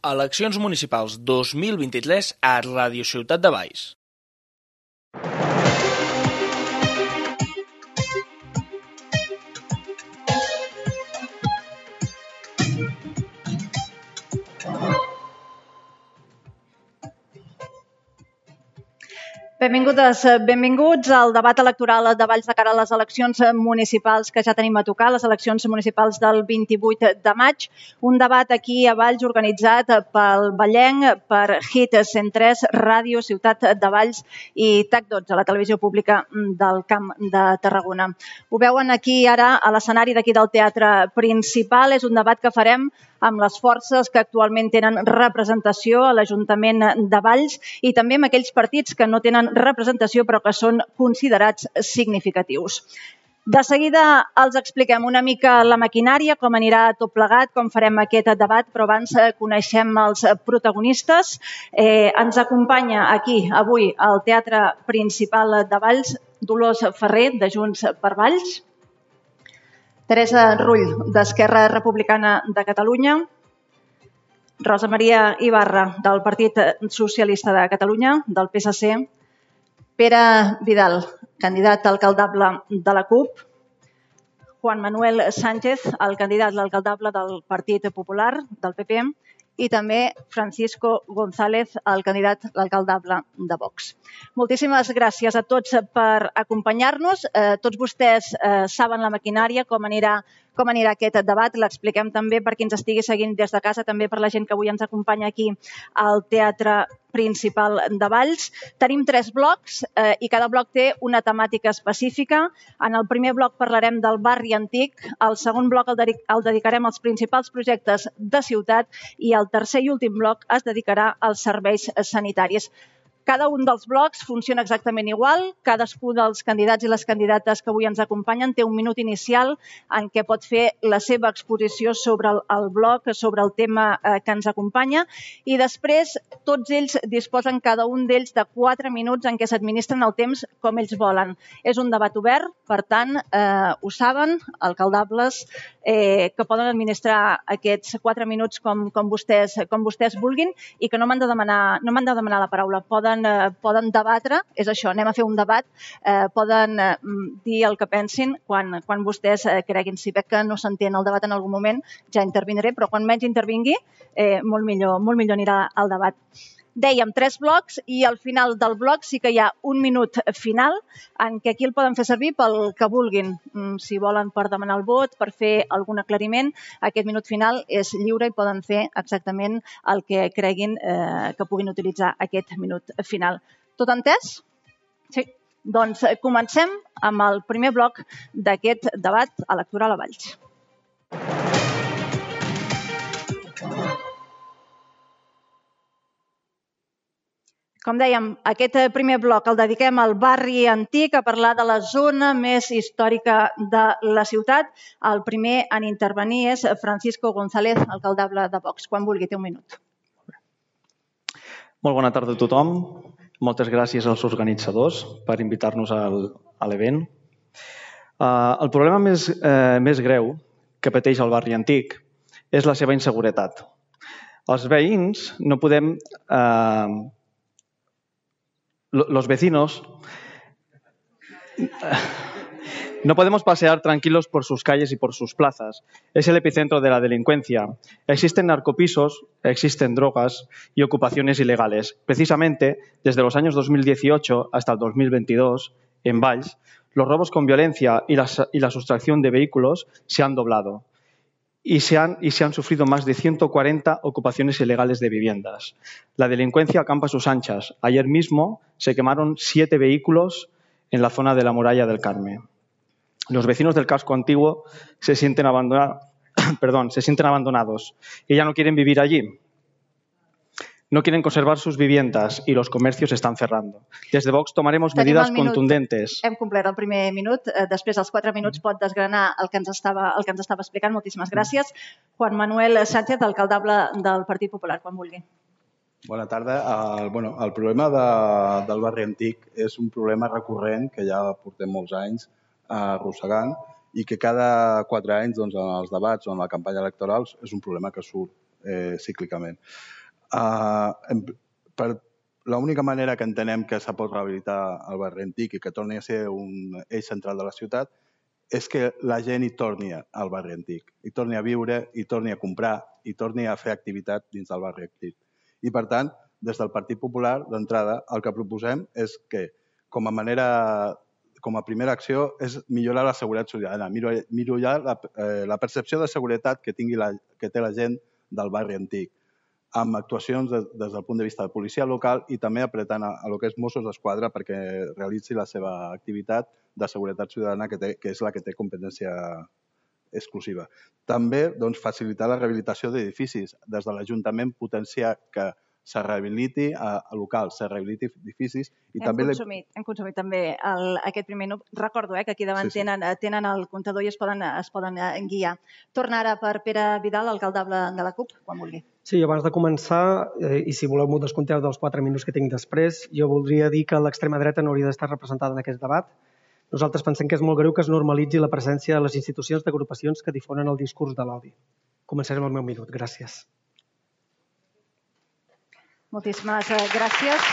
Eleccions municipals 2023 a Ràdio Ciutat de Valls. Benvingudes, benvinguts al debat electoral de Valls de cara a les eleccions municipals que ja tenim a tocar, les eleccions municipals del 28 de maig. Un debat aquí a Valls organitzat pel Vallenc, per HIT 103, Ràdio Ciutat de Valls i TAC12, la televisió pública del Camp de Tarragona. Ho veuen aquí ara a l'escenari d'aquí del teatre principal. És un debat que farem amb les forces que actualment tenen representació a l'Ajuntament de Valls i també amb aquells partits que no tenen representació però que són considerats significatius. De seguida els expliquem una mica la maquinària, com anirà tot plegat, com farem aquest debat, però abans coneixem els protagonistes. Ens acompanya aquí avui al Teatre Principal de Valls Dolors Ferrer, de Junts per Valls, Teresa Rull, d'Esquerra Republicana de Catalunya, Rosa Maria Ibarra, del Partit Socialista de Catalunya, del PSC, Pere Vidal, candidat alcaldable de la CUP, Juan Manuel Sánchez, el candidat alcaldable del Partit Popular, del PP, i també Francisco González, el candidat alcaldable de Vox. Moltíssimes gràcies a tots per acompanyar-nos. Tots vostès saben la maquinària, com anirà aquest debat. L'expliquem també per qui ens estigui seguint des de casa, també per la gent que avui ens acompanya aquí al Teatre Principal de Valls. Tenim 3 blocs i cada bloc té una temàtica específica. En el primer bloc parlarem del barri antic, el segon bloc el dedicarem als principals projectes de ciutat i el tercer i últim bloc es dedicarà als serveis sanitaris. Cada un dels blocs funciona exactament igual. Cadascú dels candidats i les candidates que avui ens acompanyen té un minut inicial en què pot fer la seva exposició sobre el bloc, sobre el tema que ens acompanya, i després tots ells disposen cada un d'ells de 4 minuts en què s'administren el temps com ells volen. És un debat obert, per tant, ho saben, alcaldables, que poden administrar aquests 4 minuts com vostès vulguin i que no m'han de demanar la paraula. Poden debatre, és això, anem a fer un debat, poden dir el que pensin quan vostès creguin. Si veig que no s'entén el debat en algun moment, ja intervindré, però quan menys intervingui, molt millor anirà el debat. Dèiem 3 blocs i al final del bloc sí que hi ha un minut final en què aquí el poden fer servir pel que vulguin. Si volen per demanar el vot, per fer algun aclariment, aquest minut final és lliure i poden fer exactament el que creguin que puguin utilitzar aquest minut final. Tot entès? Sí. Doncs comencem amb el primer bloc d'aquest debat electoral a Valls. Com dèiem, aquest primer bloc el dediquem al barri antic, a parlar de la zona més històrica de la ciutat. El primer en intervenir és Francisco González, alcaldable de Vox. Quan vulgui, té un minut. Molt bona tarda a tothom. Moltes gràcies als organitzadors per invitar-nos a l'event. El problema més greu que pateix el barri antic és la seva inseguretat. Els veïns no podem... Los vecinos no podemos pasear tranquilos por sus calles y por sus plazas. Es el epicentro de la delincuencia. Existen narcopisos, existen drogas y ocupaciones ilegales. Precisamente, desde los años 2018 hasta el 2022, en Valls, los robos con violencia y la sustracción de vehículos se han doblado. Y se han sufrido más de 140 ocupaciones ilegales de viviendas. La delincuencia acampa a sus anchas. Ayer mismo se quemaron 7 vehículos en la zona de la Muralla del Carme. Los vecinos del casco antiguo se sienten abandonados y ya no quieren vivir allí. No quieren conservar sus viviendas y los comercios están cerrando. Desde Vox tomaremos medidas contundentes. Hem complert el primer minut. Després dels 4 minuts pot desgranar el que ens estava explicant. Moltíssimes gràcies. Juan Manuel Sánchez, alcaldable del Partit Popular, quan vulgui. Bona tarda. El problema del barri antic és un problema recurrent que ja portem molts anys arrossegant i que cada 4 anys en els debats o en la campanya electoral és un problema que surt. cíclicament. L'única manera que entenem que se pot rehabilitar el barri antic i que torni a ser un eix central de la ciutat és que la gent hi torni al barri antic, hi torni a viure, hi torni a comprar, hi torni a fer activitat dins del barri antic. I, per tant, des del Partit Popular, d'entrada, el que proposem és que, com a primera acció, és millorar la seguretat ciutadana, millorar la percepció de seguretat que té la gent del barri antic, amb actuacions des del punt de vista de policia local i també apretant a lo que és Mossos d'Esquadra perquè realitzi la seva activitat de seguretat ciutadana, que és la que té competència exclusiva. També facilitar la rehabilitació d'edificis. Des de l'Ajuntament potenciar que se rehabiliti a locals, se rehabiliti edificis. Hem consumit també aquest primer minut. Recordo que aquí davant tenen el comptador i es poden guiar. Torna ara per Pere Vidal, alcaldable de la CUP, quan vulgui. Sí, abans de començar, i si voleu m'ho descompteu dels 4 minuts que tinc després, jo voldria dir que l'extrema dreta no hauria d'estar representada en aquest debat. Nosaltres pensem que és molt greu que es normalitzi la presència de les institucions d'agrupacions que difonen el discurs de l'odi. Començarem el meu minut. Gràcies. Moltíssimes gràcies.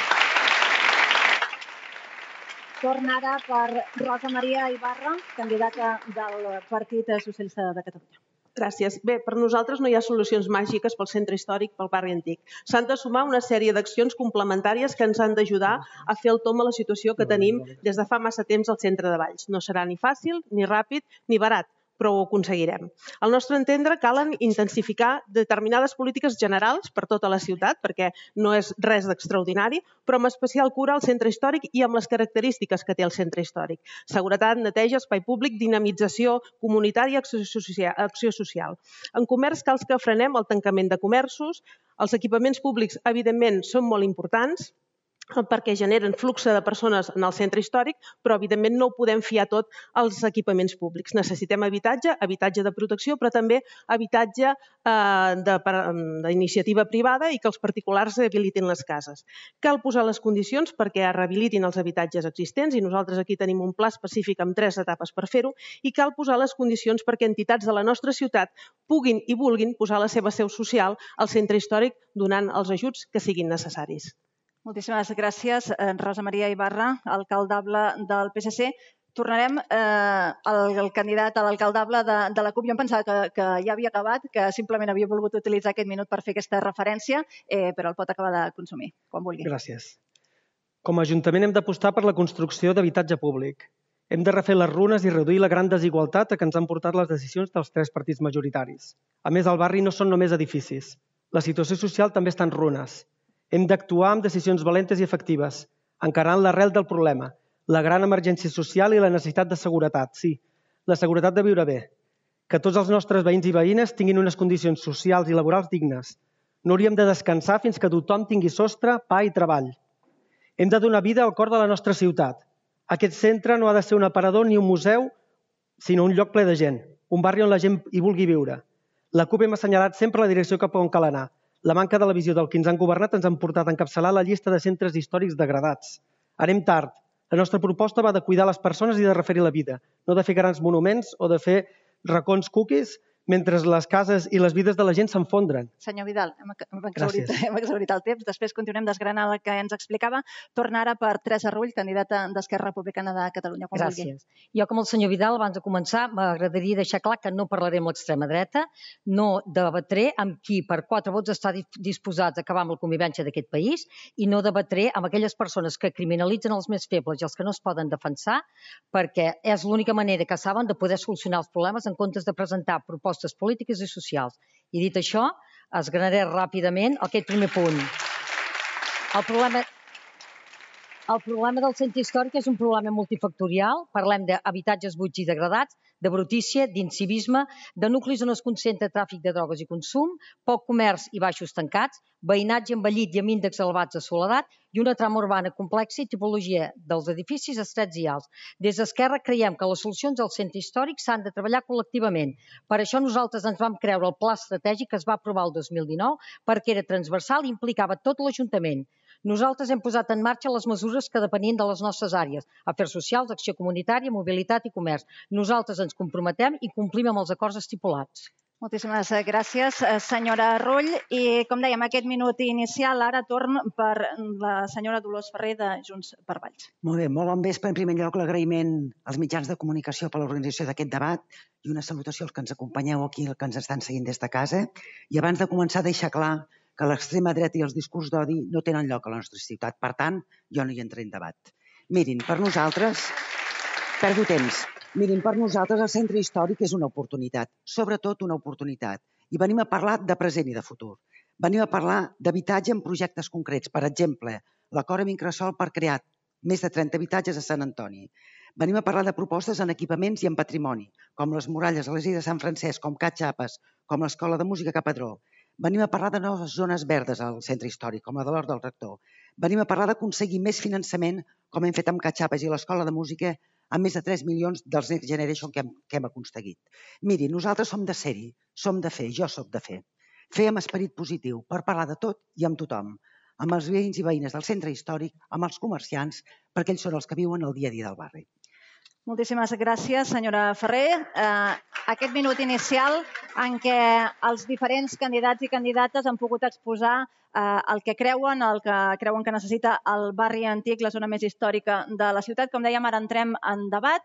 Torna ara per Rosa Maria Ibarra, candidata del Partit Socialista de Catalunya. Gràcies. Bé, per nosaltres no hi ha solucions màgiques pel centre històric, pel barri antic. S'han de sumar una sèrie d'accions complementàries que ens han d'ajudar a fer el tomb a la situació que tenim des de fa massa temps al centre de Valls. No serà ni fàcil, ni ràpid, ni barat, però ho aconseguirem. Al nostre entendre, calen intensificar determinades polítiques generals per tota la ciutat, perquè no és res d'extraordinari, però amb especial cura al centre històric i amb les característiques que té el centre històric. Seguretat, neteja, espai públic, dinamització comunitària, acció social. En comerç cal que frenem el tancament de comerços. Els equipaments públics, evidentment, són molt importants, perquè generen flux de persones en el centre històric, però evidentment no ho podem fiar tot als equipaments públics. Necessitem habitatge de protecció, però també habitatge d'iniciativa privada i que els particulars habilitin les cases. Cal posar les condicions perquè es rehabilitin els habitatges existents i nosaltres aquí tenim un pla específic amb 3 etapes per fer-ho i cal posar les condicions perquè entitats de la nostra ciutat puguin i vulguin posar la seva seu social al centre històric donant els ajuts que siguin necessaris. Moltíssimes gràcies, Rosa Maria Ibarra, alcaldable del PSC. Tornarem al candidat a l'alcaldable de la CUP. Jo em pensava que ja havia acabat, que simplement havia volgut utilitzar aquest minut per fer aquesta referència, però el pot acabar de consumir, quan vulgui. Gràcies. Com a Ajuntament hem d'apostar per la construcció d'habitatge públic. Hem de refer les runes i reduir la gran desigualtat a què ens han portat les decisions dels 3 partits majoritaris. A més, al barri no són només edificis. La situació social també està en runes. Hem d'actuar amb decisions valentes i efectives, encarant l'arrel del problema, la gran emergència social i la necessitat de seguretat, sí, la seguretat de viure bé, que tots els nostres veïns i veïnes tinguin unes condicions socials i laborals dignes. No hauríem de descansar fins que tothom tingui sostre, pa i treball. Hem de donar vida al cor de la nostra ciutat. Aquest centre no ha de ser un aparador ni un museu, sinó un lloc ple de gent, un barri on la gent hi vulgui viure. La CUP hem assenyalat sempre la direcció cap on cal anar. La manca de la visió del que ens han governat ens han portat a encapçalar la llista de centres històrics degradats. Anem tard. La nostra proposta va de cuidar les persones i de referir la vida, no de fer grans monuments o de fer racons cookies mentre les cases i les vides de la gent s'enfondren. Senyor Vidal, hem exhaurit el temps. Després continuem desgranant el que ens explicava. Torna ara per Teresa Rull, candidata d'Esquerra Republicana de Catalunya. Gràcies. Jo, com el senyor Vidal, abans de començar, m'agradaria deixar clar que no parlaré amb l'extrema dreta, no debatré amb qui per 4 vots està disposats a acabar amb la convivència d'aquest país i no debatré amb aquelles persones que criminalitzen els més febles i els que no es poden defensar, perquè és l'única manera que saben de poder solucionar els problemes en comptes de presentar propostes polítiques i socials. I dit això, esgranaré ràpidament aquest primer punt. El problema del centre històric és un problema multifactorial. Parlem d'habitatges buits i degradats, de brutícia, d'incivisme, de nuclis on es concentra tràfic de drogues i consum, poc comerç i baixos tancats, veïnatge envellit i amb índexs elevats de soledat i una trama urbana complexa i tipologia dels edificis estrets i alts. Des d'Esquerra creiem que les solucions al centre històric s'han de treballar col·lectivament. Per això nosaltres ens vam creure el pla estratègic que es va aprovar el 2019 perquè era transversal i implicava tot l'Ajuntament. Nosaltres hem posat en marxa les mesures que depenien de les nostres àrees, afers socials, acció comunitària, mobilitat i comerç. Nosaltres ens comprometem i complim amb els acords estipulats. Moltíssimes gràcies, senyora Rull. I, com dèiem, aquest minut inicial, ara torn per la senyora Dolors Ferrer de Junts per Valls. Molt bé, molt bon vespre. En primer lloc, l'agraïment als mitjans de comunicació per l'organització d'aquest debat i una salutació als que ens acompanyeu aquí, als que ens estan seguint des de casa. I abans de començar, deixar clar que l'extrema dreta i els discurs d'odi no tenen lloc a la nostra ciutat. Per tant, jo no hi entraré en debat. Mirin, per nosaltres... Perdo temps. Mirin, per nosaltres el centre històric és una oportunitat, sobretot una oportunitat. I venim a parlar de present i de futur. Venim a parlar d'habitatge en projectes concrets. Per exemple, l'acord amb Incresòl per crear més de 30 habitatges a Sant Antoni. Venim a parlar de propostes en equipaments i en patrimoni, com les muralles a l'església de Sant Francesc, com Cat Xapes, com l'Escola de Música Capadró. Venim a parlar de noves zones verdes al centre històric, com la de l'Hort del Rector. Venim a parlar d'aconseguir més finançament, com hem fet amb Cat Xapes i l'Escola de Música, amb més de 3 milions dels Next Generation que hem aconseguit. Miri, nosaltres som de ser-hi, som de fer, jo soc de fer. Fer amb esperit positiu, per parlar de tot i amb tothom, amb els veïns i veïnes del centre històric, amb els comerciants, perquè ells són els que viuen el dia a dia del barri. Moltíssimes gràcies, senyora Ferrer. Aquest minut inicial en què els diferents candidats i candidates han pogut exposar el que creuen que necessita el barri antic, la zona més històrica de la ciutat. Com dèiem, ara entrem en debat.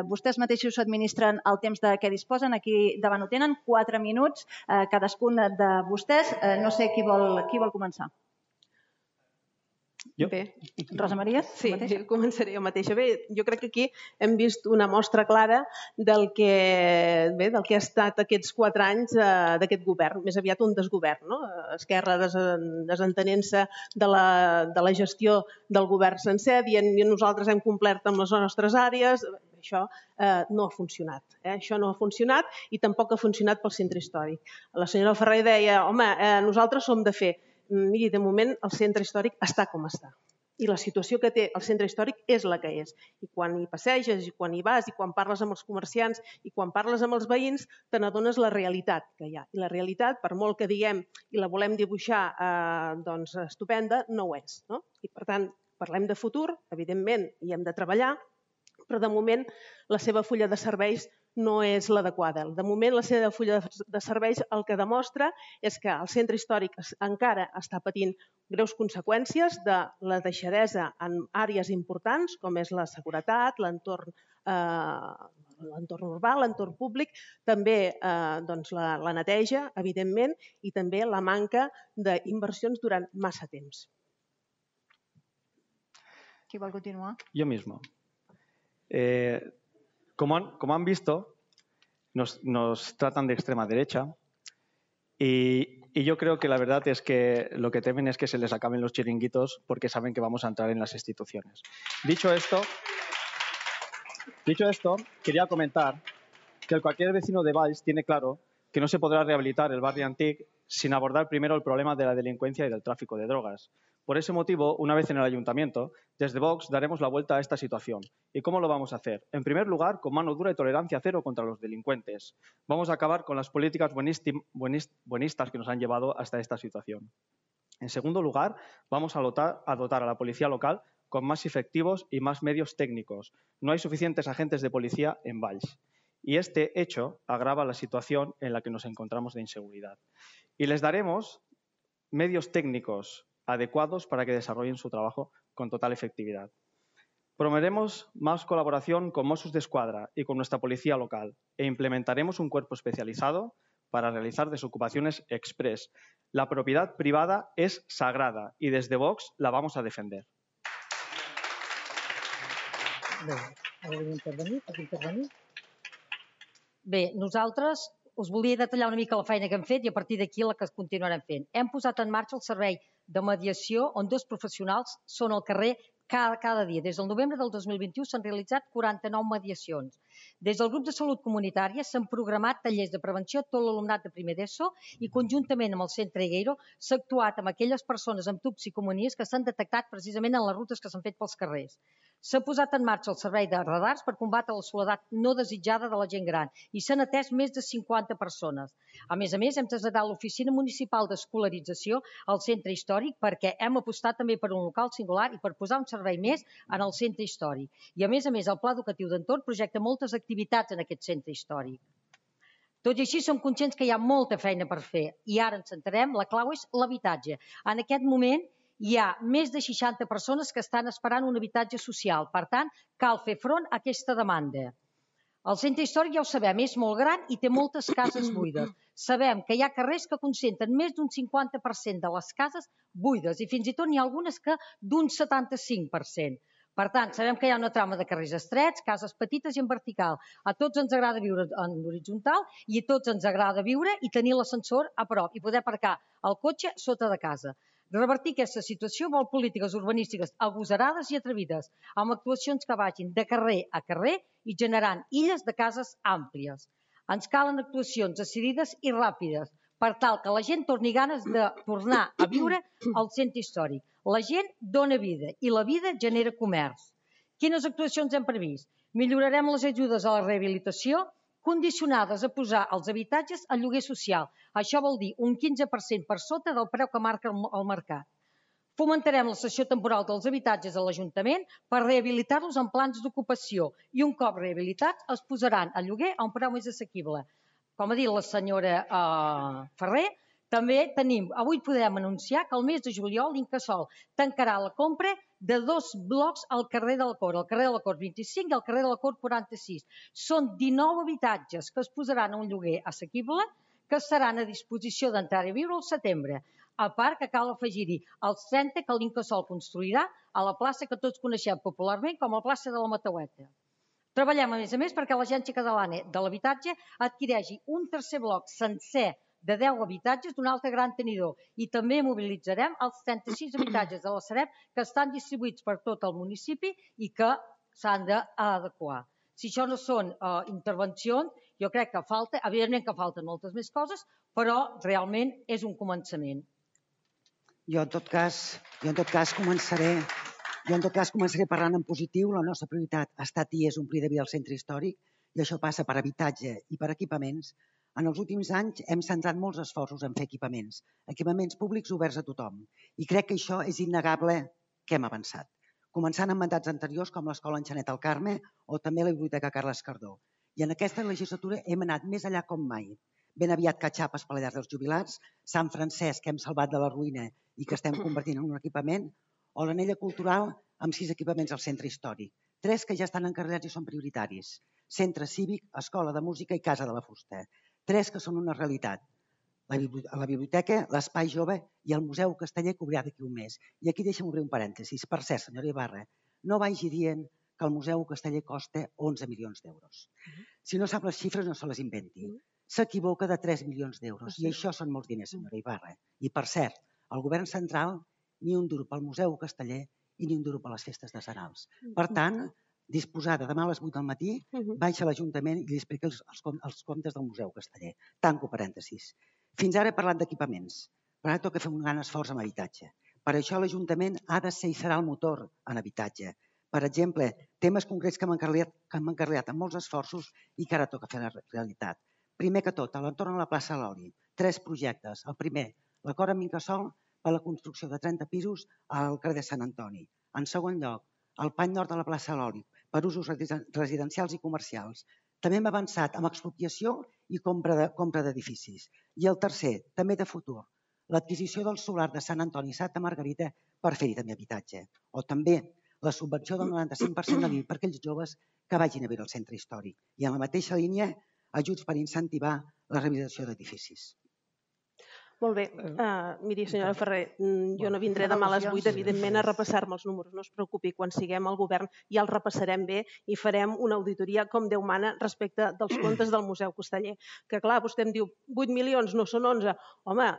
Vostès mateixos s'administren el temps de què disposen. Aquí davant ho tenen, 4 minuts, cadascun de vostès. No sé qui vol començar. Bé, Rosa Maria? sí, començaré jo mateixa. Bé, jo crec que aquí hem vist una mostra clara del que ha estat aquests 4 anys d'aquest govern, més aviat un desgovern, no? Esquerra desentenent-se de la gestió del govern sencer, dient que nosaltres hem complert amb les nostres àrees. Això no ha funcionat. Això no ha funcionat i tampoc ha funcionat pel centre històric. La senyora Ferrer deia, home, nosaltres som de fer. Miri, de moment el centre històric està com està. I la situació que té el centre històric és la que és. I quan hi passeges, i quan hi vas, i quan parles amb els comerciants, i quan parles amb els veïns, te n'adones la realitat que hi ha. I la realitat, per molt que diguem i la volem dibuixar estupenda, no ho és. I per tant, parlem de futur, evidentment hi hem de treballar, però de moment la seva fulla de serveis no és l'adequada. De moment la seva fulla de serveis el que demostra és que el centre històric encara està patint greus conseqüències de la deixadesa en àrees importants com és la seguretat, l'entorn urbà, l'entorn públic, també la neteja, evidentment, i també la manca d'inversions durant massa temps. Qui vol continuar? Yo mismo. Como han visto, nos tratan de extrema derecha y yo creo que la verdad es que lo que temen es que se les acaben los chiringuitos porque saben que vamos a entrar en las instituciones. Dicho esto, quería comentar que cualquier vecino de Valls tiene claro que no se podrá rehabilitar el barrio Antic sin abordar primero el problema de la delincuencia y del tráfico de drogas. Por ese motivo, una vez en el ayuntamiento, desde Vox daremos la vuelta a esta situación. ¿Y cómo lo vamos a hacer? En primer lugar, con mano dura y tolerancia cero contra los delincuentes. Vamos a acabar con las políticas buenistas que nos han llevado hasta esta situación. En segundo lugar, vamos a dotar a la policía local con más efectivos y más medios técnicos. No hay suficientes agentes de policía en Valls. Y este hecho agrava la situación en la que nos encontramos de inseguridad. Y les daremos medios técnicos adecuados para que desarrollen su trabajo con total efectividad. Promoveremos más colaboración con Mossos d'Esquadra y con nuestra policía local e implementaremos un cuerpo especializado para realizar desocupaciones express. La propiedad privada es sagrada y desde Vox la vamos a defender. Bé, nosaltres us volia detallar una mica la feina que hem fet i a partir d'aquí la que continuarem fent. Hem posat en marxa el servei de mediació on 2 professionals són al carrer cada dia. Des del novembre del 2021 s'han realitzat 49 mediacions. Des del grup de salut comunitària s'han programat tallers de prevenció a tot l'alumnat de primer d'ESO i conjuntament amb el centre Egueiro s'ha actuat amb aquelles persones amb toxicomanies que s'han detectat precisament en les rutes que s'han fet pels carrers. S'ha posat en marxa el servei de radars per combatre la soledat no desitjada de la gent gran i s'han atès més de 50 persones. A més, hem traslladat l'oficina municipal d'escolarització al centre històric perquè hem apostat també per un local singular i per posar un servei més en el centre històric. I a més, el Pla Educatiu d'Entorn projecta moltes activitats en aquest centre històric. Tot i així, som conscients que hi ha molta feina per fer i ara ens centrarem, la clau és l'habitatge. En aquest moment hi ha més de 60 persones que estan esperant un habitatge social. Per tant, cal fer front a aquesta demanda. El centre històric, ja ho sabem, és molt gran i té moltes cases buides. Sabem que hi ha carrers que concentren més d'un 50% de les cases buides i fins i tot n'hi ha algunes que d'un 75%. Per tant, sabem que hi ha una trama de carrers estrets, cases petites i en vertical. A tots ens agrada viure en horitzontal i a tots ens agrada viure i tenir l'ascensor a prop i poder aparcar el cotxe sota de casa. Revertir aquesta situació vol polítiques urbanístiques agosarades i atrevides, amb actuacions que vagin de carrer a carrer i generant illes de cases àmplies. Ens calen actuacions decidides i ràpides per tal que la gent torni ganes de tornar a viure al centre històric. La gent dona vida i la vida genera comerç. Quines actuacions hem previst? Millorarem les ajudes a la rehabilitació condicionades a posar els habitatges a lloguer social. Això vol dir un 15% per sota del preu que marca el mercat. Fomentarem la cessió temporal dels habitatges a l'Ajuntament per rehabilitar-los en plans d'ocupació i un cop rehabilitats es posaran a lloguer a un preu més assequible. Com ha dit la senyora Ferrer, també avui podem anunciar que el mes de juliol l'Incasòl tancarà la compra de 2 blocs al carrer de la Cort, al carrer de la Cort 25 i al carrer de la Cort 46. Són 19 habitatges que es posaran a un lloguer assequible que estaran a disposició d'entrar a viure al setembre. A part que cal afegir-hi els 30 que l'Incasòl construirà a la plaça que tots coneixem popularment com a plaça de la Mataueta. Treballem, a més, perquè l'Agència Catalana de l'Habitatge adquireixi un tercer bloc sencer de 10 habitatges d'un altre gran tenidor i també mobilitzarem els 36 habitatges de la Sareb que estan distribuïts per tot el municipi i que s'han d'adequar. Si això no són intervencions, jo crec que falta, evidentment que falten moltes més coses, però realment és un començament. Jo en tot cas començaré parlant en positiu. La nostra prioritat ha estat i és omplir de vida el centre històric i això passa per habitatge i per equipaments. En els últims anys hem centrat molts esforços en fer equipaments públics oberts a tothom i crec que això és innegable que hem avançat, començant amb mandats anteriors com l'Escola Enxanet al Carme o també la Biblioteca Carles Cardó. I en aquesta legislatura hem anat més enllà com mai. Ben aviat Catxapes per la llar dels jubilats, Sant Francesc que hem salvat de la ruïna i que estem convertint en un equipament, o l'anella cultural amb 6 equipaments al centre històric, 3 que ja estan encarregats i són prioritaris, centre cívic, escola de música i casa de la fusta. 3 que són una realitat. La biblioteca, l'espai jove i el Museu Casteller que obrirà d'aquí un mes. I aquí deixa'm obrir un parèntesis. Per cert, senyora Ibarra, no vagi dient que el Museu Casteller costa 11 milions d'euros. Si no sap les xifres, no se les inventi. S'equivoca de 3 milions d'euros. I això són molts diners, senyora Ibarra. I per cert, el govern central ni un duro pel Museu Casteller i ni un duro per les festes de Sarals. Per tant, disposada demà a les 8 del matí, baixa a l'Ajuntament i li explica els comptes del Museu Casteller. Tanco parèntesis. Fins ara he parlat d'equipaments, però ara toca fer un gran esforç en habitatge. Per això l'Ajuntament ha de ser i serà el motor en habitatge. Per exemple, temes concrets que m'han encarregat amb molts esforços i que ara toca fer la realitat. Primer que tot, a l'entorn de la plaça Loli, 3 projectes. El primer, l'acord amb Incasòl per la construcció de 30 pisos al carrer de Sant Antoni. En segon lloc, el pany nord de la plaça Loli, per usos residencials i comercials. També hem avançat amb expropiació i compra d'edificis. I el tercer, també de futur, l'adquisició del solar de Sant Antoni i Santa Margarita per fer-hi també habitatge. O també la subvenció del 95% de l'IBI per aquells joves que vagin a viure al centre històric. I en la mateixa línia, ajuts per incentivar la rehabilitació d'edificis. Molt bé. Miri, senyora Ferrer, jo no vindré demà a les 8, evidentment, a repassar-me els números. No es preocupi, quan siguem al govern ja els repassarem bé i farem una auditoria com Déu mana respecte dels comptes del Museu Casteller. Que clar, vostè em diu 8 milions, no són 11. Home,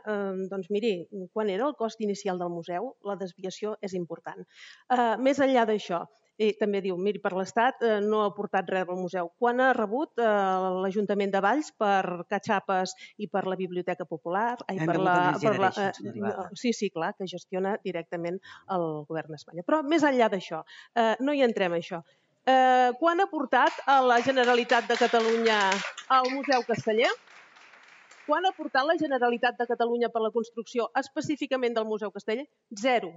doncs miri, quan era el cost inicial del museu, la desviació és important. Més enllà d'això, i també diu, miri, per l'Estat no ha aportat res al museu. Quan ha rebut l'Ajuntament de Valls per Catxapes i per la Biblioteca Popular? Sí, clar, que gestiona directament el govern d'Espanya. Però més enllà d'això, no hi entrem això. Quan ha aportat a la Generalitat de Catalunya al Museu Casteller? Quan ha aportat la Generalitat de Catalunya per la construcció específicament del Museu Casteller? 0.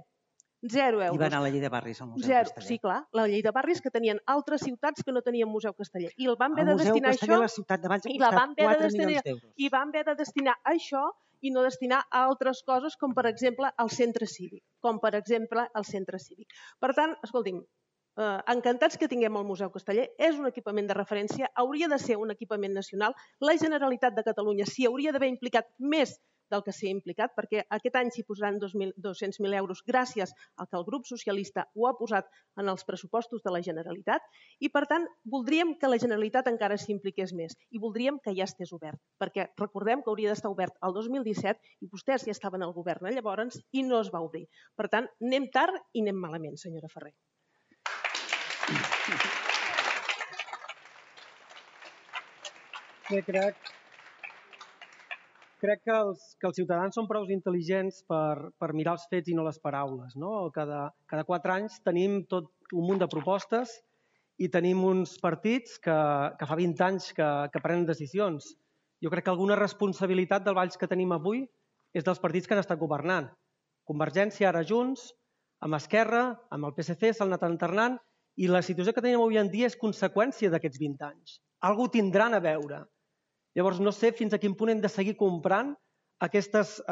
0 euros. I va anar a la llei de barris al Museu Zero. Casteller. Sí, clar, la llei de barris que tenien altres ciutats que no tenien Museu Casteller. I el van haver El de Museu destinar Casteller això... a la ciutat de Valls ha I la costat van haver de 4 destinar- milions d'euros. I van haver de destinar a això i no destinar a altres coses, com per exemple el centre cívic. Per tant, escolti'm, encantats que tinguem el Museu Casteller, és un equipament de referència, hauria de ser un equipament nacional. La Generalitat de Catalunya s'hi hauria d'haver implicat més del que s'hi ha implicat, perquè aquest any s'hi posaran 200.000 euros gràcies al que el grup socialista ho ha posat en els pressupostos de la Generalitat i, per tant, voldríem que la Generalitat encara s'hi impliqués més i voldríem que ja estés obert, perquè recordem que hauria d'estar obert el 2017 i vostès ja estaven al govern llavors i no es va obrir. Per tant, anem tard i anem malament, senyora Ferrer. Crec que els ciutadans són prou intel·ligents per mirar els fets i no les paraules. No? Cada 4 anys tenim tot un munt de propostes i tenim uns partits que fa 20 anys que prenen decisions. Jo crec que alguna responsabilitat del Valls que tenim avui és dels partits que han estat governant. Convergència, ara Junts, amb Esquerra, amb el PSC, s'han anat alternant i la situació que tenim avui en dia és conseqüència d'aquests 20 anys. Algú tindran a veure. Llavors, no sé fins a quin punt hem de seguir comprant aquestes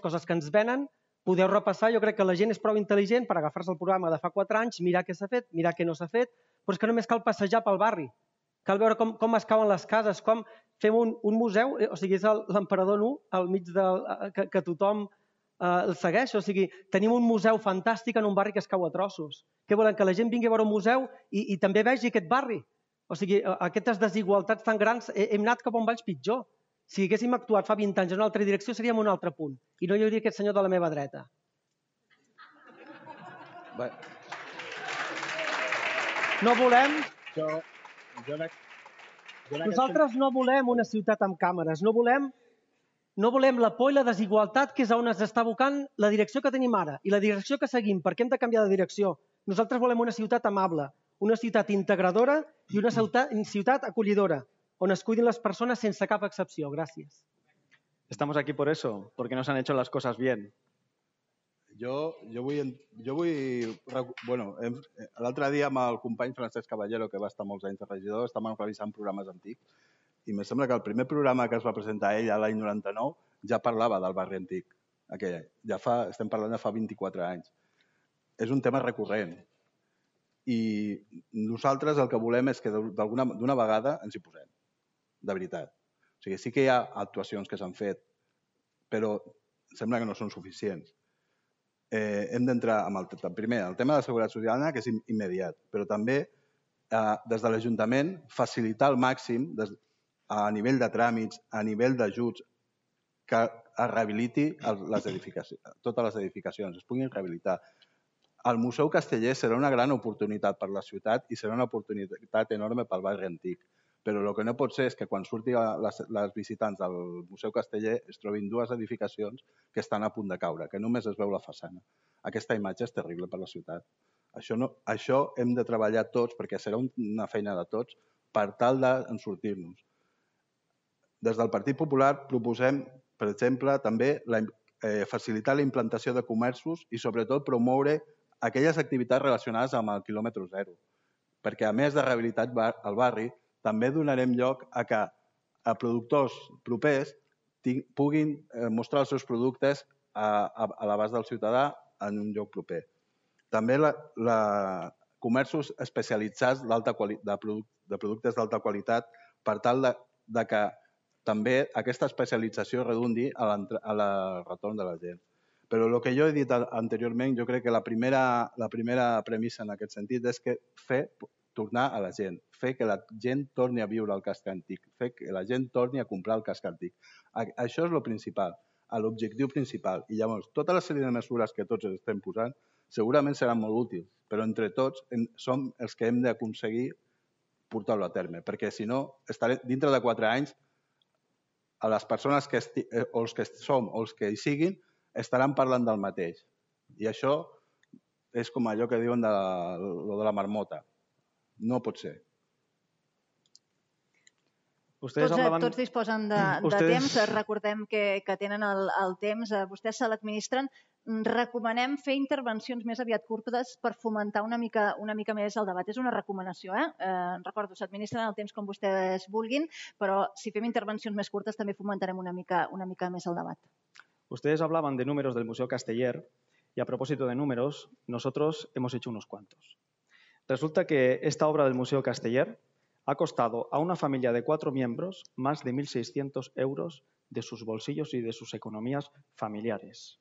coses que ens venen. Podeu repassar, jo crec que la gent és prou intel·ligent per agafar-se el programa de fa 4 anys, mirar què s'ha fet, mirar què no s'ha fet, però és que només cal passejar pel barri. Cal veure com es cauen les cases, com fem un museu, o sigui, és l'emperador nu al mig que tothom el segueix. O sigui, tenim un museu fantàstic en un barri que es cau a trossos. Què volen? Que la gent vingui a veure un museu i també vegi aquest barri. O sigui, aquestes desigualtats tan grans, hem anat cap a un Valls pitjor. Si haguéssim actuat fa 20 anys en una altra direcció, seríem un altre punt. I no hi hauria aquest senyor de la meva dreta. No volem... Nosaltres no volem una ciutat amb càmeres. No volem la por i la desigualtat, que és on es està abocant la direcció que tenim ara i la direcció que seguim, perquè hem de canviar de direcció. Nosaltres volem una ciutat amable, una ciutat integradora y una ciutat acollidora, on es cuiden les persones sense cap excepció. Gràcies. Estamos aquí por eso, porque no se han hecho las cosas bien. L'altre dia amb el company Francesc Caballero, que va estar molts anys de regidor, estàvem revisant programes antics i em sembla que el primer programa que es va presentar ell l'any 99 ja parlava del barri antic. Estem parlant de fa 24 anys. És un tema recurrent. I nosaltres el que volem és que d'una vegada ens hi posem, de veritat. O sigui, sí que hi ha actuacions que s'han fet, però sembla que no són suficients. Hem d'entrar amb el tema de la seguretat ciutadana, que és immediat, però també des de l'Ajuntament facilitar al màxim a nivell de tràmits, a nivell d'ajuts, que es rehabiliti totes les edificacions, es puguin rehabilitar. El Museu Casteller serà una gran oportunitat per la ciutat i serà una oportunitat enorme pel barri antic. Però el que no pot ser és que quan surtin les visitants del Museu Casteller es trobin 2 edificacions que estan a punt de caure, que només es veu la façana. Aquesta imatge és terrible per la ciutat. Això hem de treballar tots, perquè serà una feina de tots, per tal de sortir-nos. Des del Partit Popular proposem, per exemple, també facilitar la implantació de comerços i sobretot promoure aquelles activitats relacionades amb el quilòmetre zero, perquè a més de rehabilitar el barri, també donarem lloc a que productors propers puguin mostrar els seus productes a l'abast del ciutadà en un lloc proper. També comerços especialitzats de productes d'alta qualitat per tal que també aquesta especialització redundi a la retorn de la gent. Però el que jo he dit anteriorment, jo crec que la primera premissa en aquest sentit és que tornar a la gent, fer que la gent torni a viure al casc antic, fer que la gent torni a comprar el casc antic. Això és el principal, l'objectiu principal. I llavors, tota la sèrie de mesures que tots estem posant segurament seran molt útils, però entre tots som els que hem d'aconseguir portar-ho a terme, perquè si no, dintre de 4 anys, a les persones o els que som o els que hi siguin estaran parlant del mateix. I això és com allò que diuen de la marmota. No pot ser. Tots disposen de temps. Recordem que tenen el temps. Vostès se l'administren. recomanem fer intervencions més aviat curtes per fomentar una mica més el debat. És una recomanació, recordo, s'administren el temps com vostès vulguin, però si fem intervencions més curtes també fomentarem una mica més el debat. Ustedes hablaban de números del Museo Casteller y a propósito de números, nosotros hemos hecho unos cuantos. Resulta que esta obra del Museo Casteller ha costado a una familia de 4 miembros más de 1.600 euros de sus bolsillos y de sus economías familiares.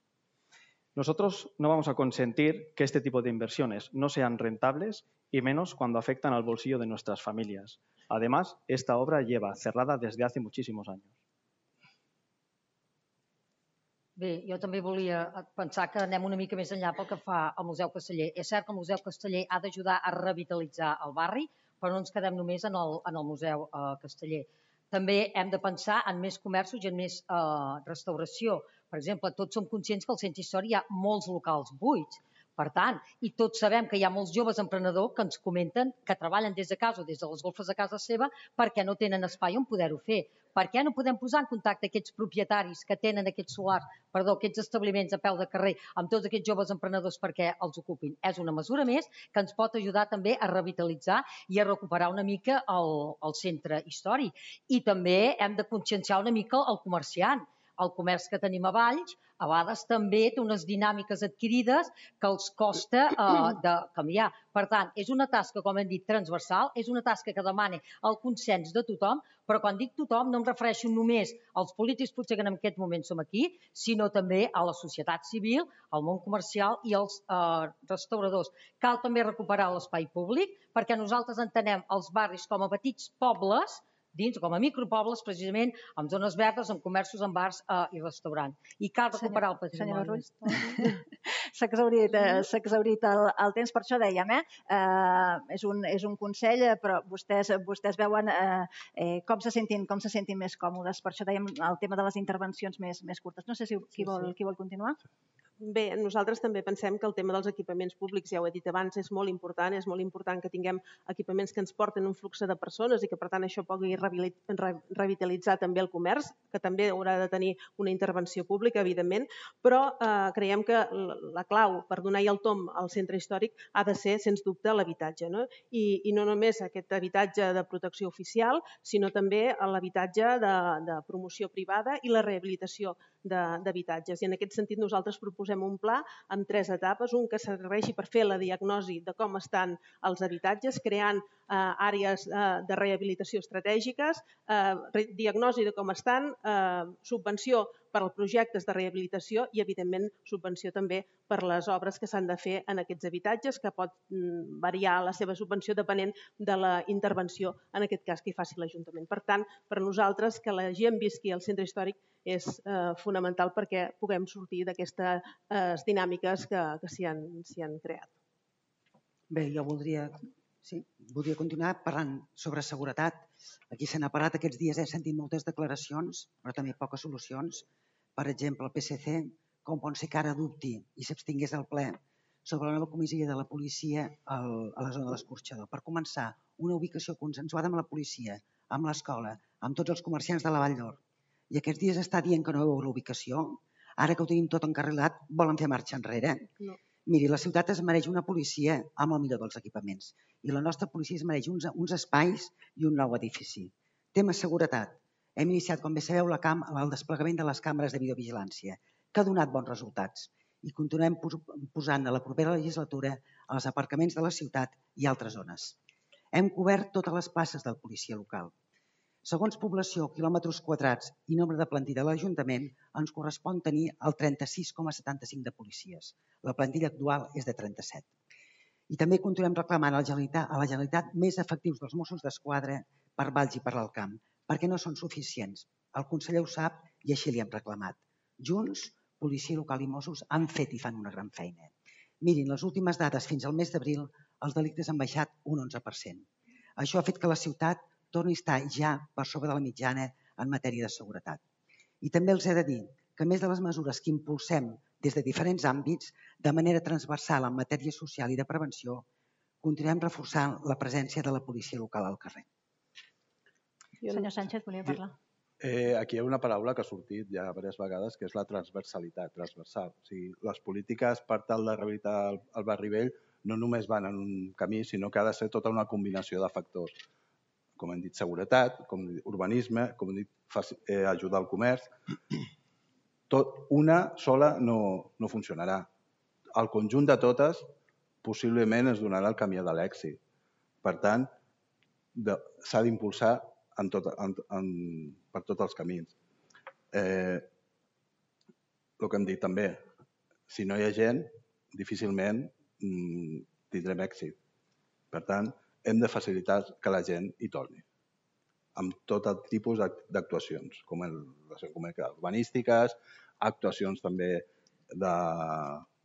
Nosotros no vamos a consentir que este tipo de inversiones no sean rentables y menos cuando afectan al bolsillo de nuestras familias. Además, esta obra lleva cerrada desde hace muchísimos años. Bé, jo també volia pensar que anem una mica més enllà pel que fa al Museu Casteller. És cert que el Museu Casteller ha d'ajudar a revitalitzar el barri, però no ens quedem només en el Museu Casteller. També hem de pensar en més comerços i en més restauració. Per exemple, tots som conscients que al centre històric hi ha molts locals buits. Per tant, i tots sabem que hi ha molts joves emprenedors que ens comenten que treballen des de casa o des de les golfes de casa seva perquè no tenen espai on poder-ho fer. Per què no podem posar en contacte aquests propietaris que tenen aquests establiments a peu de carrer amb tots aquests joves emprenedors perquè els ocupin? És una mesura més que ens pot ajudar també a revitalitzar i a recuperar una mica el centre històric. I també hem de conscienciar una mica el comerciant. El comerç que tenim a Valls a vegades també té unes dinàmiques adquirides que els costa de canviar. Per tant, és una tasca, com hem dit, transversal, és una tasca que demana el consens de tothom, però quan dic tothom no em refereixo només als polítics, potser que en aquest moment som aquí, sinó també a la societat civil, al món comercial i als restauradors. Cal també recuperar l'espai públic, perquè nosaltres entenem els barris com a petits pobles, dins, com a micropobles, precisament, amb zones verdes, amb comerços, amb bars i restaurants. I cal recuperar el patrimoni. Senyora Rull, s'ha exhaurit el temps, per això dèiem, és un consell, però vostès veuen com se sentin més còmodes. Per això dèiem el tema de les intervencions més curtes. No sé si qui vol continuar. Bé, nosaltres també pensem que el tema dels equipaments públics, ja ho he dit abans, és molt important que tinguem equipaments que ens porten un flux de persones i que per tant això pugui revitalitzar també el comerç, que també haurà de tenir una intervenció pública, evidentment, però creiem que la clau per donar el tomb al centre històric ha de ser, sens dubte, l'habitatge. I no només aquest habitatge de protecció oficial, sinó també l'habitatge de promoció privada i la rehabilitació d'habitatges. I en aquest sentit nosaltres proposem un pla amb 3 etapes, un que serveixi per fer la diagnosi de com estan els habitatges, creant àrees de rehabilitació estratègiques, diagnosi de com estan, subvenció per als projectes de rehabilitació i, evidentment, subvenció també per les obres que s'han de fer en aquests habitatges, que pot variar la seva subvenció depenent de la intervenció, en aquest cas, que hi faci l'Ajuntament. Per tant, per nosaltres, que la gent visqui al centre històric és fonamental perquè puguem sortir d'aquestes dinàmiques que s'hi han creat. Bé, jo voldria continuar parlant sobre seguretat. Aquí se n'ha parlat aquests dies, he sentit moltes declaracions, però també poques solucions. Per exemple, el PSC, com pot ser que ara dubti i s'abstingués al ple sobre la nova comissaria de la policia a la zona de l'Escorxador. Per començar, una ubicació consensuada amb la policia, amb l'escola, amb tots els comerciants de la Vall d'Or. I aquests dies està dient que no veu la ubicació. Ara que ho tenim tot encarrilat, volen fer marxa enrere. No. Miri, la ciutat es mereix una policia amb el millor dels equipaments i la nostra policia es mereix uns espais i un nou edifici. Tema seguretat. Hem iniciat, com bé sabeu, el desplegament de les càmeres de videovigilància, que ha donat bons resultats i continuem posant a la propera legislatura als aparcaments de la ciutat i altres zones. Hem cobert totes les places del policia local. Segons població, quilòmetres quadrats i nombre de plantilla de l'Ajuntament, ens correspon tenir el 36,75 de policies. La plantilla actual és de 37. I també continuem reclamant a la Generalitat més efectius dels Mossos d'Esquadra per Valls i per l'Alt Camp, perquè no són suficients. El conseller ho sap i així li hem reclamat. Junts, policia local i Mossos han fet i fan una gran feina. Mirin, les últimes dades fins al mes d'abril, els delictes han baixat un 11%. Això ha fet que la ciutat torni a estar ja per sobre de la mitjana en matèria de seguretat. I també els he de dir que, a més de les mesures que impulsem des de diferents àmbits, de manera transversal en matèria social i de prevenció, continuem reforçant la presència de la policia local al carrer. Senyor Sánchez, volia parlar. Aquí hi ha una paraula que ha sortit ja diverses vegades, que és la transversalitat, transversal. O sigui, les polítiques per tal de rehabilitar el barri vell no només van en un camí, sinó que ha de ser tota una combinació de factors. Com hem dit, seguretat, com hem dit, urbanisme, com hem dit, ajudar al comerç. Una sola no funcionarà. El conjunt de totes possiblement ens donarà el camí de l'èxit. Per tant, s'ha d'impulsar per tots els camins. El que hem dit també, si no hi ha gent, difícilment tindrem èxit. Per tant, hem de facilitar que la gent hi torni, amb tot el tipus d'actuacions, com urbanístiques, actuacions també de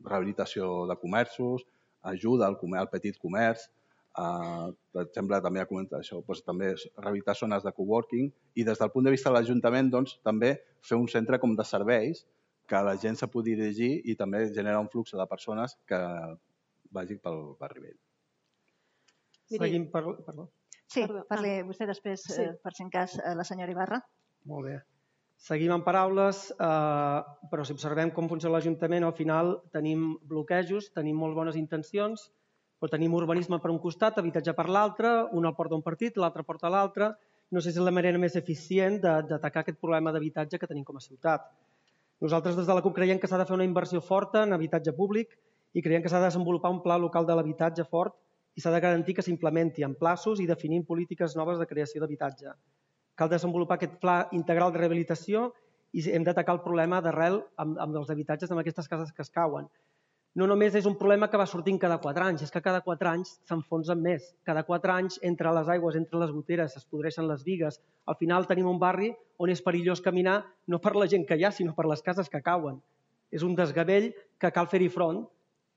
rehabilitació de comerços, ajuda al petit comerç, per exemple, també ha comentat això, també rehabilitar zones de coworking i des del punt de vista de l'Ajuntament també fer un centre com de serveis que la gent se pugui dirigir i també generar un flux de persones que vagi pel barri vell. Seguim perdó. Sí, parli vostè després, per si en cas, la senyora Ibarra. Molt bé. Seguim amb paraules, però si observem com funciona l'Ajuntament, al final tenim bloquejos, tenim molt bones intencions, però tenim urbanisme per un costat, habitatge per l'altre, un el porta un partit, l'altre porta l'altre. No sé si és la manera més eficient d'atacar aquest problema d'habitatge que tenim com a ciutat. Nosaltres des de la CUP creiem que s'ha de fer una inversió forta en habitatge públic i creiem que s'ha de desenvolupar un pla local de l'habitatge fort i s'ha de garantir que s'implementi en plaços i definint polítiques noves de creació d'habitatge. Cal desenvolupar aquest pla integral de rehabilitació i hem d'atacar el problema d'arrel amb els habitatges en aquestes cases que es cauen. No només és un problema que va sortint cada 4 anys, és que cada 4 anys s'enfonsen més. Cada 4 anys, entre les aigües, entre les goteres, es podreixen les bigues. Al final tenim un barri on és perillós caminar no per la gent que hi ha, sinó per les cases que cauen. És un desgavell que cal fer-hi front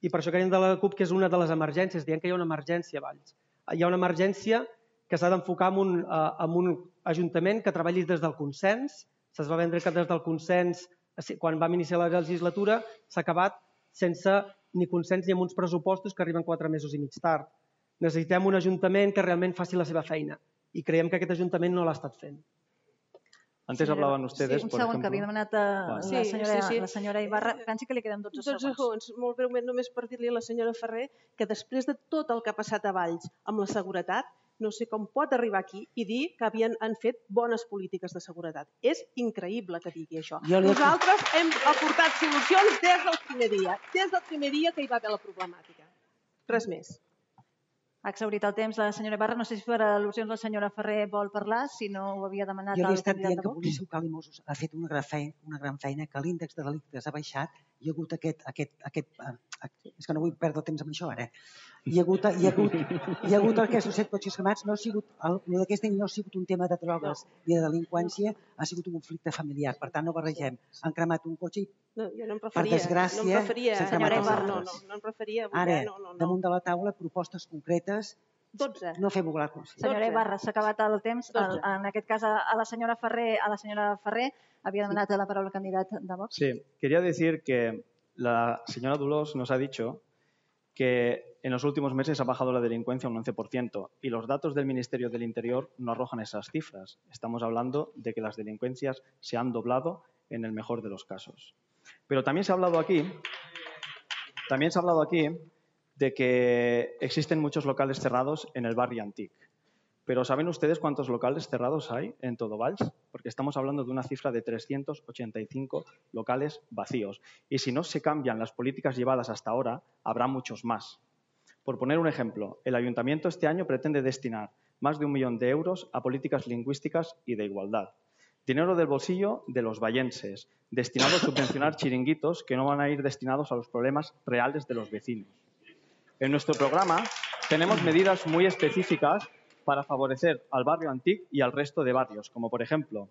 i per això creiem de la CUP que és una de les emergències. Diem que hi ha una emergència a Valls. Hi ha una emergència que s'ha d'enfocar en un ajuntament que treballi des del consens. Se'ns va vendre que des del consens, quan vam iniciar la legislatura, s'ha acabat sense ni consens ni amb uns pressupostos que arriben 4 mesos i mig tard. Necessitem un ajuntament que realment faci la seva feina i creiem que aquest ajuntament no l'ha estat fent. Antes hablaban ustedes, por ejemplo... Un segon, que havia demanat la senyora Ibarra. Pensi que li queden 12 segons. 12 segons. Molt breument, només per dir-li a la senyora Ferrer que després de tot el que ha passat a Valls amb la seguretat, no sé com pot arribar aquí i dir que han fet bones polítiques de seguretat. És increïble que digui això. Nosaltres hem aportat solucions des del primer dia que hi va haver la problemàtica. Res més. Ha exhaurit el temps la senyora Ibarra. No sé si per al·lusions la senyora Ferrer vol parlar, si no ho havia demanat el candidat de Vox. Jo li he estat dient que Policia Local i Mossos ha fet una gran feina, que l'índex de delictes ha baixat, hi ha hagut és que no vull perdre temps amb això ara. Hi ha hagut aquests 7 cotxes cremats, d'aquest any no ha sigut un tema de drogues ni de delinqüència, ha sigut un conflicte familiar. Per tant, no barregem. Han cremat un cotxe i, per desgràcia, s'han cremat els altres. No em referia. Ara, damunt de la taula, propostes concretes. 12. No fem volar consciència. Senyora Ibarra, s'ha acabat el temps. En aquest cas, a la senyora Ferrer havia demanat la paraula el candidat de Vox. Sí, quería decir que la señora Dolors nos ha dicho que en los últimos meses ha bajado la delincuencia un 11% y los datos del Ministerio del Interior no arrojan esas cifras. Estamos hablando de que las delincuencias se han doblado en el mejor de los casos. Pero también se ha hablado aquí de que existen muchos locales cerrados en el barrio Antic. Pero ¿saben ustedes cuántos locales cerrados hay en todo Valls? Porque estamos hablando de una cifra de 385 locales vacíos. Y si no se cambian las políticas llevadas hasta ahora, habrá muchos más. Por poner un ejemplo, el Ayuntamiento este año pretende destinar más de 1 millón de euros a políticas lingüísticas y de igualdad. Dinero del bolsillo de los vallenses, destinado a subvencionar chiringuitos que no van a ir destinados a los problemas reales de los vecinos. En nuestro programa tenemos medidas muy específicas para favorecer al barrio Antic y al resto de barrios, como por ejemplo,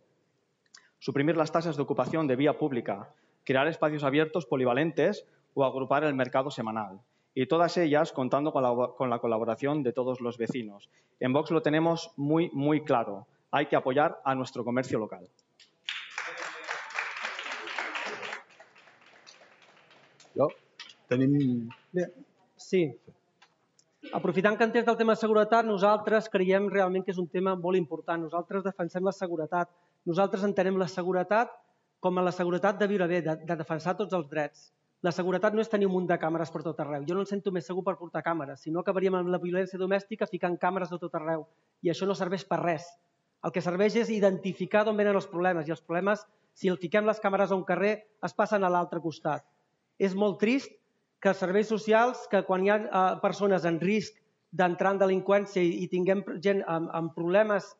suprimir las tasas de ocupación de vía pública, crear espacios abiertos polivalentes o agrupar el mercado semanal. Y todas ellas contando con la colaboración de todos los vecinos. En Vox lo tenemos muy claro. Hay que apoyar a nuestro comercio local. Sí. Aprofitant que entès del tema de seguretat, nosaltres creiem realment que és un tema molt important. Nosaltres defensem la seguretat, Nosaltres entenem la seguretat com a la seguretat de viure bé, de defensar tots els drets. La seguretat no és tenir un munt de càmeres per tot arreu. Jo no em sento més segur per portar càmeres, si no acabaríem amb la violència domèstica ficant càmeres de tot arreu. I això no serveix per res. El que serveix és identificar d'on venen els problemes, i els problemes, si el fiquem les càmeres a un carrer, es passen a l'altre costat. És molt trist que els serveis socials, que quan hi ha persones en risc d'entrar en delinqüència i tinguem gent amb problemes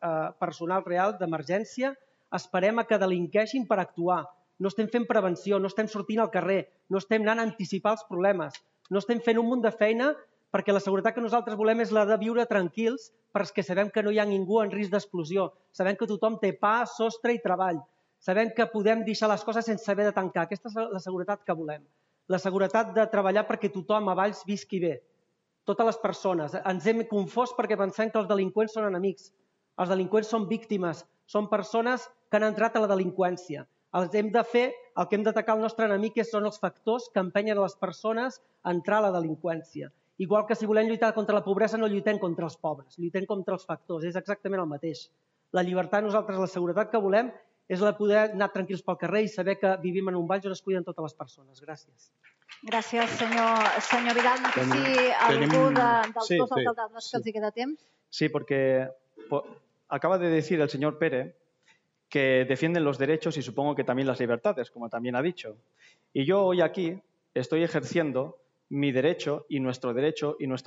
personals reals, d'emergència, esperem a que delinqueixin per actuar. No estem fent prevenció, no estem sortint al carrer, no estem anant a anticipar els problemes, no estem fent un munt de feina perquè la seguretat que nosaltres volem és la de viure tranquils perquè sabem que no hi ha ningú en risc d'explosió, sabem que tothom té pa, sostre i treball, sabem que podem deixar les coses sense haver de tancar. Aquesta és la seguretat que volem. La seguretat de treballar perquè tothom a Valls visqui bé. Totes les persones. Ens hem confós perquè pensem que els delinqüents són enemics. Els delinqüents són víctimes, són persones que han entrat a la delinqüència. El que hem d'atacar el nostre enemic són els factors que empenyen les persones a entrar a la delinqüència. Igual que si volem lluitar contra la pobresa no lluitem contra els pobres, lluitem contra els factors, és exactament el mateix. La llibertat, nosaltres, la seguretat que volem és la de poder anar tranquils pel carrer i saber que vivim en un Valls on es cuiden totes les persones. Gràcies. Gràcies, senyor Vidal. No sé si algú dels dos alcaldes que els hi queda temps. Sí, porque acaba de decir el señor Pérez que defienden los derechos y supongo que también las libertades, como también ha dicho. Y yo hoy aquí estoy ejerciendo mi derecho y nuestra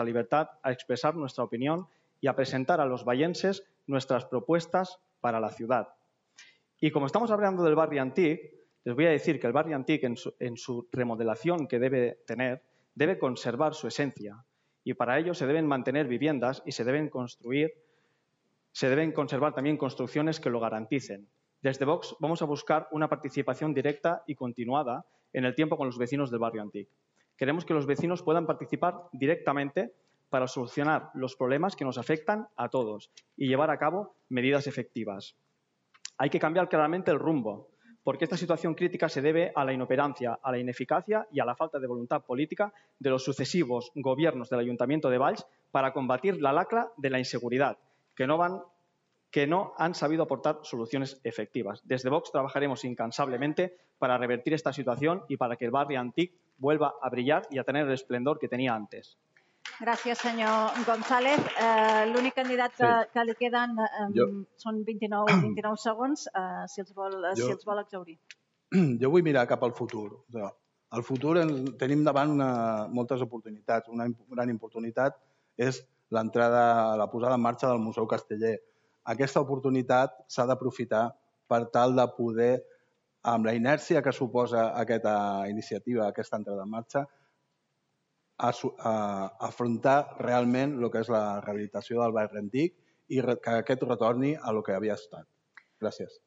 libertad a expresar nuestra opinión y a presentar a los vallenses nuestras propuestas para la ciudad. Y como estamos hablando del barrio Antic, les voy a decir que el barrio Antic en su remodelación que debe tener, debe conservar su esencia. Y para ello se deben mantener viviendas y se deben conservar también construcciones que lo garanticen. Desde Vox vamos a buscar una participación directa y continuada en el tiempo con los vecinos del barrio Antic. Queremos que los vecinos puedan participar directamente para solucionar los problemas que nos afectan a todos y llevar a cabo medidas efectivas. Hay que cambiar claramente el rumbo, porque esta situación crítica se debe a la inoperancia, a la ineficacia y a la falta de voluntad política de los sucesivos gobiernos del Ayuntamiento de Valls para combatir la lacra de la inseguridad, que no han sabido aportar soluciones efectivas. Desde Vox trabajaremos incansablemente para revertir esta situación y para que el barrio Antic vuelva a brillar y a tener el esplendor que tenía antes. Gràcies, senyor González. L'únic candidat que li queden són 29 segons, si els vol exhaurir. Jo vull mirar cap al futur. Al futur tenim davant moltes oportunitats. Una gran oportunitat és la posada en marxa del Museu Casteller. Aquesta oportunitat s'ha d'aprofitar per tal de poder, amb la inèrcia que suposa aquesta iniciativa, aquesta entrada en marxa, afrontar realment el que és la rehabilitació del barri antic i que aquest retorni a el que havia estat. Gràcies.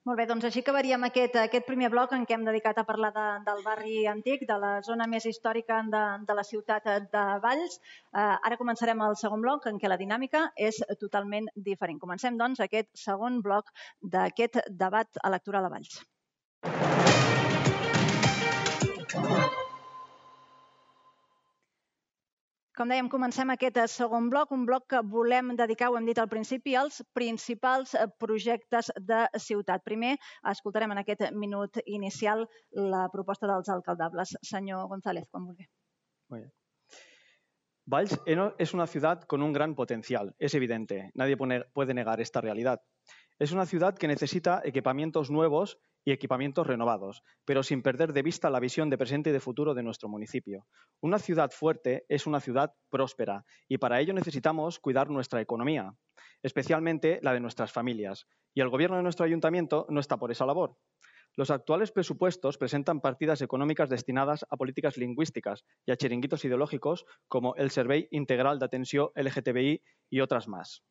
Molt bé, doncs així acabaríem aquest primer bloc en què hem dedicat a parlar del barri antic, de la zona més històrica de la ciutat de Valls. Ara començarem el segon bloc en què la dinàmica és totalment diferent. Comencem, doncs, aquest segon bloc d'aquest debat electoral a Valls. Com dèiem, comencem aquest segon bloc, un bloc que volem dedicar, ho hem dit al principi, als principals projectes de ciutat. Primer, escoltarem en aquest minut inicial la proposta dels alcaldables. Senyor González, quan vulgui. Valls es una ciudad con un gran potencial, es evidente, nadie puede negar esta realidad. Es una ciudad que necesita equipamientos nuevos y equipamientos renovados, pero sin perder de vista la visión de presente y de futuro de nuestro municipio. Una ciudad fuerte es una ciudad próspera y para ello necesitamos cuidar nuestra economía, especialmente la de nuestras familias, y el gobierno de nuestro ayuntamiento no está por esa labor. Los actuales presupuestos presentan partidas económicas destinadas a políticas lingüísticas y a chiringuitos ideológicos como el Servei Integral de Atenció LGTBI y otras más.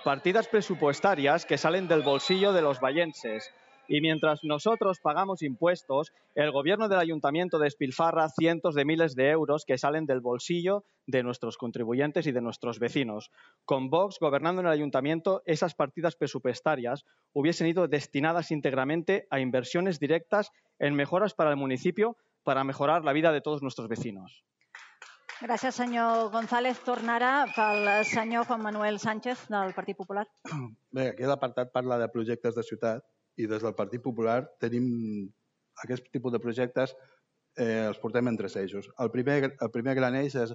Partidas presupuestarias que salen del bolsillo de los vallenses. Y mientras nosotros pagamos impuestos, el gobierno del ayuntamiento despilfarra cientos de miles de euros que salen del bolsillo de nuestros contribuyentes y de nuestros vecinos. Con Vox gobernando en el ayuntamiento, esas partidas presupuestarias hubiesen ido destinadas íntegramente a inversiones directas en mejoras para el municipio para mejorar la vida de todos nuestros vecinos. Gràcies, senyor González. Torna ara pel senyor Juan Manuel Sánchez, del Partit Popular. Bé, aquí l'apartat parla de projectes de ciutat i des del Partit Popular tenim aquest tipus de projectes, els portem en 3 eixos. El primer gran eix és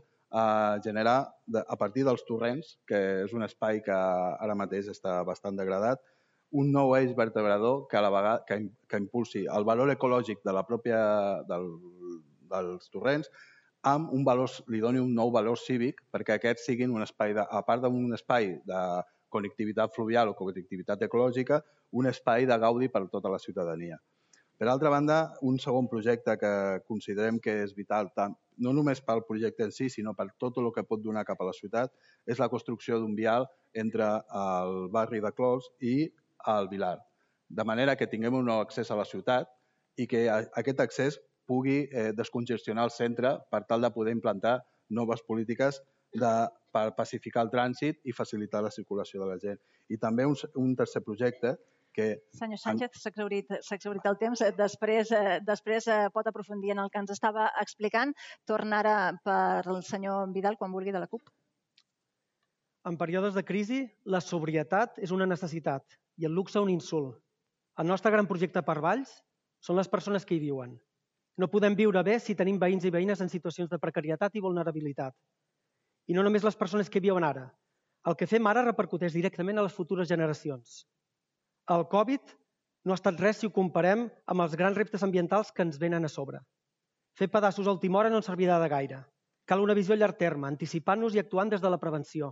generar, a partir dels torrents, que és un espai que ara mateix està bastant degradat, un nou eix vertebrador que a la vegada que impulsi el valor ecològic de la pròpia dels torrents amb un valor, li doni un nou valor cívic perquè aquests siguin un espai, a part d'un espai de connectivitat fluvial o connectivitat ecològica, un espai de gaudi per a tota la ciutadania. Per altra banda, un segon projecte que considerem que és vital, no només pel projecte en si, sinó per tot el que pot donar cap a la ciutat, és la construcció d'un vial entre el barri de Clos i el Vilar, de manera que tinguem un nou accés a la ciutat i que aquest accés pugui descongestionar el centre per tal de poder implantar noves polítiques per pacificar el trànsit i facilitar la circulació de la gent. I també un tercer projecte que... Senyor Sánchez, s'ha exhaurit el temps. Després pot aprofundir en el que ens estava explicant. Torna ara per el senyor Vidal, quan vulgui, de la CUP. En períodes de crisi, la sobrietat és una necessitat i el luxe un insult. El nostre gran projecte per Valls són les persones que hi viuen. No podem viure bé si tenim veïns i veïnes en situacions de precarietat i vulnerabilitat. I no només les persones que hi viuen ara. El que fem ara repercuteix directament a les futures generacions. El Covid no ha estat res si ho comparem amb els grans reptes ambientals que ens venen a sobre. Fer pedaços a última hora no ens servirà de gaire. Cal una visió a llarg terme, anticipant-nos i actuant des de la prevenció.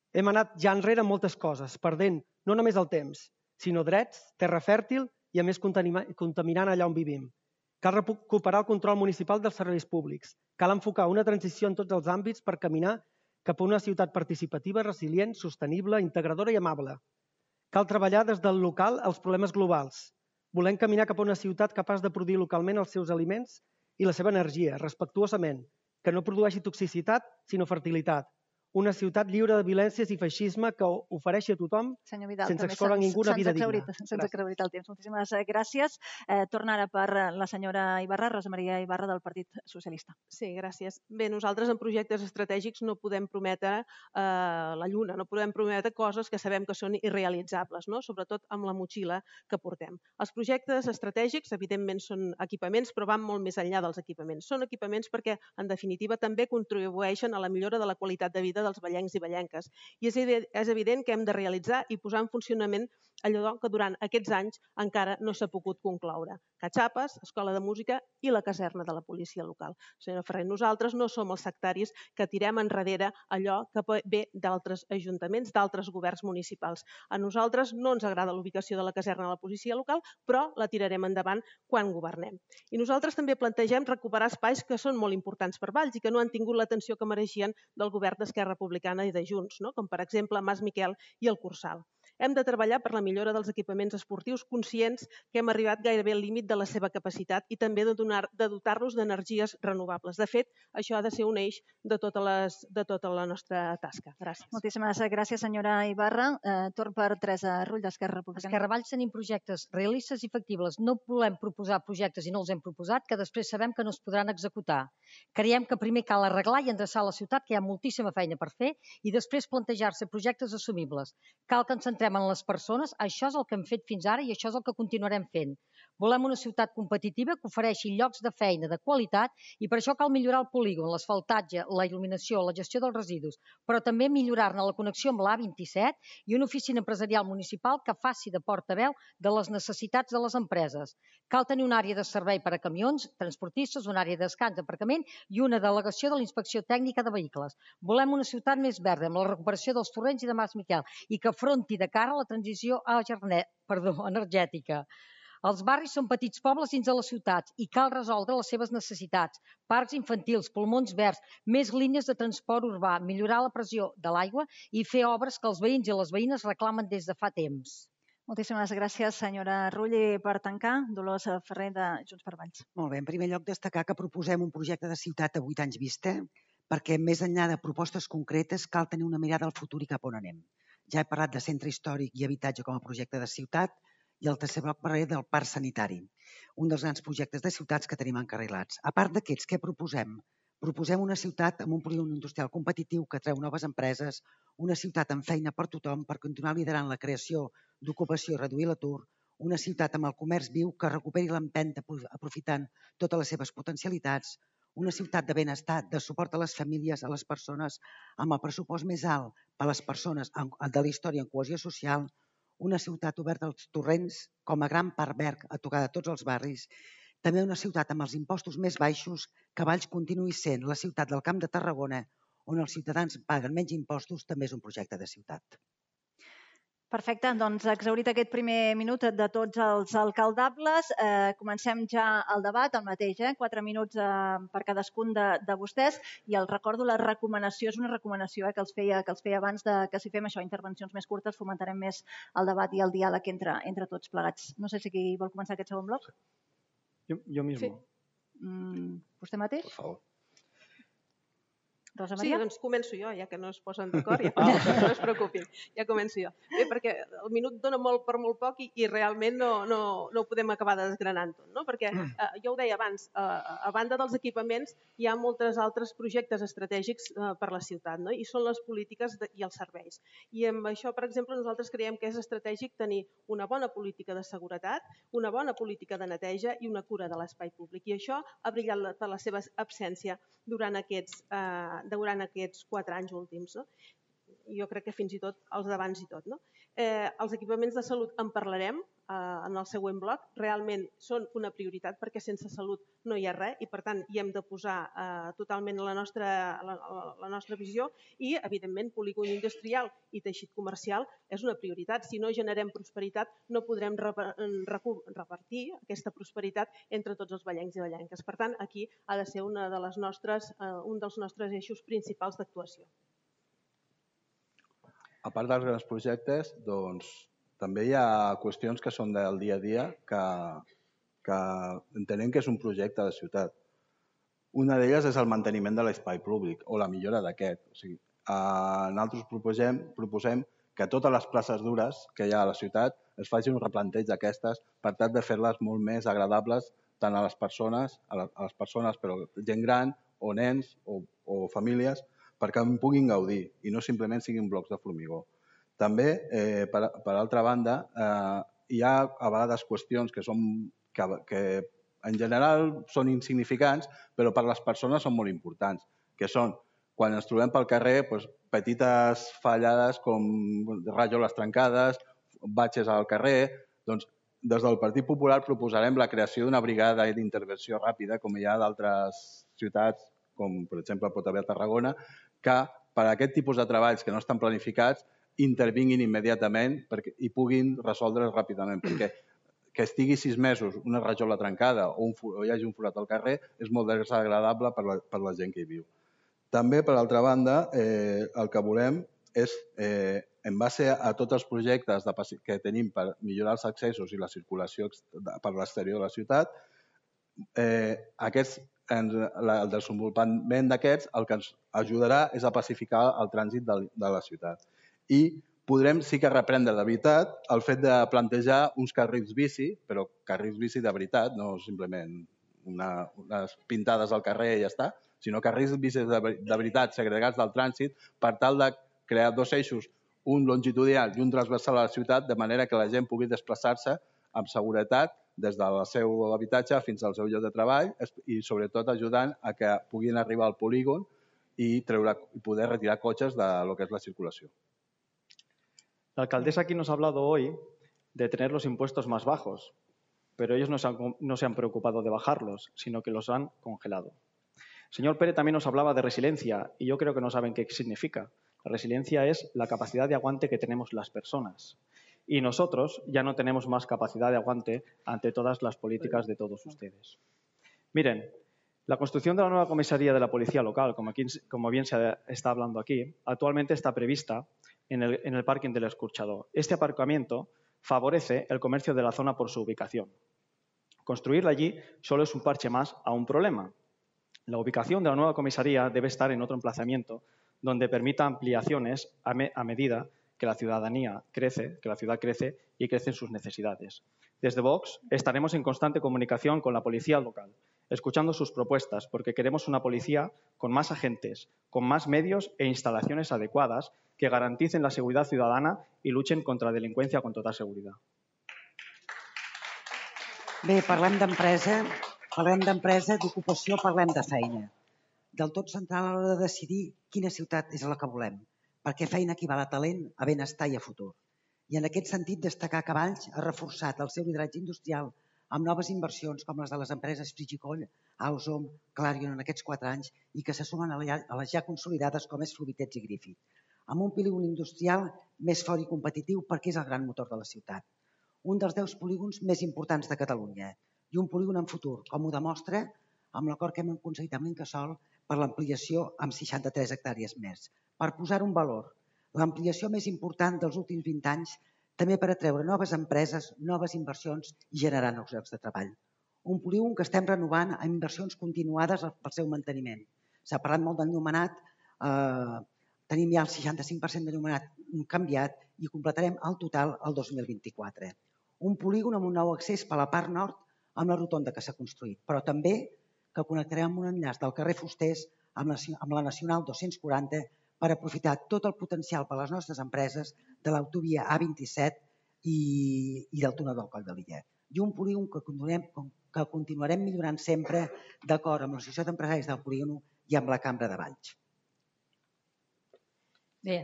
Hem anat ja enrere moltes coses, perdent no només el temps, sinó drets, terra fèrtil i, a més, contaminant allà on vivim. Cal recuperar el control municipal dels serveis públics. Cal enfocar una transició en tots els àmbits per caminar cap a una ciutat participativa, resilient, sostenible, integradora i amable. Cal treballar des del local als problemes globals. Volem caminar cap a una ciutat capaç de produir localment els seus aliments i la seva energia, respectuosament, que no produeixi toxicitat, sinó fertilitat. Una ciutat lliure de violències i feixisme que ofereixi a tothom sense excloure ningú una vida digna. Se'ns ha exhaurit el temps. Moltíssimes gràcies. Torna ara per la senyora Ibarra, Rosa Maria Ibarra, del Partit Socialista. Sí, gràcies. Bé, nosaltres en projectes estratègics no podem prometre la lluna, no podem prometre coses que sabem que són irrealitzables, no? Sobretot amb la motxilla que portem. Els projectes estratègics, evidentment, són equipaments, però van molt més enllà dels equipaments. Són equipaments perquè, en definitiva, també contribueixen a la millora de la qualitat de vida dels vallencs i vallenques. I és evident que hem de realitzar i posar en funcionament allò que durant aquests anys encara no s'ha pogut concloure. Catxapes, Escola de Música i la caserna de la policia local. Senyora Ferrer, nosaltres no som els sectaris que tirem enrere allò que ve d'altres ajuntaments, d'altres governs municipals. A nosaltres no ens agrada l'ubicació de la caserna de la policia local, però la tirarem endavant quan governem. I nosaltres també plantegem recuperar espais que són molt importants per Valls i que no han tingut l'atenció que mereixien del govern d'Esquerra Republicana i de Junts, com per exemple Mas Miquel i el Cursal. Hem de treballar per la millora dels equipaments esportius, conscients que hem arribat gairebé al límit de la seva capacitat i també de dotar-los d'energies renovables. De fet, això ha de ser un eix de tota la nostra tasca. Gràcies. Moltíssimes gràcies, senyora Ibarra. Torn per Teresa Rull, d'Esquerra Republicana. Esquerra Valls tenim projectes realistes i factibles. No volem proposar projectes i no els hem proposat, que després sabem que no es podran executar. Creiem que primer cal arreglar i endreçar la ciutat, que hi ha moltíssima feina per fer, i després plantejar-se projectes assumibles. Cal que ens centrem en les persones, això és el que hem fet fins ara i això és el que continuarem fent. Volem una ciutat competitiva que ofereixi llocs de feina de qualitat i per això cal millorar el polígon, l'asfaltatge, la il·luminació, la gestió dels residus, però també millorar-ne la connexió amb l'A27 i una oficina empresarial municipal que faci de portaveu de les necessitats de les empreses. Cal tenir una àrea de servei per a camions, transportistes, una àrea de descans, aparcament i una delegació de la Inspecció Tècnica de Vehicles. Volem una ciutat més verda, amb la recuperació dels torrents i de Mas Miquel i que afronti de cara a la transició energètica. Els barris són petits pobles dins de les ciutats i cal resoldre les seves necessitats. Parcs infantils, pulmons verds, més línies de transport urbà, millorar la pressió de l'aigua i fer obres que els veïns i les veïnes reclamen des de fa temps. Moltíssimes gràcies, senyora Rull. I per tancar, Dolors Ferrer, de Junts per Valls. Molt bé. En primer lloc, destacar que proposem un projecte de ciutat a 8 anys vista, perquè més enllà de propostes concretes cal tenir una mirada al futur i cap on anem. Ja he parlat de centre històric i habitatge com a projecte de ciutat i el tercer bloc parlaré del parc sanitari, un dels grans projectes de ciutats que tenim encarrilats. A part d'aquests, què proposem? Proposem una ciutat amb un polígon industrial competitiu que atreu noves empreses, una ciutat amb feina per tothom per continuar liderant la creació d'ocupació i reduir l'atur, una ciutat amb el comerç viu que recuperi l'empenta aprofitant totes les seves potencialitats, una ciutat de benestar, de suport a les famílies, a les persones, amb el pressupost més alt per a les persones de la història en cohesió social, una ciutat oberta als torrents com a gran parc verd a tocar de tots els barris, també una ciutat amb els impostos més baixos, que Valls continuï sent la ciutat del Camp de Tarragona, on els ciutadans paguen menys impostos, també és un projecte de ciutat. Perfecte, doncs exhaurit aquest primer minut de tots els alcaldables, comencem ja el debat, el mateix, 4 minuts per cadascun de vostès, i els recordo, la recomanació és una recomanació que els feia abans que si fem això, intervencions més curtes, fomentarem més el debat i el diàleg entre tots plegats. No sé si qui vol començar aquest segon bloc. Yo mismo. Sí. ¿Vostè mateix? Por favor. Rosa Sí, Maria? doncs començo jo, ja que no es posen d'acord, no es preocupin, ja començo jo. Bé, perquè el minut dona molt per molt poc i realment no ho podem acabar desgranant tot, no? Perquè jo ho deia abans, a banda dels equipaments hi ha molts altres projectes estratègics per la ciutat, no? I són les polítiques i els serveis. I amb això, per exemple, nosaltres creiem que és estratègic tenir una bona política de seguretat, una bona política de neteja i una cura de l'espai públic. I això ha brillat per la seva absència durant aquests 4 anys últims. No? Jo crec que fins i tot els d'abans i tot. No? Els equipaments de salut en parlarem en el següent bloc. Realment són una prioritat perquè sense salut no hi ha res i per tant hi hem de posar totalment la nostra visió i evidentment polígon industrial i teixit comercial és una prioritat. Si no generem prosperitat no podrem repartir aquesta prosperitat entre tots els vallencs i vallenques. Per tant, aquí ha de ser un dels nostres eixos principals d'actuació. A part dels grans projectes, doncs, també hi ha qüestions que són del dia a dia que entenem que és un projecte de ciutat. Una d'elles és el manteniment de l'espai públic o la millora d'aquest. O sigui, nosaltres proposem que totes les places dures que hi ha a la ciutat es faci un replanteig d'aquestes per tal de fer-les molt més agradables tant a les persones, però gent gran o nens o famílies, perquè en puguin gaudir i no simplement siguin blocs de formigó. També, per altra banda, hi ha a vegades qüestions que en general són insignificants, però per les persones són molt importants, que són, quan ens trobem pel carrer, petites fallades com rajoles trencades, batxes al carrer. Doncs, des del Partit Popular proposarem la creació d'una brigada d'intervenció ràpida, com hi ha d'altres ciutats, com per exemple pot haver a Tarragona, que per a aquest tipus de treballs que no estan planificats intervinguin immediatament i puguin resoldre's ràpidament, perquè que estigui 6 mesos una rajola trencada o hi hagi un forat al carrer és molt desagradable per la gent que hi viu. També, per altra banda, el que volem és, en base a tots els projectes que tenim per millorar els accessos i la circulació per l'exterior de la ciutat, el desenvolupament d'aquests el que ens ajudarà és a pacificar el trànsit de la ciutat. I podrem sí que reprendre de veritat el fet de plantejar uns carrils bici, però carrils bici de veritat, no simplement unes pintades al carrer i ja està, sinó carrils bici de veritat segregats del trànsit per tal de crear 2 eixos, un longitudinal i un transversal a la ciutat, de manera que la gent pugui desplaçar-se amb seguretat des del seu habitatge fins al seu lloc de treball i sobretot ajudant a que puguin arribar al polígon i poder retirar cotxes de lo que es la circulació. La alcaldesa aquí nos ha hablado hoy de tener los impuestos más bajos, pero ellos no se han preocupado de bajarlos, sino que los han congelado. El señor Pérez también nos hablaba de resiliencia y yo creo que no saben qué significa. La resiliencia es la capacidad de aguante que tenemos las personas. Y nosotros ya no tenemos más capacidad de aguante ante todas las políticas de todos ustedes. Miren, la construcción de la nueva comisaría de la Policía Local, como bien se está hablando aquí, actualmente está prevista en el parking del Escorxador. Este aparcamiento favorece el comercio de la zona por su ubicación. Construirla allí solo es un parche más a un problema. La ubicación de la nueva comisaría debe estar en otro emplazamiento donde permita ampliaciones a medida que la ciudadanía crece, que la ciudad crece y crecen sus necesidades. Desde Vox estaremos en constante comunicación con la policía local, escuchando sus propuestas, porque queremos una policía con más agentes, con más medios e instalaciones adecuadas que garanticen la seguridad ciudadana y luchen contra la delincuencia con total seguridad. Bé, parlem d'empresa, d'ocupació, parlem de feina. Del tot central a l'hora de decidir quina ciutat és la que volem, perquè feina equival a talent, a benestar i a futur. I en aquest sentit destacar que Valls ha reforçat el seu lideratge industrial amb noves inversions com les de les empreses Frigicoll, Ausom, Clarion en aquests 4 anys i que se sumen a les ja consolidades com és Fluvidets i Griffith, amb un polígon industrial més fort i competitiu perquè és el gran motor de la ciutat. Un dels 10 polígons més importants de Catalunya i un polígon en futur, com ho demostra amb l'acord que hem aconseguit amb l'Incasòl per l'ampliació amb 63 hectàrees més. Per posar un valor, l'ampliació més important dels últims 20 anys també per atreure noves empreses, noves inversions i generar nous llocs de treball. Un polígon que estem renovant amb inversions continuades pel seu manteniment. S'ha parlat molt d'enllumenat, tenim ja el 65% d'enllumenat canviat i completarem el total el 2024. Un polígon amb un nou accés per la part nord amb la rotonda que s'ha construït, però també que connectarem amb un enllaç del carrer Fusters amb la Nacional 240 per aprofitar tot el potencial per a les nostres empreses de l'autovia A27 i del túnel del Coll de Lillet. I un polígon que continuarem millorant sempre d'acord amb l'Associació d'Empresaris del Polígon i amb la Cambra de Valls. Bé,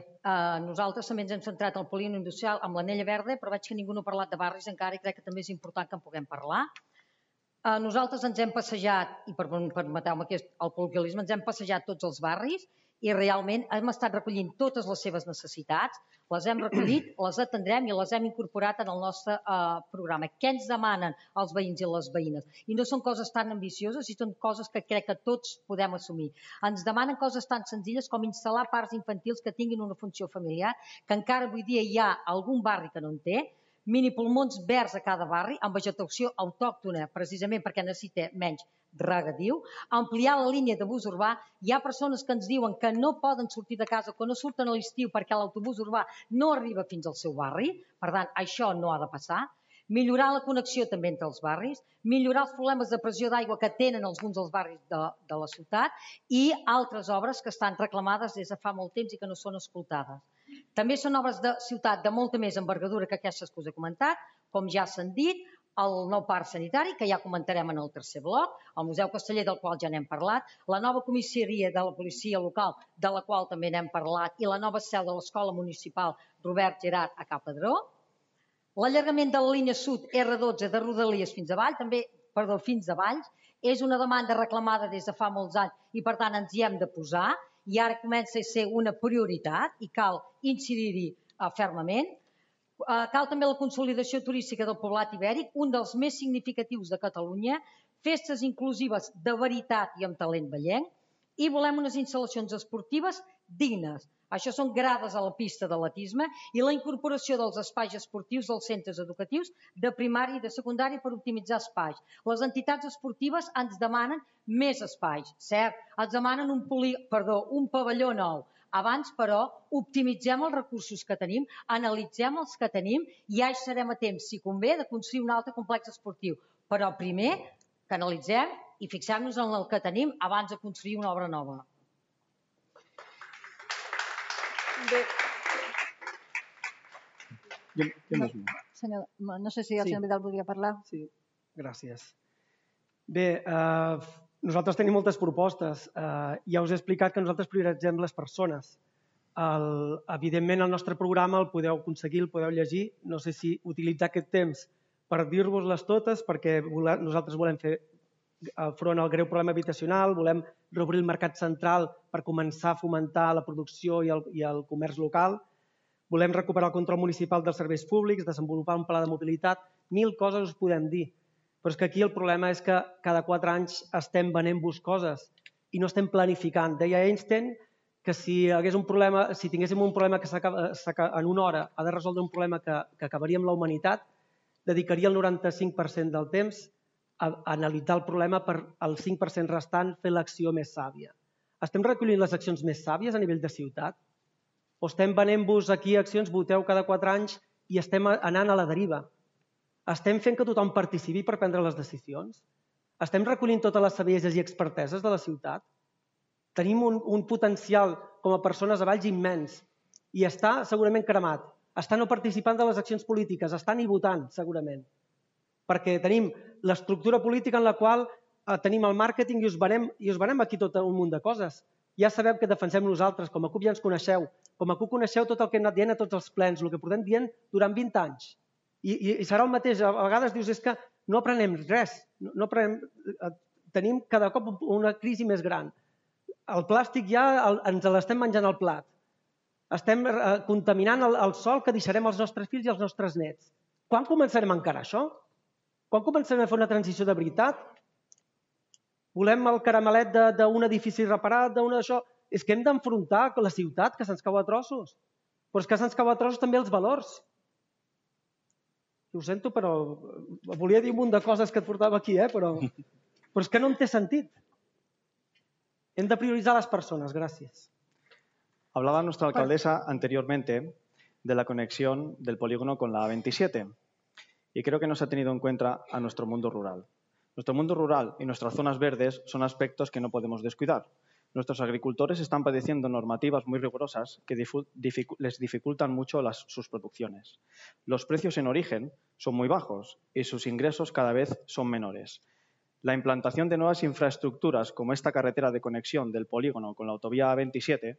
nosaltres també ens hem centrat en el polígon industrial amb l'anella verda, però veig que ningú no ha parlat de barris encara i crec que també és important que en puguem parlar. Nosaltres ens hem passejat, i permeteu-me que el col·loquialisme, ens hem passejat tots els barris i realment hem estat recollint totes les seves necessitats, les hem recollit, les atendrem i les hem incorporat en el nostre programa. Què ens demanen els veïns i les veïnes? I no són coses tan ambicioses i són coses que crec que tots podem assumir. Ens demanen coses tan senzilles com instal·lar parcs infantils que tinguin una funció familiar, que encara avui dia hi ha algun barri que no en té, minipulmons verds a cada barri, amb vegetació autòctona, precisament perquè necessita menys regadiu, ampliar la línia de bus urbà. Hi ha persones que ens diuen que no poden sortir de casa, que no surten a l'estiu perquè l'autobús urbà no arriba fins al seu barri, per tant, això no ha de passar. Millorar la connexió també entre els barris, millorar els problemes de pressió d'aigua que tenen alguns dels barris de la ciutat i altres obres que estan reclamades des de fa molt temps i que no són escoltades. També són obres de ciutat de molta més envergadura que aquestes que us he comentat, com ja s'han dit, el nou parc sanitari, que ja comentarem en el tercer bloc, el Museu Casteller, del qual ja n'hem parlat, la nova comissaria de la policia local, de la qual també n'hem parlat, i la nova seu de l'Escola Municipal Robert Gerard a Cap Pedró, l'allargament de la línia sud R12 de Rodalies fins a Valls, és una demanda reclamada des de fa molts anys i per tant ens hi hem de posar i ara comença a ser una prioritat i cal incidir-hi fermament. Cal també la consolidació turística del poblat ibèric, un dels més significatius de Catalunya, festes inclusives de veritat i amb talent vallenc i volem unes instal·lacions esportives dignes. Això són grades a la pista d'atletisme i la incorporació dels espais esportius dels centres educatius de primària i de secundària per optimitzar espais. Les entitats esportives ens demanen més espais, cert, ens demanen un pavelló nou. Abans, però, optimitzem els recursos que tenim, analitzem els que tenim i ja hi serem a temps, si convé, de construir un altre complex esportiu. Però primer que analitzem i fixem-nos en el que tenim abans de construir una obra nova. No sé si el senyor Vidal volia parlar. Sí, gràcies. Bé, nosaltres tenim moltes propostes. Ja us he explicat que nosaltres prioritzem les persones. Evidentment, el nostre programa el podeu aconseguir, el podeu llegir. No sé si utilitzar aquest temps per dir-vos-les totes, perquè nosaltres volem fer front al greu problema habitacional, volem reobrir el mercat central per començar a fomentar la producció i el comerç local, volem recuperar el control municipal dels serveis públics, desenvolupar un pla de mobilitat, 1000 coses us podem dir. Però és que aquí el problema és que cada 4 anys estem venent-vos coses i no estem planificant. Deia Einstein que si tinguéssim un problema que en una hora ha de resoldre un problema que acabaria amb la humanitat, dedicaria el 95% del temps a analitzar el problema per al 5% restant fer l'acció més sàvia. Estem recollint les accions més sàvies a nivell de ciutat? O estem venent-vos aquí accions, voteu cada 4 anys i estem anant a la deriva? Estem fent que tothom participi per prendre les decisions? Estem recollint totes les sabieses i experteses de la ciutat? Tenim un potencial com a persones a Valls immens i està segurament cremat. Està no participant de les accions polítiques, està ni votant segurament. Perquè tenim l'estructura política en la qual tenim el màrqueting i us venem aquí tot un munt de coses. Ja sabeu que defensem nosaltres, com a CUP ja ens coneixeu. Com a CUP coneixeu tot el que hem anat dient a tots els plens, el que portem dient durant 20 anys. I serà el mateix. A vegades dius, és que no aprenem res. Tenim cada cop una crisi més gran. El plàstic ja ens l'estem menjant al plat. Estem contaminant el sòl que deixarem als nostres fills i als nostres nets. Quan començarem a encarar això? Quan començarem a fer una transició de veritat? Volem el caramelet d'un edifici reparat, d'això. És que hem d'enfrontar la ciutat, que se'ns cau a trossos. Però és que se'ns cau a trossos també els valors. Ho sento, però volia dir un munt de coses que et portava aquí, però és que no em té sentit. Hem de prioritzar las personas. Gracias. Hablaba nuestra alcaldesa anteriormente de la conexión del polígono con la A27 y creo que no se ha tenido en cuenta a nuestro mundo rural. Nuestro mundo rural y nuestras zonas verdes son aspectos que no podemos descuidar. Nuestros agricultores están padeciendo normativas muy rigurosas que les dificultan mucho sus producciones. Los precios en origen son muy bajos y sus ingresos cada vez son menores. La implantación de nuevas infraestructuras como esta carretera de conexión del polígono con la autovía A27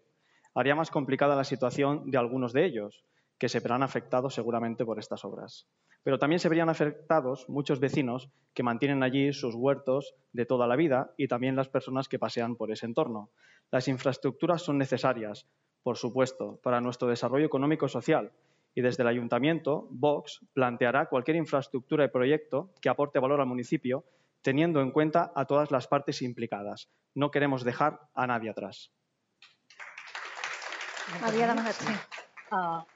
haría más complicada la situación de algunos de ellos, que se verán afectados seguramente por estas obras. Pero también se verían afectados muchos vecinos que mantienen allí sus huertos de toda la vida y también las personas que pasean por ese entorno. Las infraestructuras son necesarias, por supuesto, para nuestro desarrollo económico y social, y desde el Ayuntamiento, Vox planteará cualquier infraestructura y proyecto que aporte valor al municipio, teniendo en cuenta a todas las partes implicadas. No queremos dejar a nadie atrás. Havia demanat, sí.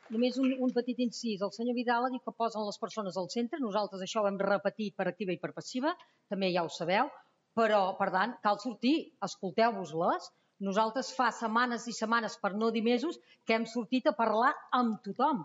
Només un petit incís. El senyor Vidal ha dit que posen les persones al centre. Nosaltres això ho hem repetit per activa i per passiva. També ja ho sabeu. Però, per tant, cal sortir. Escolteu-vos-les. Nosaltres fa setmanes i setmanes, per no dir mesos, que hem sortit a parlar amb tothom.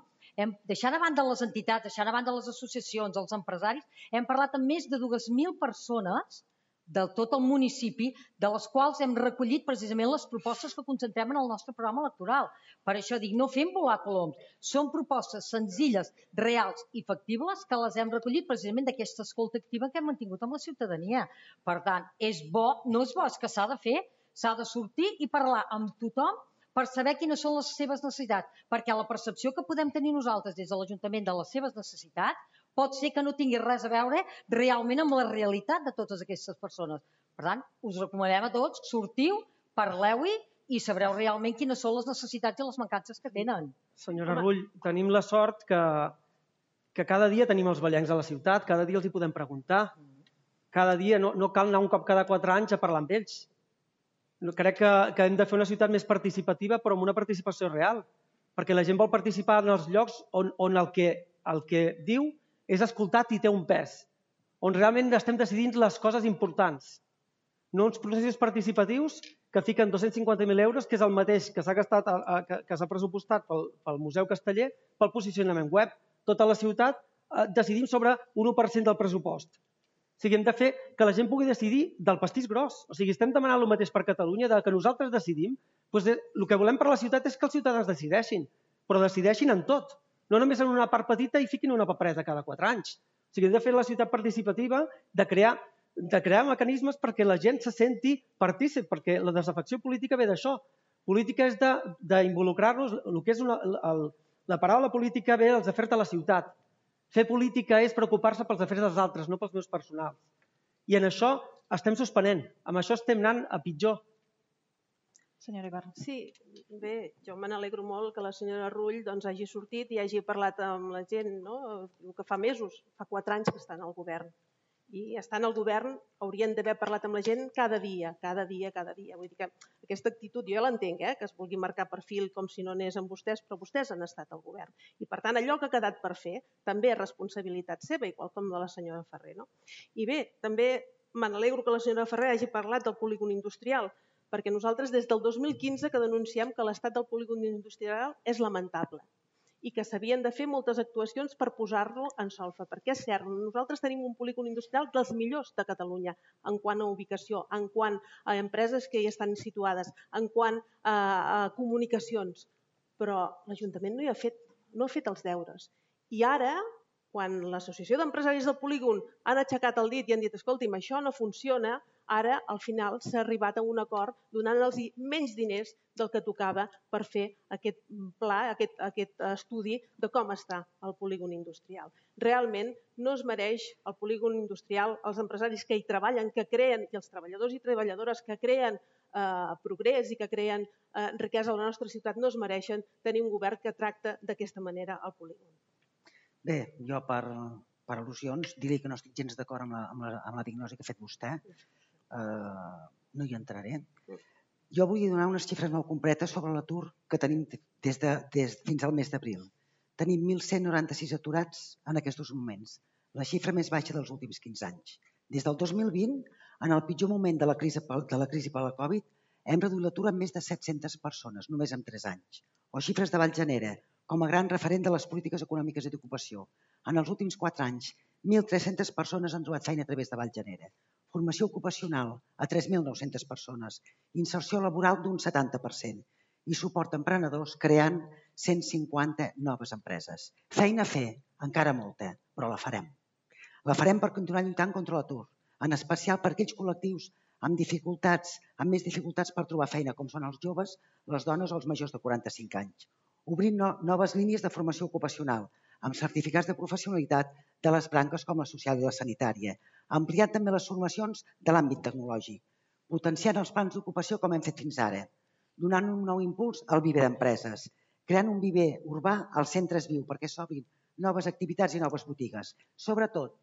Deixant a banda les entitats, deixant a banda les associacions, els empresaris, hem parlat amb més de 2.000 persones de tot el municipi, de les quals hem recollit precisament les propostes que concentrem en el nostre programa electoral. Per això dic, no fem volar coloms. Són propostes senzilles, reals i factibles que les hem recollit precisament d'aquesta escolta activa que hem mantingut amb la ciutadania. Per tant, és bo, no és bo, és que s'ha de fer, s'ha de sortir i parlar amb tothom per saber quines són les seves necessitats, perquè la percepció que podem tenir nosaltres des de l'Ajuntament de les seves necessitats pot ser que no tingui res a veure realment amb la realitat de totes aquestes persones. Per tant, us recomanem a tots, sortiu, parleu-hi i sabreu realment quines són les necessitats i les mancances que tenen. Senyora Rull, tenim la sort que cada dia tenim els ballencs a la ciutat, cada dia els hi podem preguntar, cada dia no cal anar un cop cada 4 anys a parlar amb ells. Crec que hem de fer una ciutat més participativa, però amb una participació real, perquè la gent vol participar en els llocs on el que diu és escoltat i té un pes, on realment estem decidint les coses importants. No uns processos participatius que fiquen 250.000 euros, que és el mateix que s'ha pressupostat pel Museu Casteller, pel posicionament web. Tota la ciutat decidim sobre un 1% del pressupost. O sigui, hem de fer que la gent pugui decidir del pastís gros. O sigui, estem demanant el mateix per Catalunya, que nosaltres decidim. El que volem per la ciutat és que els ciutadans decideixin, però decideixin en tot. No només en una part petita i fiquin una papereta cada 4 anys. O sigui, hem de fer la ciutat participativa, de crear mecanismes perquè la gent se senti partícip, perquè la desafecció política ve d'això. Política és d'involucrar-nos, el que és la paraula política ve dels afers de la ciutat. Fer política és preocupar-se pels afers dels altres, no pels meus personals. I en això estem suspenent. Amb això estem anant a pitjor. Senyora Ibarra. Sí, bé, jo me n'alegro molt que la senyora Rull hagi sortit i hagi parlat amb la gent, que fa mesos, fa 4 anys que estan al govern. I estant al govern haurien d'haver parlat amb la gent cada dia. Vull dir que aquesta actitud jo ja l'entenc, que es vulgui marcar perfil com si no anés amb vostès, però vostès han estat al govern. I per tant, allò que ha quedat per fer també és responsabilitat seva, igual com de la senyora Ferrer. I bé, també me n'alegro que la senyora Ferrer hagi parlat del polígon industrial, perquè nosaltres des del 2015 que denunciem que l'estat del polígon industrial és lamentable. i que s'havien de fer moltes actuacions per posar-lo en solfa. Perquè és cert, nosaltres tenim un polígon industrial dels millors de Catalunya en quant a ubicació, en quant a empreses que hi estan situades, en quant a comunicacions, però l'Ajuntament no ha fet els deures. I ara, quan l'Associació d'Empresaris del Polígon han aixecat el dit i han dit escolti'm, això no funciona, ara al final s'ha arribat a un acord donant-los menys diners del que tocava per fer aquest pla, aquest estudi de com està el polígon industrial. Realment no es mereix el polígon industrial, els empresaris que hi treballen, que creen, i els treballadors i treballadores que creen progrés i que creen riquesa a la nostra ciutat, no es mereixen tenir un govern que tracta d'aquesta manera el polígon. Bé, jo per al·lusions diré que no estic gens d'acord amb la diagnosi que ha fet vostè. No hi entraré. Jo vull donar unes xifres molt concretes sobre l'atur que tenim fins al mes d'abril. Tenim 1.196 aturats en aquests moments, la xifra més baixa dels últims 15 anys. Des del 2020, en el pitjor moment de la crisi per la Covid, hem reduït l'atur en més de 700 persones, només en 3 anys. O xifres de Vallgenera, com a gran referent de les polítiques econòmiques i d'ocupació. En els últims 4 anys, 1.300 persones han trobat feina a través de Vallgenera. Formació ocupacional a 3.900 persones, inserció laboral d'un 70% i suport a emprenedors creant 150 noves empreses. Feina a fer, encara molta, però la farem. La farem per continuar lluitant contra l'atur, en especial per aquells col·lectius amb més dificultats per trobar feina, com són els joves, les dones o els majors de 45 anys. Obrint noves línies de formació ocupacional, amb certificats de professionalitat de les branques com la social i la sanitària, ampliant també les formacions de l'àmbit tecnològic, potenciant els plans d'ocupació com hem fet fins ara, donant un nou impuls al viver d'empreses, creant un viver urbà als centres viu perquè s'obrin noves activitats i noves botigues. Sobretot,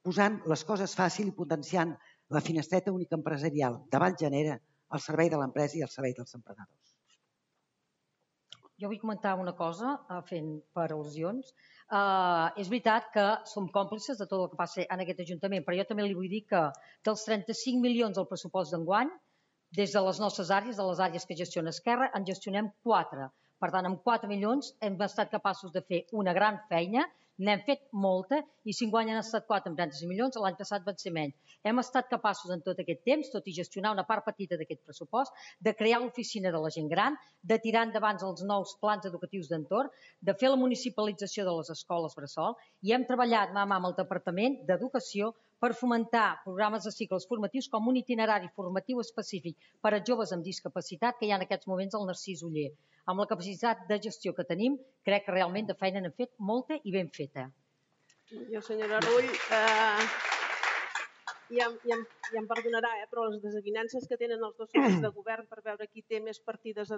posant les coses fàcil i potenciant la finestreta única empresarial de Vallgenera al servei de l'empresa i al servei dels emprenedors. Jo vull comentar una cosa, fent per al·lusions. És veritat que som còmplices de tot el que passa en aquest Ajuntament, però jo també li vull dir que dels 35 milions del pressupost d'enguany, des de les nostres àrees, de les àrees que gestiona Esquerra, en gestionem 4. Per tant, amb 4 milions hem estat capaços de fer una gran feina, n'hem fet molta, i si enguany han estat 4 amb 36 milions, l'any passat van ser menys. Hem estat capaços en tot aquest temps, tot i gestionar una part petita d'aquest pressupost, de crear l'oficina de la gent gran, de tirar endavant els nous plans educatius d'entorn, de fer la municipalització de les escoles bressol, i hem treballat mà a mà amb el Departament d'Educació per fomentar programes de cicles formatius com un itinerari formatiu específic per a joves amb discapacitat que hi ha en aquests moments al Narcís Oller. Amb la capacitat de gestió que tenim, crec que realment de feina n'hem fet molta i ben feta. Jo, senyora Rull, ja em perdonarà, però les desavinences que tenen els dos socis de govern per veure qui té més partides a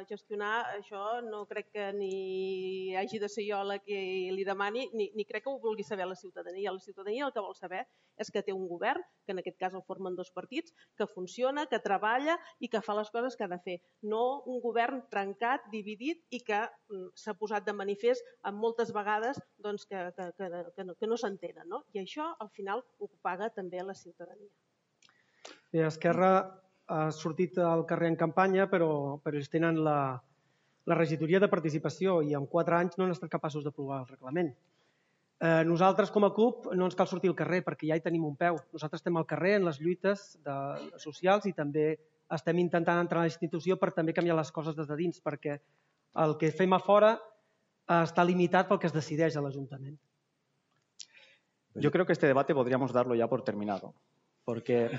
gestionar, això no crec que ni hagi de ser jo la que li demani, ni crec que ho vulgui saber la ciutadania. La ciutadania el que vol saber és que té un govern, que en aquest cas el formen 2 partits, que funciona, que treballa i que fa les coses que ha de fer. No un govern trencat, dividit i que s'ha posat de manifest moltes vegades que no s'entenen. I això al final ho paga també la ciutadania. Bé, Esquerra ha sortit al carrer en campanya, però ells tenen la regidoria de participació i en 4 anys no han estat capaços d'aprovar el reglament. Nosaltres, com a CUP, no ens cal sortir al carrer perquè ja hi tenim un peu. Nosaltres estem al carrer en les lluites socials i també estem intentant entrar a la institució per també canviar les coses des de dins, perquè el que fem a fora està limitat pel que es decideix a l'Ajuntament. Yo creo que este debate podríamos darlo ya por terminado, porque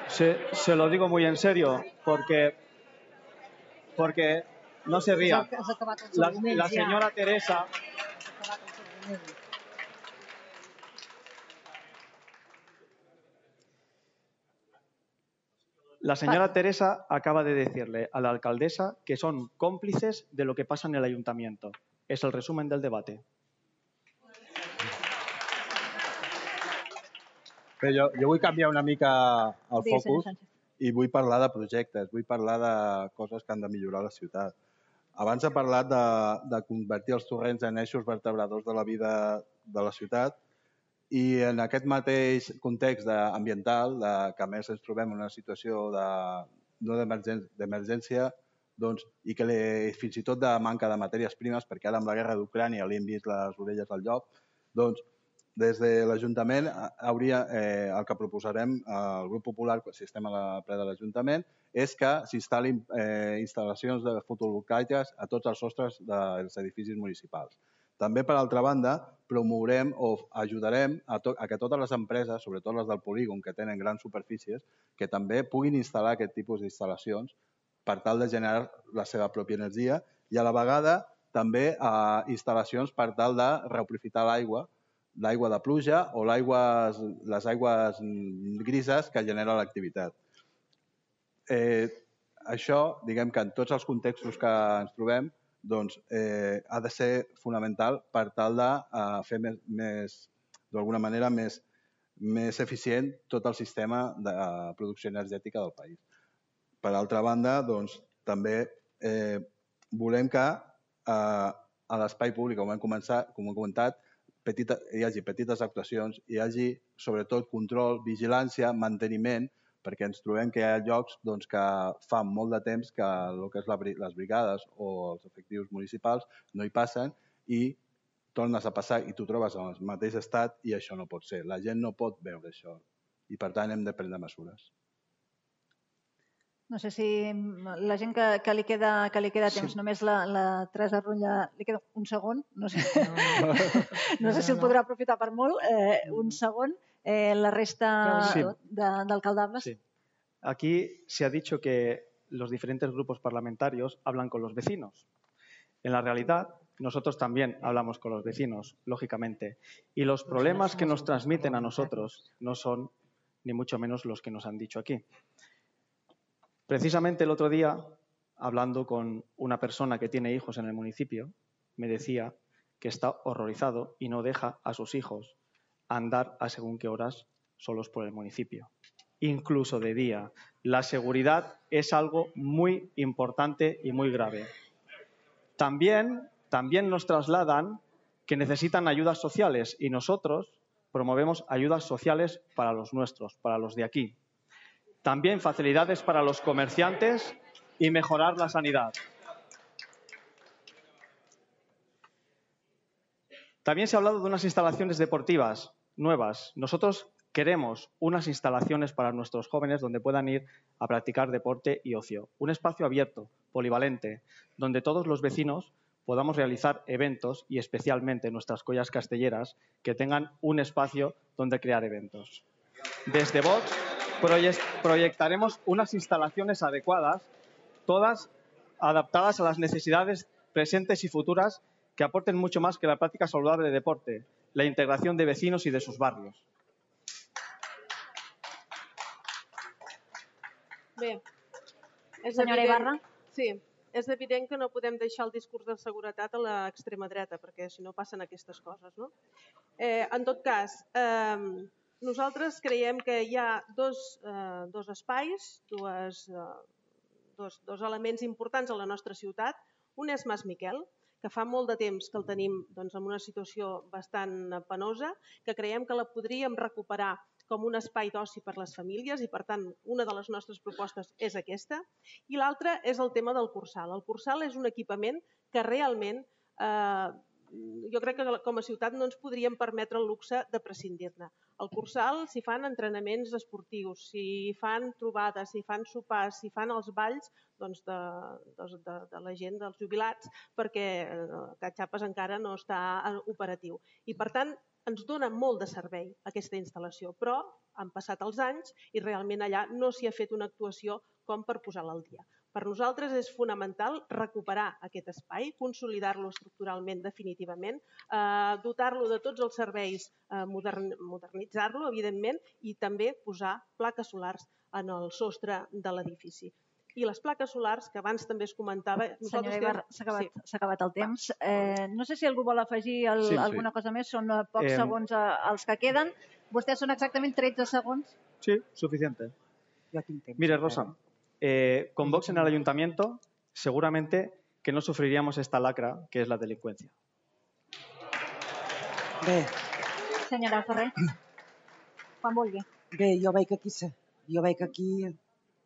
se lo digo muy en serio, porque no se ría. La señora Teresa... La señora Teresa acaba de decirle a la alcaldesa que son cómplices de lo que pasa en el ayuntamiento. Es el resumen del debate. Bé, jo vull canviar una mica el focus i vull parlar de projectes, vull parlar de coses que han de millorar la ciutat. Abans he parlat de convertir els torrents en eixos vertebradors de la vida de la ciutat i en aquest mateix context ambiental, que a més ens trobem en una situació no d'emergència, i que fins i tot de manca de matèries primes, perquè ara amb la guerra d'Ucrània li hem vist les orelles al llop, doncs des de l'Ajuntament el que proposarem al Grup Popular, si estem a ple de l'Ajuntament, és que s'instal·lin instal·lacions de fotovoltaiques a tots els sostres dels edificis municipals. També, per altra banda, promourem o ajudarem a que totes les empreses, sobretot les del polígon, que tenen grans superfícies, que també puguin instal·lar aquest tipus d'instal·lacions per tal de generar la seva pròpia energia i a la vegada també instal·lacions per tal de reaprofitar l'aigua de pluja o les aigües grises que genera l'activitat. Això, diguem que en tots els contextos que ens trobem, ha de ser fonamental per tal de fer d'alguna manera més eficient tot el sistema de producció energètica del país. Per altra banda, també volem que a l'espai públic, com hem comentat, hi hagi petites actuacions, hi hagi sobretot control, vigilància, manteniment, perquè ens trobem que hi ha llocs que fa molt de temps que el que és les brigades o els efectius municipals no hi passen i tornes a passar i t'ho trobes en el mateix estat i això no pot ser. La gent no pot veure això i per tant hem de prendre mesures. No sé si la gent que li queda temps, només la Teresa Rulla, li queda un segon, no sé si el podrà aprofitar per molt, un segon, la resta d'alcaldables. Sí. Aquí se ha dicho que los diferentes grupos parlamentarios hablan con los vecinos. En la realidad, nosotros también hablamos con los vecinos, lógicamente, y los problemas que nos transmiten a nosotros no son ni mucho menos los que nos han dicho aquí. Precisamente el otro día, hablando con una persona que tiene hijos en el municipio, me decía que está horrorizado y no deja a sus hijos andar a según qué horas solos por el municipio, incluso de día. La seguridad es algo muy importante y muy grave. También nos trasladan que necesitan ayudas sociales y nosotros promovemos ayudas sociales para los nuestros, para los de aquí. También facilidades para los comerciantes y mejorar la sanidad. También se ha hablado de unas instalaciones deportivas nuevas. Nosotros queremos unas instalaciones para nuestros jóvenes donde puedan ir a practicar deporte y ocio. Un espacio abierto, polivalente, donde todos los vecinos podamos realizar eventos y especialmente nuestras collas castelleras que tengan un espacio donde crear eventos. Desde Vox proyectaremos unas instalaciones adecuadas, todas adaptadas a las necesidades presentes y futuras que aporten mucho más que la práctica saludable de deporte, la integración de vecinos y de sus barrios. Bé, senyora Ibarra? Sí, és evident que no podem deixar el discurs de seguretat a l'extrema dreta, perquè si no passen aquestes coses, no? En tot cas, nosaltres creiem que hi ha dos espais, dos elements importants a la nostra ciutat. Un és Mas Miquel, que fa molt de temps que el tenim en una situació bastant penosa, que creiem que la podríem recuperar com un espai d'oci per les famílies i, per tant, una de les nostres propostes és aquesta. I l'altra és el tema del Cursal. El Cursal és un equipament que realment jo crec que com a ciutat no ens podríem permetre el luxe de prescindir-ne. Al Cursal s'hi fan entrenaments esportius, s'hi fan trobades, s'hi fan sopars, s'hi fan els balls de la gent, dels jubilats, perquè Catxapes encara no està operatiu. I, per tant, ens dona molt de servei aquesta instal·lació, però han passat els anys i realment allà no s'hi ha fet una actuació com per posar-la al dia. Per nosaltres és fonamental recuperar aquest espai, consolidar-lo estructuralment definitivament, dotar-lo de tots els serveis, modernitzar-lo, evidentment, i també posar plaques solars en el sostre de l'edifici. I les plaques solars, que abans també es comentava... Senyora Ibarra, s'ha acabat el temps. No sé si algú vol afegir alguna cosa més, són pocs segons els que queden. Vostès són exactament 13 segons. Sí, suficiente. Mire, Rosa, con Vox en el ayuntamiento, seguramente que no sufriríamos esta lacra que es la delincuencia. Bé. Senyora Ferrer, quan vulgui. Bé, jo veig aquí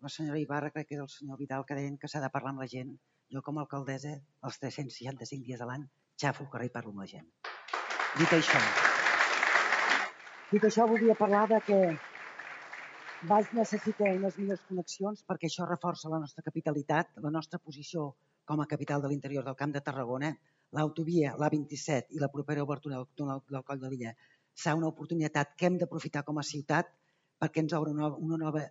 la senyora Ibarra, crec que era el senyor Vidal, que deien que s'ha de parlar amb la gent. Jo, com a alcaldessa, els 365 dies de l'any, xafo al carrer i parlo amb la gent. Dit això, volia parlar de que Valls necessita unes millors connexions perquè això reforça la nostra capitalitat, la nostra posició com a capital de l'interior del Camp de Tarragona. L'autovia, l'A27 i la propera obertura del túnel del Coll de Lilla serà una oportunitat que hem d'aprofitar com a ciutat perquè ens obre una nova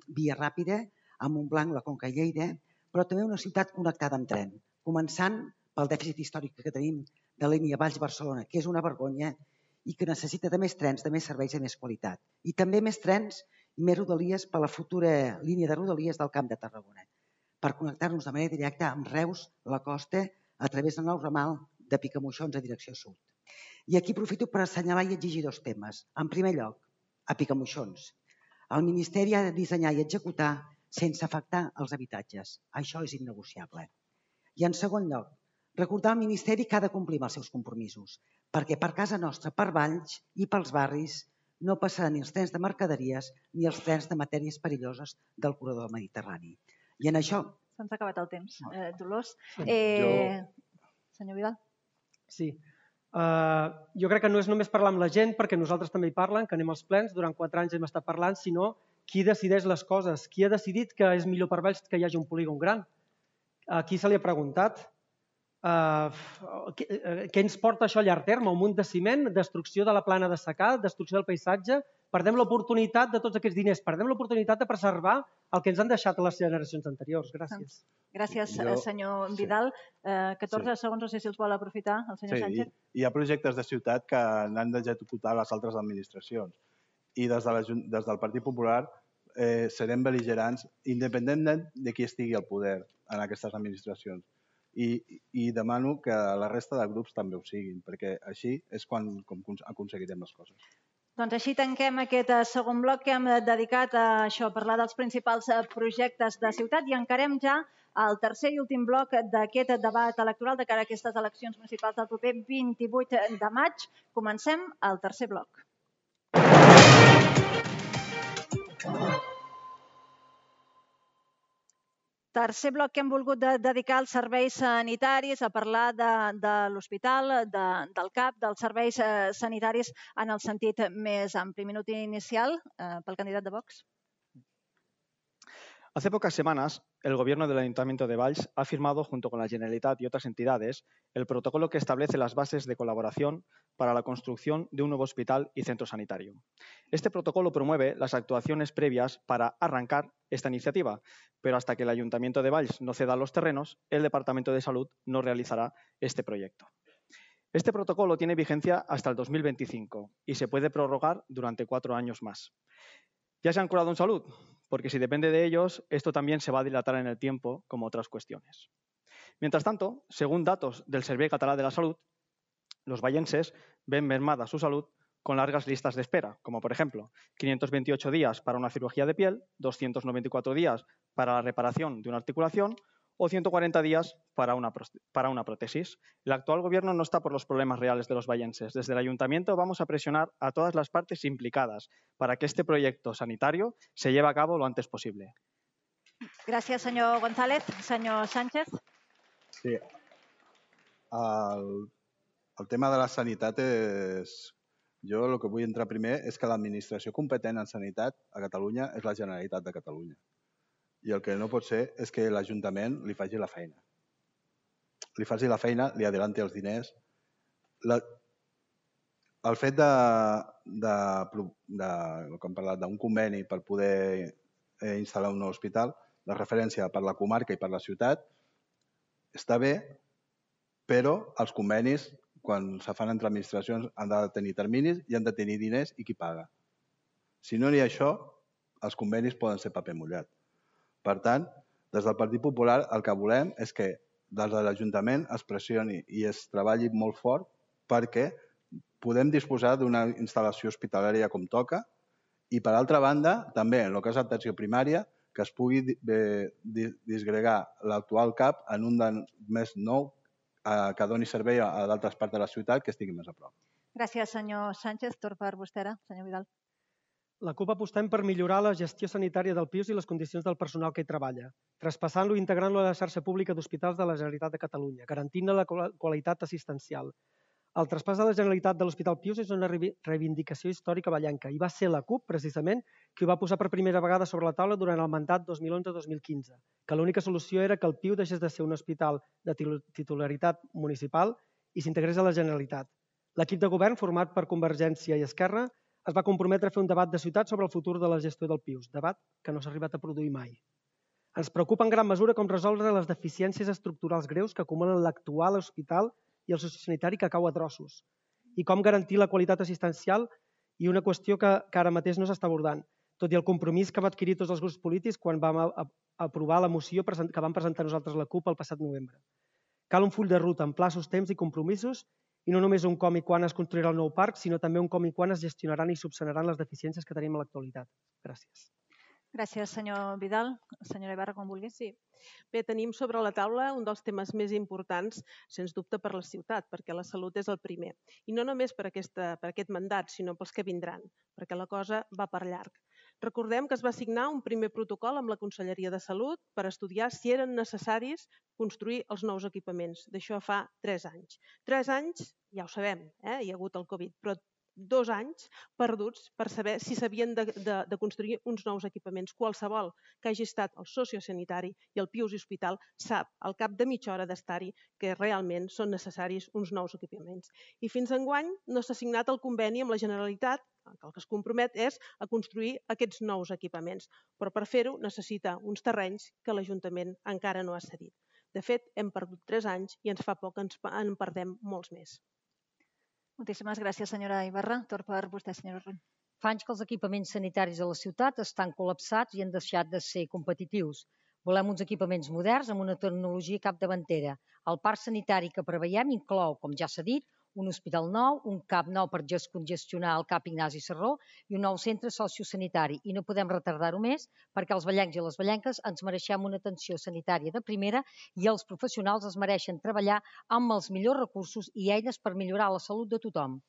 via ràpida a Montblanc, la Conca i Lleida, però també una ciutat connectada amb tren, començant pel dèficit històric que tenim de la línia Valls-Barcelona, que és una vergonya i que necessita de més trens, de més serveis i de més qualitat. I també més trens i més rodalies per a la futura línia de rodalies del Camp de Tarragona, per connectar-nos de manera directa amb Reus, la costa, a través del nou ramal de Picamoixons a direcció sud. I aquí aprofito per assenyalar i exigir dos temes. En primer lloc, a Picamoixons. El Ministeri ha de dissenyar i executar sense afectar els habitatges. Això és innegociable. I en segon lloc, recordar al Ministeri que ha de complir amb els seus compromisos, perquè per casa nostra, per Valls i pels barris, no passaran ni els trens de mercaderies ni els trens de matèries perilloses del corredor mediterrani. I en això... Se'ns ha acabat el temps. Dolors? Senyor Vidal? Sí. Jo crec que no és només parlar amb la gent, perquè nosaltres també hi parlen, que anem als plens, durant 4 anys hem estat parlant, sinó qui decideix les coses, qui ha decidit que és millor per Valls que hi hagi un polígon gran. A qui se li ha preguntat? Què ens porta això a llarg terme? Un munt de ciment, destrucció de la plana de secà, destrucció del paisatge. Perdem l'oportunitat de tots aquests diners, perdem l'oportunitat de preservar el que ens han deixat les generacions anteriors. Gràcies. Gràcies, senyor Vidal. 14 segons, no sé si els vol aprofitar el senyor Sánchez. Sí, hi ha projectes de ciutat que n'han d'executar les altres administracions. I des del Partit Popular serem bel·ligerants independentment de qui estigui al poder en aquestes administracions. I demano que la resta de grups també ho siguin, perquè així és com aconseguirem les coses. Doncs així tanquem aquest segon bloc que hem dedicat a això, a parlar dels principals projectes de ciutat i encarem ja el tercer i últim bloc d'aquest debat electoral de cara a aquestes eleccions municipals del proper 28 de maig. Comencem el tercer bloc. Tercer bloc que hem volgut dedicar als serveis sanitaris, a parlar de l'hospital, del CAP, dels serveis sanitaris en el sentit més ampli. Minut inicial pel candidat de Vox. Hace pocas semanas, el Gobierno del Ayuntamiento de Valls ha firmado, junto con la Generalitat y otras entidades, el protocolo que establece las bases de colaboración para la construcción de un nuevo hospital y centro sanitario. Este protocolo promueve las actuaciones previas para arrancar esta iniciativa, pero hasta que el Ayuntamiento de Valls no ceda los terrenos, el Departamento de Salud no realizará este proyecto. Este protocolo tiene vigencia hasta el 2025 y se puede prorrogar durante 4 años más. ¿Ya se han curado en salud? Porque si depende de ellos, esto también se va a dilatar en el tiempo, como otras cuestiones. Mientras tanto, según datos del Servei Català de la Salud, los vallenses ven mermada su salud con largas listas de espera, como por ejemplo 528 días para una cirugía de piel, 294 días para la reparación de una articulación o 140 días para una prótesis. El actual gobierno no está por los problemas reales de los vallenses. Desde el ayuntamiento vamos a presionar a todas las partes implicadas para que este proyecto sanitario se lleve a cabo lo antes posible. Gràcies, senyor González. Senyor Sánchez. Sí. El tema de la sanitat és... Jo el que vull entrar primer és que l'administració competent en sanitat a Catalunya és la Generalitat de Catalunya. I el que no pot ser és que l'Ajuntament li faci la feina. Li faci la feina, li adelanti els diners. El fet d'un conveni per poder instal·lar un nou hospital, la referència per la comarca i per la ciutat, està bé, però els convenis, quan se fan entre administracions, han de tenir terminis i han de tenir diners i qui paga. Si no hi ha això, els convenis poden ser paper mullat. Per tant, des del Partit Popular el que volem és que des de l'Ajuntament es pressioni i es treballi molt fort perquè podem disposar d'una instal·lació hospitalària com toca i, per altra banda, també en el que és l'atenció primària, que es pugui disgregar l'actual CAP en un més nou que doni servei a d'altres parts de la ciutat que estigui més a prop. Gràcies, senyor Sánchez. Torn per vostè ara, senyor Vidal. La CUP apostem per millorar la gestió sanitària del PIUS i les condicions del personal que hi treballa, traspassant-lo i integrant-lo a la xarxa pública d'hospitals de la Generalitat de Catalunya, garantint-ne la qualitat assistencial. El traspàs de la Generalitat de l'Hospital Pius és una reivindicació històrica vallenca i va ser la CUP, precisament, qui ho va posar per primera vegada sobre la taula durant el mandat 2011-2015, que l'única solució era que el Piu deixés de ser un hospital de titularitat municipal i s'integrés a la Generalitat. L'equip de govern, format per Convergència i Esquerra, es va comprometre a fer un debat de ciutat sobre el futur de la gestió del Pius, debat que no s'ha arribat a produir mai. Ens preocupa en gran mesura com resoldre les deficiències estructurals greus que acumulen l'actual hospital i el sociosanitari que cau a trossos, i com garantir la qualitat assistencial i una qüestió que ara mateix no s'està abordant, tot i el compromís que va adquirir tots els grups polítics quan vam aprovar la moció que vam presentar nosaltres la CUP el passat novembre. Cal un full de ruta amb plaços, temps i compromisos, i no només un com i quan es construirà el nou parc, sinó també un com i quan es gestionaran i subsanaran les deficiències que tenim a l'actualitat. Gràcies. Gràcies, senyor Vidal. Senyora Ibarra, com vulgui. Sí. Bé, tenim sobre la taula un dels temes més importants, sens dubte, per la ciutat, perquè la salut és el primer. I no només per aquest mandat, sinó pels que vindran, perquè la cosa va per llarg. Recordem que es va signar un primer protocol amb la Conselleria de Salut per estudiar si eren necessaris construir els nous equipaments. D'això fa 3 anys. 3 anys, ja ho sabem, hi ha hagut el Covid, però 2 anys perduts per saber si s'havien de construir uns nous equipaments. Qualsevol que hagi estat el sociosanitari i el Pius i Hospital sap, al cap de mitja hora d'estar-hi, que realment són necessaris uns nous equipaments. I fins enguany no s'ha signat el conveni amb la Generalitat, que el que es compromet és a construir aquests nous equipaments, però per fer-ho necessita uns terrenys que l'Ajuntament encara no ha cedit. De fet, hem perdut 3 anys i ens fa por que en perdem molts més. Moltíssimes gràcies, senyora Ibarra. Torn per vostè, senyora Rull. Fa anys que els equipaments sanitaris a la ciutat estan col·lapsats i han deixat de ser competitius. Volem uns equipaments moderns amb una tecnologia capdavantera. El parc sanitari que preveiem inclou, com ja s'ha dit, un hospital nou, un CAP nou per descongestionar el CAP Ignasi Serró i un nou centre sociosanitari. I no podem retardar-ho més perquè els vallencs i les vallenques ens mereixem una atenció sanitària de primera i els professionals es mereixen treballar amb els millors recursos i eines per millorar la salut de tothom.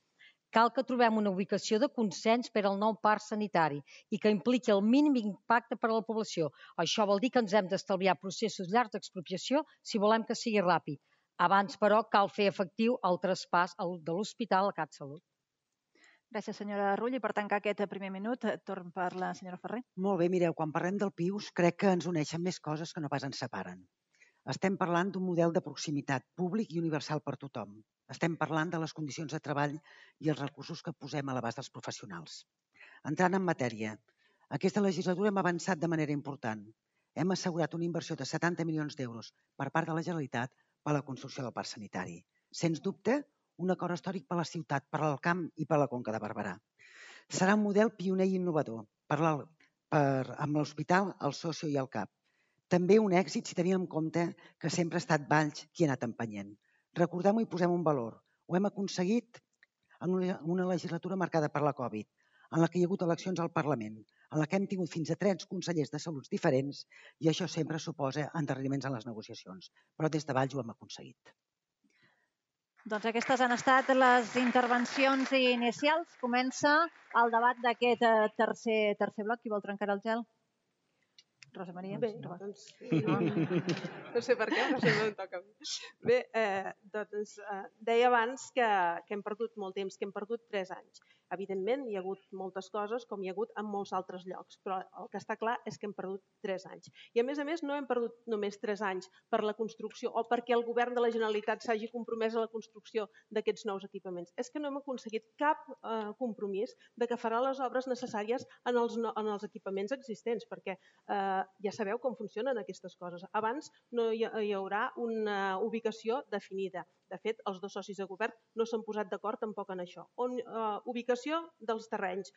Cal que trobem una ubicació de consens per al nou parc sanitari i que impliqui el mínim impacte per a la població. Això vol dir que ens hem d'estalviar processos llargs d'expropiació si volem que sigui ràpid. Abans, però, cal fer efectiu el traspàs de l'hospital a CatSalut. Gràcies, senyora Rull. I per tancar aquest primer minut, torn per la senyora Ferrer. Molt bé, mireu, quan parlem del Pius crec que ens uneixen més coses que no pas ens separen. Estem parlant d'un model de proximitat públic i universal per tothom. Estem parlant de les condicions de treball i els recursos que posem a l'abast dels professionals. Entrant en matèria, aquesta legislatura hem avançat de manera important. Hem assegurat una inversió de 70 milions d'euros per part de la Generalitat per a la construcció del parc sanitari. Sens dubte, un acord històric per a la ciutat, per al Camp i per a la Conca de Barberà. Serà un model pioner i innovador amb l'hospital, el socio i el CAP. També un èxit si tenim en compte que sempre ha estat Valls qui ha anat empenyent. Recordem-ho i posem un valor. Ho hem aconseguit en una legislatura marcada per la Covid, en la que hi ha hagut eleccions al Parlament, en la que hem tingut fins a 3 consellers de salut diferents i això sempre suposa endarreriments en les negociacions. Però des de Valls ho hem aconseguit. Doncs aquestes han estat les intervencions inicials. Comença el debat d'aquest tercer bloc. Qui vol trencar el gel? Rosa Maria? Bé, doncs... No sé per què, però sempre em toca a mi. Bé, doncs deia abans que hem perdut molt temps, que hem perdut 3 anys. Evidentment, hi ha hagut moltes coses, com hi ha hagut en molts altres llocs, però el que està clar és que hem perdut 3 anys. I a més, no hem perdut només 3 anys per la construcció o perquè el govern de la Generalitat s'hagi compromès a la construcció d'aquests nous equipaments. És que no hem aconseguit cap compromís de que farà les obres necessàries en els equipaments existents, perquè ja sabeu com funcionen aquestes coses. Abans no hi haurà una ubicació definida. De fet, els 2 socis de govern no s'han posat d'acord tampoc en això. Ubicació dels terrenys,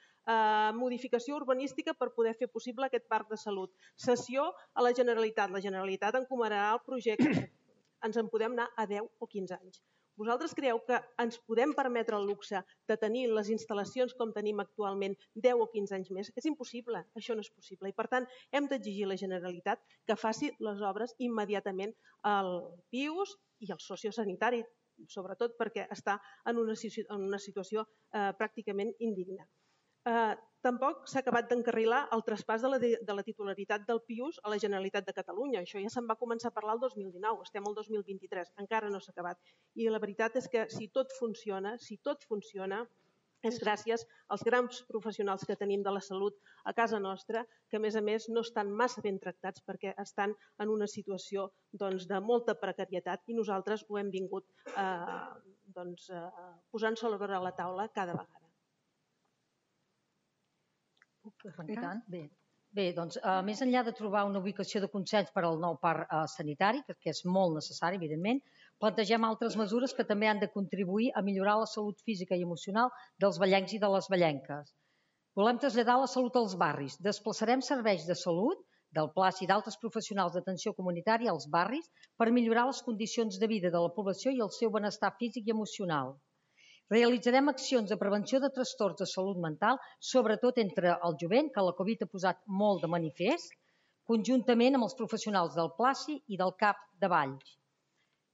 modificació urbanística per poder fer possible aquest parc de salut, cessió a la Generalitat. La Generalitat encomanarà el projecte. Ens en podem anar a 10 o 15 anys. Vosaltres creieu que ens podem permetre el luxe de tenir les instal·lacions com tenim actualment 10 o 15 anys més? És impossible, això no és possible. I per tant, hem d'exigir a la Generalitat que faci les obres immediatament al Pius i al sociosanitari, sobretot perquè està en una situació pràcticament indigna. Tampoc s'ha acabat d'encarrilar el traspàs de la titularitat del Pius a la Generalitat de Catalunya. Això ja se'n va començar a parlar el 2019, estem al 2023, encara no s'ha acabat. I la veritat és que si tot funciona, és gràcies als grans professionals que tenim de la salut a casa nostra, que a més no estan massa ben tractats perquè estan en una situació de molta precarietat i nosaltres ho hem vingut posant sobre la taula cada vegada. Bé, doncs, més enllà de trobar una ubicació de consens per al nou parc sanitari, que és molt necessari, evidentment, plantegem altres mesures que també han de contribuir a millorar la salut física i emocional dels ballencs i de les ballenques. Volem traslladar la salut als barris. Desplaçarem serveis de salut del PLAS i d'altres professionals d'atenció comunitària als barris per millorar les condicions de vida de la població i el seu benestar físic i emocional. Realitzarem accions de prevenció de trastorns de salut mental, sobretot entre el jovent, que la Covid ha posat molt de manifest, conjuntament amb els professionals del PLACI i del CAP de Valls.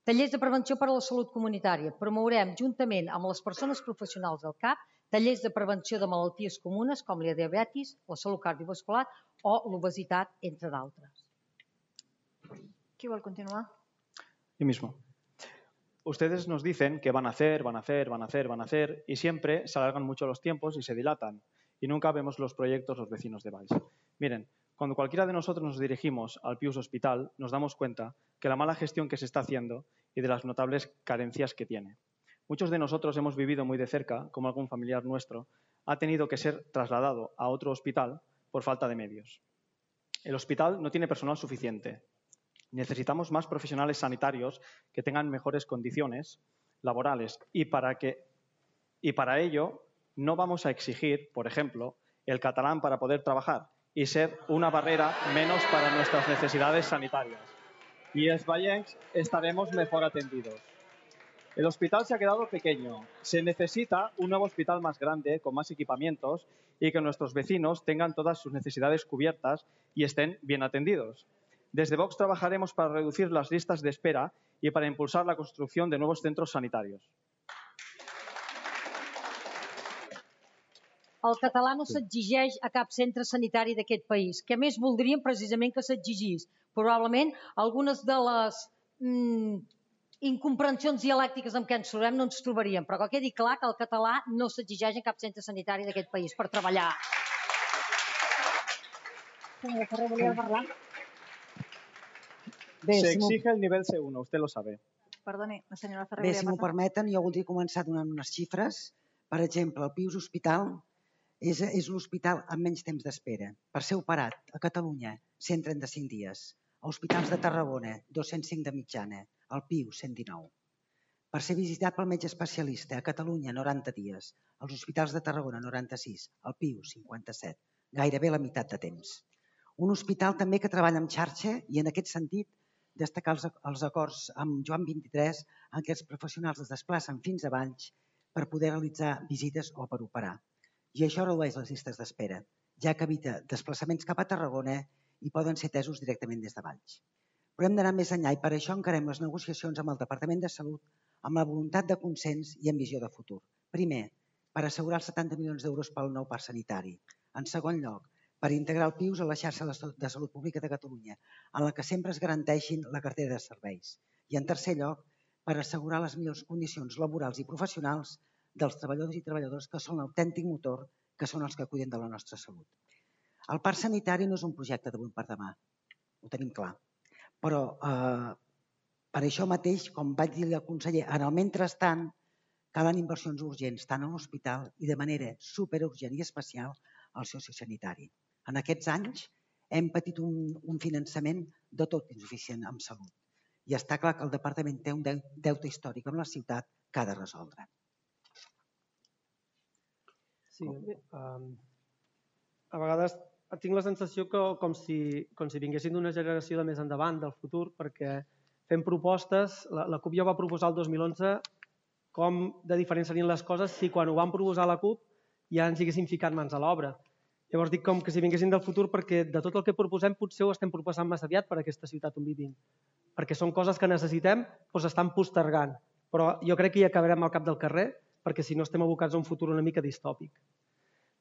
Tallers de prevenció per a la salut comunitària. Promourem, juntament amb les persones professionals del CAP, tallers de prevenció de malalties comunes com la diabetis, la salut cardiovascular o l'obesitat, entre d'altres. Qui vol continuar? Yo mismo. Ustedes nos dicen que van a hacer y siempre se alargan mucho los tiempos y se dilatan y nunca vemos los proyectos los vecinos de Valls. Miren, cuando cualquiera de nosotros nos dirigimos al Pius Hospital nos damos cuenta que la mala gestión que se está haciendo y de las notables carencias que tiene. Muchos de nosotros hemos vivido muy de cerca cómo algún familiar nuestro ha tenido que ser trasladado a otro hospital por falta de medios. El hospital no tiene personal suficiente. Necesitamos más profesionales sanitarios que tengan mejores condiciones laborales y para ello no vamos a exigir, por ejemplo, el catalán para poder trabajar y ser una barrera menos para nuestras necesidades sanitarias. Y els vallencs estaremos mejor atendidos. El hospital se ha quedado pequeño. Se necesita un nuevo hospital más grande, con más equipamientos y que nuestros vecinos tengan todas sus necesidades cubiertas y estén bien atendidos. Desde Vox trabajaremos para reducir las listas de espera y para impulsar la construcción de nuevos centros sanitarios. El català no s'exigeix a cap centre sanitari d'aquest país, que més voldríem precisament que s'exigís. Probablement algunes de les incomprensions dialèctiques amb què ens trobem no ens trobaríem, però que quedi clar que el català no s'exigeix a cap centre sanitari d'aquest país per treballar. Senyora Ferrer, volia parlar? Se exige el nivel C1, usted lo sabe. Perdoni, la senyora Ferrer Bé, volia si m'ho parlar. permeten, jo voldria començar donant unes xifres. Per exemple, el Pius Hospital és l'hospital amb menys temps d'espera. Per ser operat a Catalunya, 135 dies. A hospitals de Tarragona, 205 de mitjana. Al Pius, 119. Per ser visitat pel metge especialista a Catalunya, 90 dies. Als hospitals de Tarragona, 96. Al Pius, 57. Gairebé la meitat de temps. Un hospital també que treballa en xarxa i en aquest sentit destacar els acords amb Joan 23 en què els professionals es desplacen fins a Valls per poder realitzar visites o per operar. I això redueix les llistes d'espera, ja que evita desplaçaments cap a Tarragona i poden ser atesos directament des de Valls. Però hem d'anar més enllà i per això encarem les negociacions amb el Departament de Salut amb la voluntat de consens i amb visió de futur. Primer, per assegurar els 70 milions d'euros pel nou parc sanitari. En segon lloc, per integrar el Pius a la xarxa de salut pública de Catalunya, en la que sempre es garanteixin la cartera de serveis. I en tercer lloc, per assegurar les millors condicions laborals i professionals dels treballadors i treballadores que són l'autèntic motor, que són els que cuiden de la nostra salut. El parc sanitari no és un projecte d'avui per demà, ho tenim clar. Però per això mateix, com vaig dir al conseller, en el mentrestant calen inversions urgents tant a l'hospital i de manera superurgent i especial al sociosanitari. En aquests anys hem patit un finançament de tot insuficient en salut i està clar que el departament té un deute històric amb la ciutat que ha de resoldre. Sí, a vegades tinc la sensació que com si vinguessin d'una generació de més endavant, del futur, perquè fem propostes, la CUP ja va proposar el 2011 com de diferents serien les coses si quan ho van proposar la CUP ja ens haguessin ficat mans a l'obra. Llavors dic com que si vinguessin del futur perquè de tot el que proposem potser ho estem proposant massa aviat per a aquesta ciutat on vivim. Perquè són coses que necessitem, però s'estan postergant. Però jo crec que hi acabarem al cap del carrer perquè si no estem abocats a un futur una mica distòpic.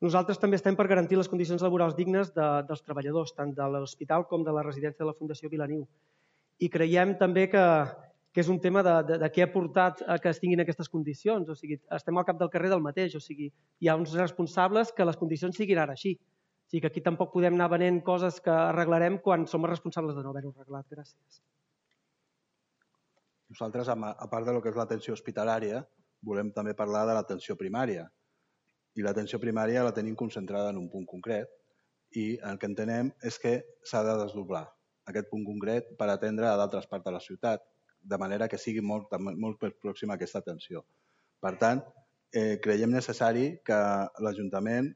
Nosaltres també estem per garantir les condicions laborals dignes dels treballadors, tant de l'hospital com de la residència de la Fundació Vilaniu. I creiem també que és un tema de què ha portat a que es tinguin aquestes condicions. O sigui, estem al cap del carrer del mateix. O sigui, hi ha uns responsables que les condicions siguin ara així. O sigui, que aquí tampoc podem anar venent coses que arreglarem quan som els responsables de no haver-ho arreglat. Gràcies. Nosaltres, a part de lo que és l'atenció hospitalària, volem també parlar de l'atenció primària. I l'atenció primària la tenim concentrada en un punt concret i el que entenem és que s'ha de desdoblar aquest punt concret per atendre a d'altres parts de la ciutat, de manera que sigui molt pròxima a aquesta atenció. Per tant, creiem necessari que l'Ajuntament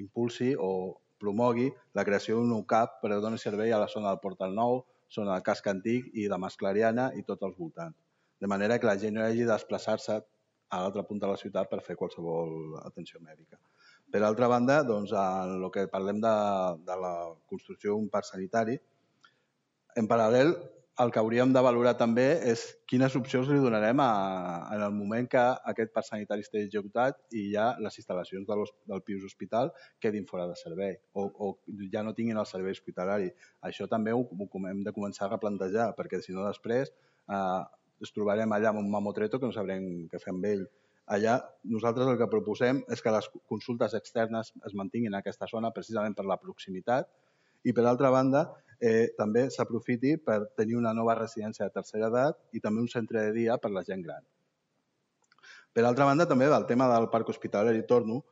impulsi o promogui la creació d'un nou CAP per donar servei a la zona del Portal Nou, zona del Casc Antic i de Mas Clariana i tots els voltants. De manera que la gent no hagi de desplaçar-se a l'altre punt de la ciutat per fer qualsevol atenció mèdica. Per altra banda, en el que parlem de la construcció d'un parc sanitari, en paral·lel, el que hauríem de valorar també és quines opcions li donarem en el moment que aquest parc sanitari estigui executat i ja les instal·lacions del Pius Hospital quedin fora de servei o ja no tinguin el servei hospitalari. Això també ho hem de començar a replantejar, perquè si no després ens trobarem allà amb un mamotreto que no sabrem què fer amb ell. Allà nosaltres el que proposem és que les consultes externes es mantinguin en aquesta zona precisament per la proximitat i, per altra banda, també s'aprofiti per tenir una nova residència de tercera edat i també un centre de dia per la gent gran. Per altra banda, també del tema del parc hospitalari torno,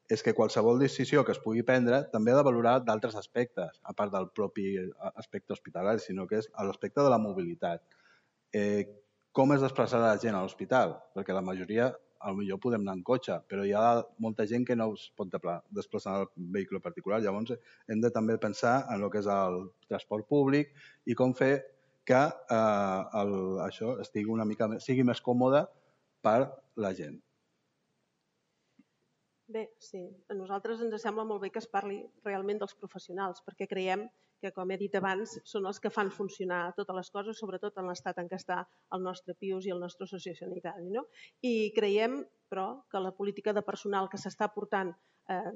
és que qualsevol decisió que es pugui prendre també ha de valorar d'altres aspectes, a part del propi aspecte hospitalari, sinó que és l'aspecte de la mobilitat. Com es desplaçarà la gent a l'hospital? Perquè la majoria potser podem anar en cotxe, però hi ha molta gent que no es pot desplaçar en vehicle particular. Llavors, hem de també pensar en el que és el transport públic i com fer que això sigui més còmode per la gent. Bé, sí. A nosaltres ens sembla molt bé que es parli realment dels professionals, perquè creiem que, com he dit abans, són els que fan funcionar totes les coses, sobretot en l'estat en què està el nostre Pius i el nostre sociosanitari. I creiem, però, que la política de personal que s'està portant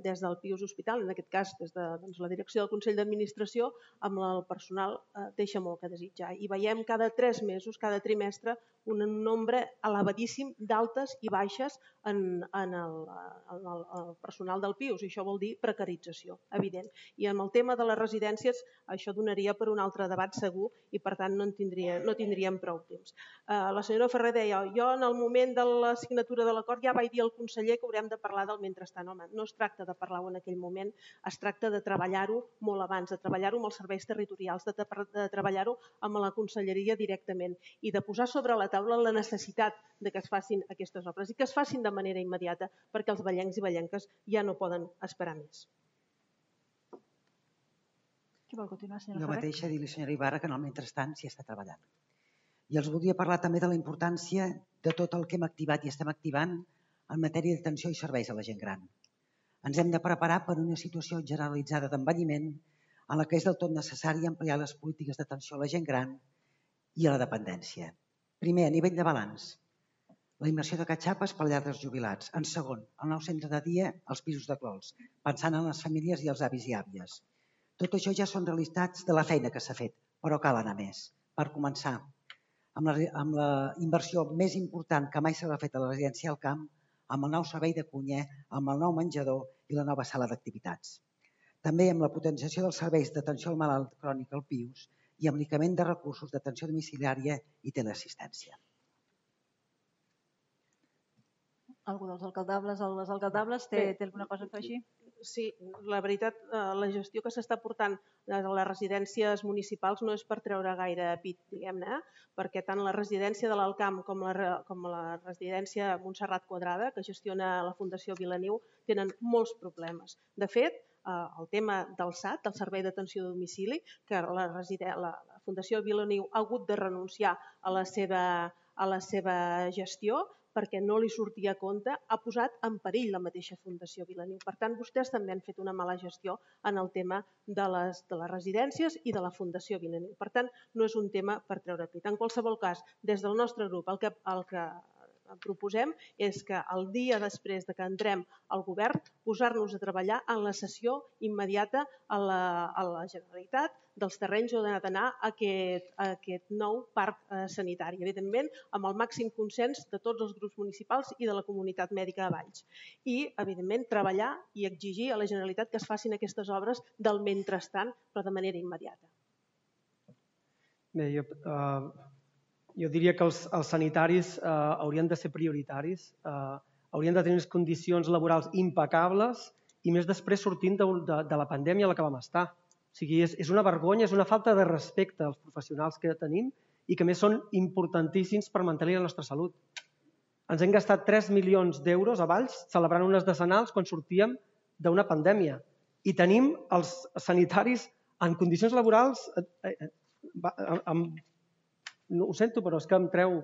des del Pius Hospital, en aquest cas des de la direcció del Consell d'Administració, amb el personal deixa molt que desitjar. I veiem cada 3 mesos, cada trimestre, un nombre elevadíssim d'altes i baixes en el personal del Pius, i això vol dir precarització, evident. I amb el tema de les residències això donaria per un altre debat segur i per tant no tindríem prou temps. La senyora Ferrer deia, jo en el moment de la signatura de l'acord ja vaig dir al conseller que haurem de parlar del mentrestant. Home, no es tracta de parlar-ho en aquell moment, es tracta de treballar-ho molt abans, de treballar-ho amb els serveis territorials, de treballar-ho amb la conselleria directament i de posar sobre la taula la necessitat de que es facin aquestes obres i que es facin de manera immediata perquè els vallencs i vallenques ja no poden esperar més. Qui vol continuar, senyora Jo Ferrer? mateixa dir-li, senyora Ibarra, que en el mentrestant s'hi està treballant. I els voldria parlar també de la importància de tot el que hem activat i estem activant en matèria d'atenció i serveis a la gent gran. Ens hem de preparar per una situació generalitzada d'envelliment en la que és del tot necessari ampliar les polítiques d'atenció a la gent gran i a la dependència. Primer, a nivell de balanç, la immersió de catxapes per llar dels jubilats. En segon, el nou centre de dia als pisos de Clols, pensant en les famílies i els avis i àvies. Tot això ja són realitats de la feina que s'ha fet, però cal anar més. Per començar, amb la inversió més important que mai s'ha fet a la residència al camp, amb el nou servei de cuiner, amb el nou menjador i la nova sala d'activitats. També amb la potenciació dels serveis d'atenció al malalt crònic al Pius i amb l'increment de recursos d'atenció domiciliària i teleassistència. Algú dels alcaldables o les alcaldables té alguna cosa a afegir? Sí, la veritat, la gestió que s'està portant a les residències municipals no és per treure gaire pit, diguem-ne, perquè tant la residència de l'Alcamp com la residència Montserrat Quadrada, que gestiona la Fundació Vilaniu, tenen molts problemes. De fet, el tema del SAT, del Servei d'Atenció a Domicili, que la Fundació Vilaniu ha hagut de renunciar a la seva gestió, perquè no li sortia a compte, ha posat en perill la mateixa Fundació Vilaniu. Per tant, vostès també han fet una mala gestió en el tema de les residències i de la Fundació Vilaniu. Per tant, no és un tema per treure pit. En qualsevol cas, des del nostre grup, el que proposem és que el dia després de que entrem al govern posar-nos a treballar en la cessió immediata a la Generalitat dels terrenys on ha d'anar aquest nou parc sanitari. Evidentment, amb el màxim consens de tots els grups municipals i de la comunitat mèdica de Valls. I, evidentment, treballar i exigir a la Generalitat que es facin aquestes obres del mentrestant, però de manera immediata. Bé, jo diria que els sanitaris haurien de ser prioritaris, haurien de tenir unes condicions laborals impecables i més després sortint de la pandèmia a la que vam estar. O sigui, és una vergonya, és una falta de respecte als professionals que tenim i que a més són importantíssims per mantenir la nostra salut. Ens hem gastat 3 milions d'euros a Valls celebrant unes decenals quan sortíem d'una pandèmia i tenim els sanitaris en condicions laborals... Ho sento, però és que em treu...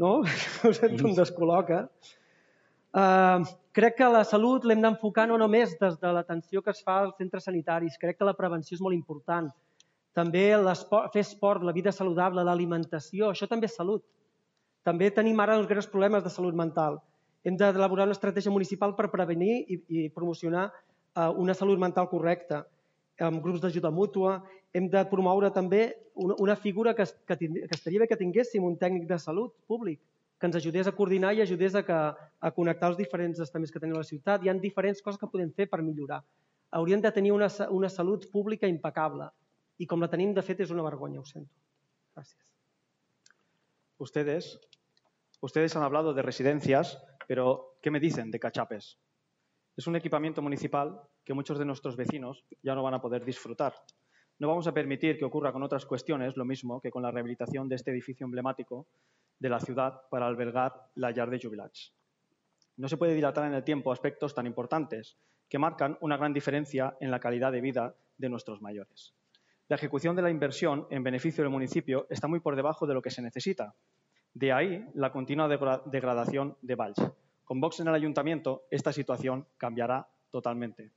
No? Ho sento, em descol·loca. Crec que la salut l'hem d'enfocar no només des de l'atenció que es fa als centres sanitaris. Crec que la prevenció és molt important. També fer esport, la vida saludable, l'alimentació, això també és salut. També tenim ara els greus problemes de salut mental. Hem d'elaborar una estratègia municipal per prevenir i promocionar una salut mental correcta, amb grups d'ajuda mútua. Hem de promoure també una figura que estaria bé que tinguéssim, un tècnic de salut públic, que ens ajudés a coordinar i ajudés a connectar els diferents estaments que tenim a la ciutat. Hi ha diferents coses que podem fer per millorar. Hauríem de tenir una salut pública impecable i com la tenim, de fet, és una vergonya, ho sento. Gràcies. Ustedes han hablado de residencias, pero ¿qué me dicen de cachapes? Es un equipamiento municipal que muchos de nuestros vecinos ya no van a poder disfrutar. No vamos a permitir que ocurra con otras cuestiones lo mismo que con la rehabilitación de este edificio emblemático de la ciudad para albergar la llar de jubilats. No se puede dilatar en el tiempo aspectos tan importantes que marcan una gran diferencia en la calidad de vida de nuestros mayores. La ejecución de la inversión en beneficio del municipio está muy por debajo de lo que se necesita. De ahí la continua degradación de Valls. Con Vox en el ayuntamiento, esta situación cambiará totalmente.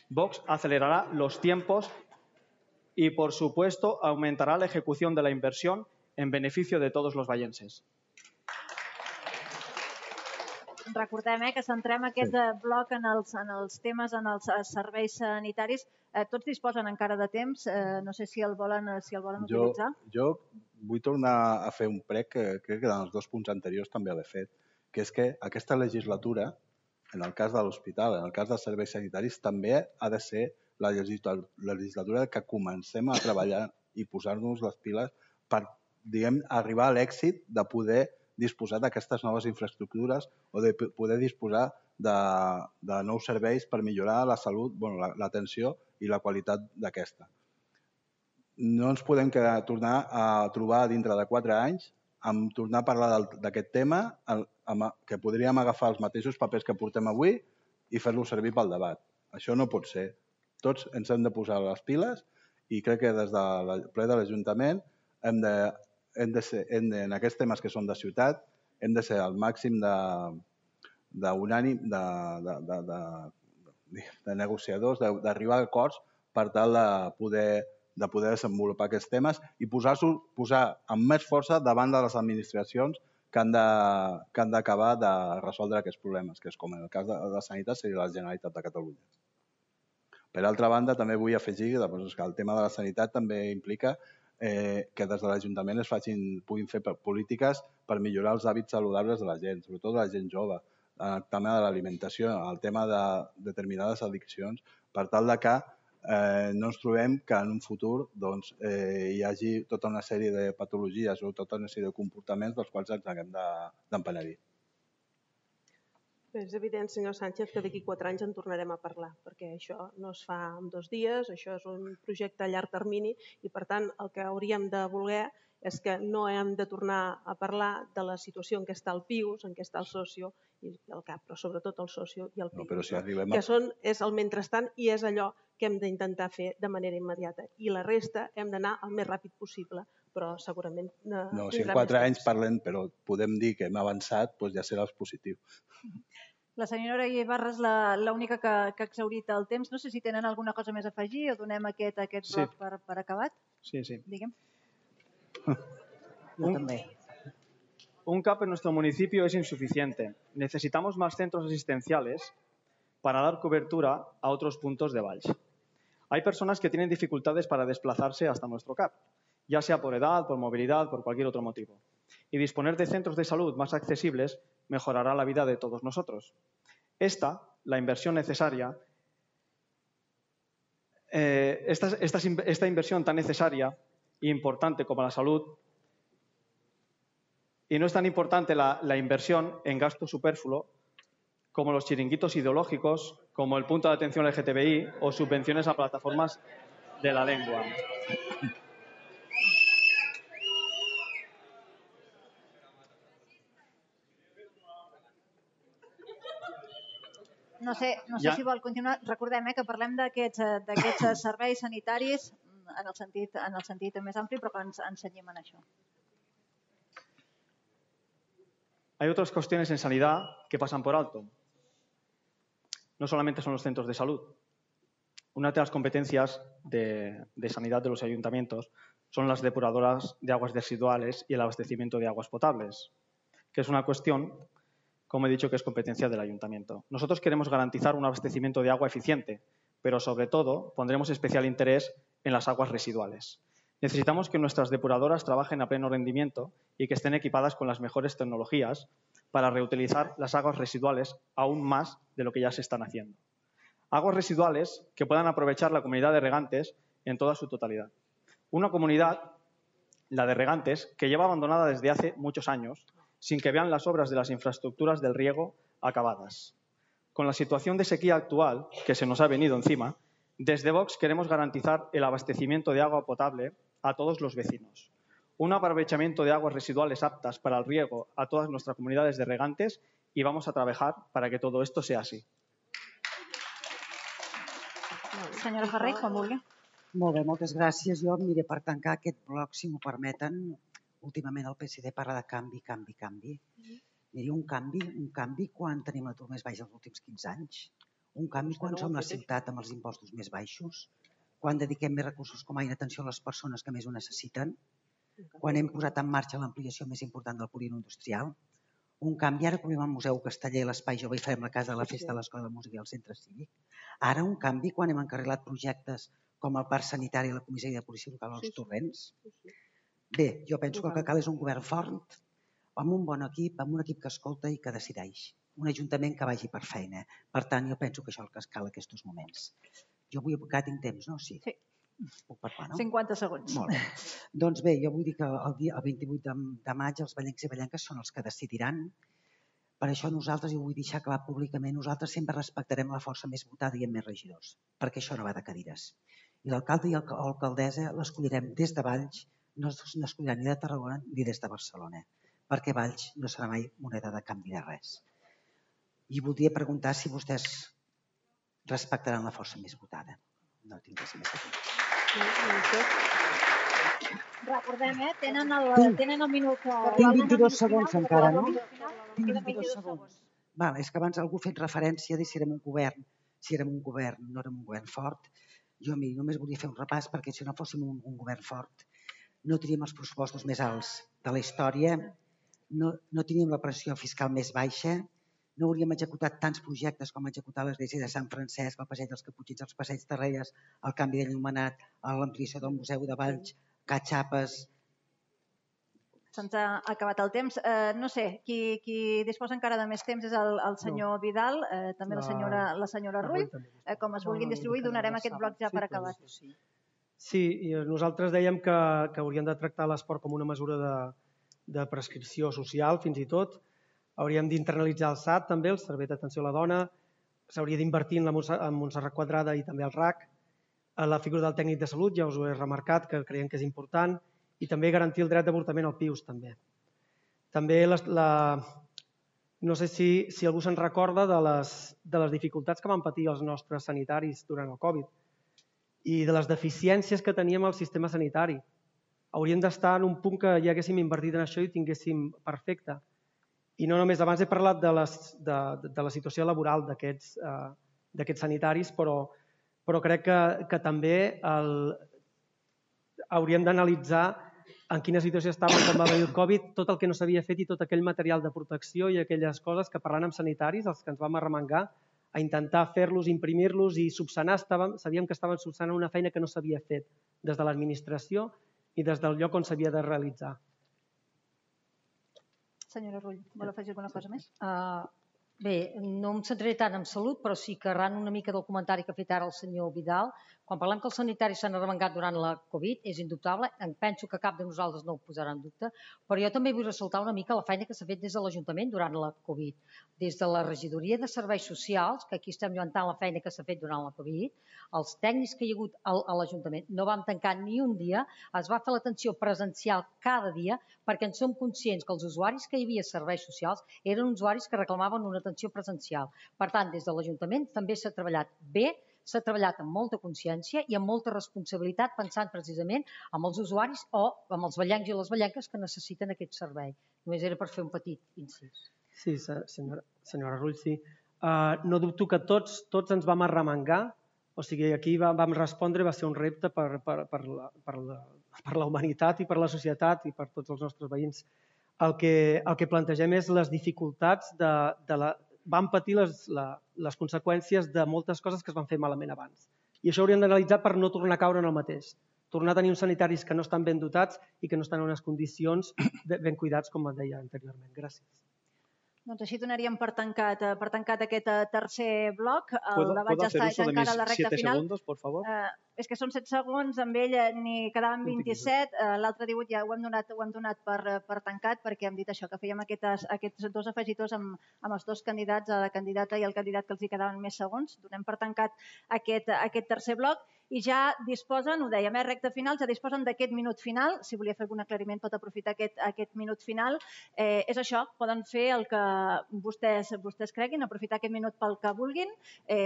Vox acelerará los tiempos y, por supuesto, aumentará la ejecución de la inversión en beneficio de todos los vallenses. Recordem que centrem aquest bloc en els temes, en els serveis sanitaris. Tots disposen encara de temps. No sé si el volen utilitzar. Jo vull tornar a fer un prec que crec que en els 2 punts anteriors també l'he fet, que és que aquesta legislatura, en el cas de l'hospital, en el cas dels serveis sanitaris, també ha de ser la legislatura que comencem a treballar i posar-nos les piles per arribar a l'èxit de poder disposar d'aquestes noves infraestructures o de poder disposar de nous serveis per millorar la salut, l'atenció i la qualitat d'aquesta. No ens podem tornar a trobar dintre de 4 anys amb tornar a parlar d'aquest tema, que podríem agafar els mateixos papers que portem avui i fer-los servir pel debat. Això no pot ser. Tots ens hem de posar les piles i crec que des del ple de l'Ajuntament en aquests temes que són de ciutat hem de ser al màxim de negociadors, d'arribar a acords per tal de poder desenvolupar aquests temes i posar amb més força davant de les administracions que han d'acabar de resoldre aquests problemes, que és com en el cas de la sanitat seria la Generalitat de Catalunya. Per altra banda, també vull afegir que el tema de la sanitat també implica que des de l'Ajuntament puguin fer polítiques per millorar els hàbits saludables de la gent, sobretot de la gent jove, el tema de l'alimentació, el tema de determinades addiccions, per tal que no ens trobem que en un futur hi hagi tota una sèrie de patologies o tota una sèrie de comportaments dels quals ens haguem d'empenedir. És evident, senyor Sánchez, que d'aquí 4 anys en tornarem a parlar, perquè això no es fa en 2 dies, això és un projecte a llarg termini i, per tant, el que hauríem de voler és que no hem de tornar a parlar de la situació en què està el PIUS, en què està el socio i el CAP, però sobretot el socio i el PIUS, que és el mentrestant i és allò que hem d'intentar fer de manera immediata. I la resta hem d'anar el més ràpid possible, però segurament... No, si en 4 anys parlem, però podem dir que hem avançat, doncs ja serà positiu. La senyora Ibarra és l'única que ha exhaurit el temps. No sé si tenen alguna cosa més a afegir o donem aquest bloc per acabat. Sí. Digue'm. Jo també. un CAP en nuestro municipio es insuficiente. Necesitamos más centros asistenciales para dar cobertura a otros puntos de Valls. Hay personas que tienen dificultades para desplazarse hasta nuestro CAP, ya sea por edad, por movilidad, por cualquier otro motivo. Y disponer de centros de salud más accesibles mejorará la vida de todos nosotros. La inversión necesaria, esta inversión tan necesaria e importante como la salud, y no es tan importante la inversión en gasto superfluo como los chiringuitos ideológicos, como el punto de atención LGTBI o subvenciones a plataformas de la lengua. No sé si vol continuar. Recordem que parlem d'aquests serveis sanitaris en el sentit més ampli, però que ens cenyim en això. Hay otras cuestiones en sanidad que pasan por alto. No solamente son los centros de salud. Una de las competencias de sanidad de los ayuntamientos son las depuradoras de aguas residuales y el abastecimiento de aguas potables, que es una cuestión, como he dicho, que es competencia del ayuntamiento. Nosotros queremos garantizar un abastecimiento de agua eficiente, pero sobre todo pondremos especial interés en las aguas residuales. Necesitamos que nuestras depuradoras trabajen a pleno rendimiento y que estén equipadas con las mejores tecnologías para reutilizar las aguas residuales aún más de lo que ya se están haciendo. Aguas residuales que puedan aprovechar la comunidad de regantes en toda su totalidad. Una comunidad, la de regantes, que lleva abandonada desde hace muchos años, sin que vean las obras de las infraestructuras del riego acabadas. Con la situación de sequía actual que se nos ha venido encima, desde Vox queremos garantizar el abastecimiento de agua potable a todos los vecinos. Un aprovechamiento de aguas residuales aptas para el riego a todas nuestras comunidades de regantes y vamos a trabajar para que todo esto sea así. Senyora Ferrer, quan vulgui. Molt bé, moltes gràcies. Jo, mire, per tancar aquest bloc, si m'ho permeten, últimament el PSD parla de canvi, canvi, canvi. Miri, un canvi quan tenim l'atur més baix dels últims 15 anys, un canvi quan som la ciutat amb els impostos més baixos, quan dediquem més recursos com a atenció a les persones que més ho necessiten, quan hem posat en marxa l'ampliació més important del polígon industrial, un canvi, ara que obrim el Museu Casteller, l'Espai Jove i farem la Casa de la Festa de l'Escola de Música i el Centre Cívic, ara un canvi quan hem encarrilat projectes com el Parc Sanitari i la Comissaria de Policia Local als Torrents. Bé, jo penso que el que cal és un govern fort, amb un bon equip, amb un equip que escolta i que decideix. Un ajuntament que vagi per feina. Per tant, jo penso que això és el que cal en aquests moments. Jo vull aplicar, tinc temps, no? Sí. Puc parlar, no? 50 segons. Molt bé. Doncs bé, jo vull dir que el 28 de maig els vallencs i vallenques són els que decidiran. Per això nosaltres, jo vull deixar clar públicament, nosaltres sempre respectarem la força més votada i amb més regidors, perquè això no va de cadires. I l'alcalde i l'alcaldessa l'escollirem des de Valls, no escolliran ni de Tarragona ni des de Barcelona, perquè Valls no serà mai moneda de canvi de res. I voldria preguntar si vostès respectaran la força més votada. No tinc res més a dir. Recordem, tenen el minut. Tinc 22 segons encara, no? Tinc 22 segons. És que abans algú ha fet referència de si érem un govern. Si érem un govern, no érem un govern fort. Jo només volia fer un repàs perquè si no fóssim un govern fort no teníem els pressupostos més alts de la història, no teníem la pressió fiscal més baixa, no hauríem executat tants projectes com executar l'església de Sant Francesc, el passeig dels Caputxins, els passeig de Reyes, el canvi de l'il·luminat, l'ampliació del Museu de Valls, Catxapes. Se'ns ha acabat el temps. No sé, qui disposa encara de més temps és el senyor Vidal, també la senyora Rull. Com es vulguin distribuir, donarem aquest bloc ja per acabat. Sí, i nosaltres dèiem que hauríem de tractar l'esport com una mesura de prescripció social, fins i tot. Hauríem d'internalitzar el SAT, també, el Servei d'Atenció a la Dona. S'hauria d'invertir en Montserrat Quadrada i també el RAC. La figura del tècnic de salut, ja us ho he remarcat, que creiem que és important. I també garantir el dret d'avortament al PIUS, també. També, no sé si algú se'n recorda de les dificultats que van patir els nostres sanitaris durant el Covid i de les deficiències que teníem al sistema sanitari. Hauríem d'estar en un punt que ja haguéssim invertit en això i tinguéssim perfecte. I no només, abans he parlat de la situació laboral d'aquests sanitaris, però crec que també hauríem d'analitzar en quina situació estàvem quan va venir el Covid, tot el que no s'havia fet i tot aquell material de protecció i aquelles coses que parlant amb sanitaris, els que ens vam arremangar, a intentar fer-los, imprimir-los i subsanar, sabíem que estaven subsanant una feina que no s'havia fet des de l'administració i des del lloc on s'havia de realitzar. Senyora Rull, vol afegir alguna cosa més? Bé, no em centraré tant en salut, però sí que arran una mica del comentari que ha fet ara el senyor Vidal, quan parlem que els sanitaris s'han arremangat durant la Covid, és indubtable, penso que cap de nosaltres no ho posarà en dubte, però jo també vull ressaltar una mica la feina que s'ha fet des de l'Ajuntament durant la Covid. Des de la regidoria de serveis socials, que aquí estem lluentant la feina que s'ha fet durant la Covid, els tècnics que hi ha hagut a l'Ajuntament no vam tancar ni un dia, es va fer l'atenció presencial cada dia, perquè en som conscients que els usuaris que hi havia a serveis socials eren usuaris que reclamaven una atenció presencial. Per tant, des de l'Ajuntament també s'ha treballat bé, s'ha treballat amb molta consciència i amb molta responsabilitat, pensant precisament en els usuaris o amb els ballencs i les ballenques que necessiten aquest servei. Només era per fer un petit incís. Sí, senyora Rull, sí. No dubto que tots ens vam arremangar, o sigui, aquí vam respondre, va ser un repte per la humanitat i per la societat i per tots els nostres veïns. El que plantegem és les dificultats vam patir les conseqüències de moltes coses que es van fer malament abans. I això hauríem d'analitzar per no tornar a caure en el mateix. Tornar a tenir uns sanitaris que no estan ben dotats i que no estan en unes condicions ben cuidats, com deia anteriorment. Gràcies. Doncs així donaríem per tancat aquest tercer bloc. El debat ¿Puedo ja hacer està uso de encara mis a la recta 7 final. segundos, por favor? És que són 7 segons, amb ell n'hi quedaven 27, l'altre 18 ja ho hem donat per tancat perquè hem dit això, que fèiem aquests dos afegitors amb els dos candidats, la candidata i el candidat que els hi quedaven més segons. Donem per tancat aquest tercer bloc i ja disposen, ho dèiem, recta final, ja disposen d'aquest minut final. Si volia fer algun aclariment pot aprofitar aquest minut final. És això, poden fer el que vostès creguin, aprofitar aquest minut pel que vulguin,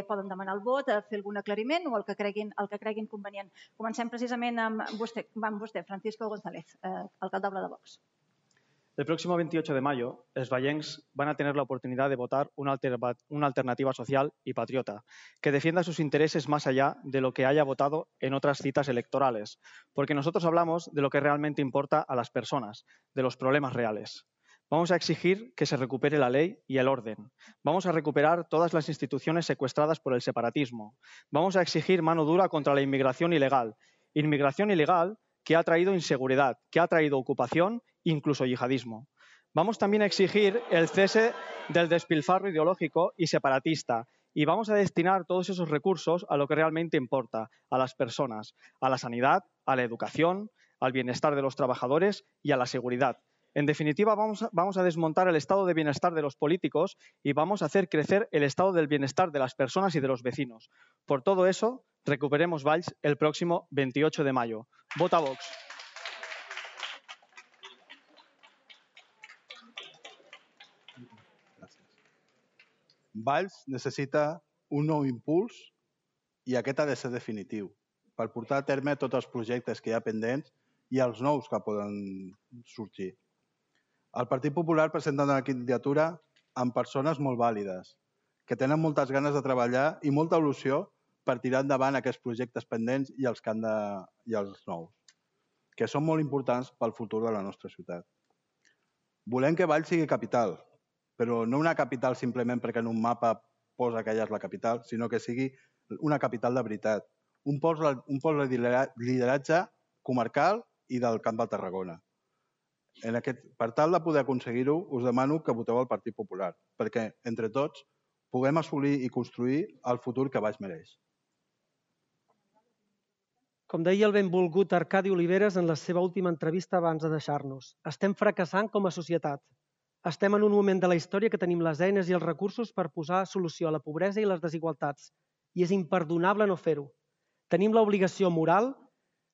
poden demanar el vot, fer algun aclariment o el que creguin convenient. Comencem precisament amb vostè, Francisco González, alcaldable de Vox. El próximo 28 de mayo, los vallencs van a tener la oportunidad de votar una alternativa social y patriota que defienda sus intereses más allá de lo que haya votado en otras citas electorales, porque nosotros hablamos de lo que realmente importa a las personas, de los problemas reales. Vamos a exigir que se recupere la ley y el orden. Vamos a recuperar todas las instituciones secuestradas por el separatismo. Vamos a exigir mano dura contra la inmigración ilegal. Inmigración ilegal que ha traído inseguridad, que ha traído ocupación, incluso yihadismo. Vamos también a exigir el cese del despilfarro ideológico y separatista y vamos a destinar todos esos recursos a lo que realmente importa, a las personas, a la sanidad, a la educación, al bienestar de los trabajadores y a la seguridad. En definitiva, vamos a desmontar el estado de bienestar de los políticos y vamos a hacer crecer el estado del bienestar de las personas y de los vecinos. Por todo eso, recuperemos Valls el próximo 28 de mayo. Vota Vox. Valls necessita un nou impuls i aquest ha de ser definitiu per portar a terme tots els projectes que hi ha pendents i els nous que poden sorgir. El Partit Popular presenta una candidatura amb persones molt vàlides, que tenen moltes ganes de treballar i molta il·lusió per tirar endavant aquests projectes pendents i els nous, que són molt importants pel futur de la nostra ciutat. Volem que Valls sigui capital, però no una capital simplement perquè en un mapa posa que allà és la capital, sinó que sigui una capital de veritat, un pol de lideratge comarcal i del Camp de Tarragona. Per tal de poder aconseguir-ho, us demano que voteu el Partit Popular, perquè entre tots puguem assolir i construir el futur que Valls mereix. Com deia el benvolgut Arcadi Oliveres en la seva última entrevista abans de deixar-nos, estem fracassant com a societat. Estem en un moment de la història que tenim les eines i els recursos per posar solució a la pobresa i les desigualtats, i és imperdonable no fer-ho. Tenim l'obligació moral,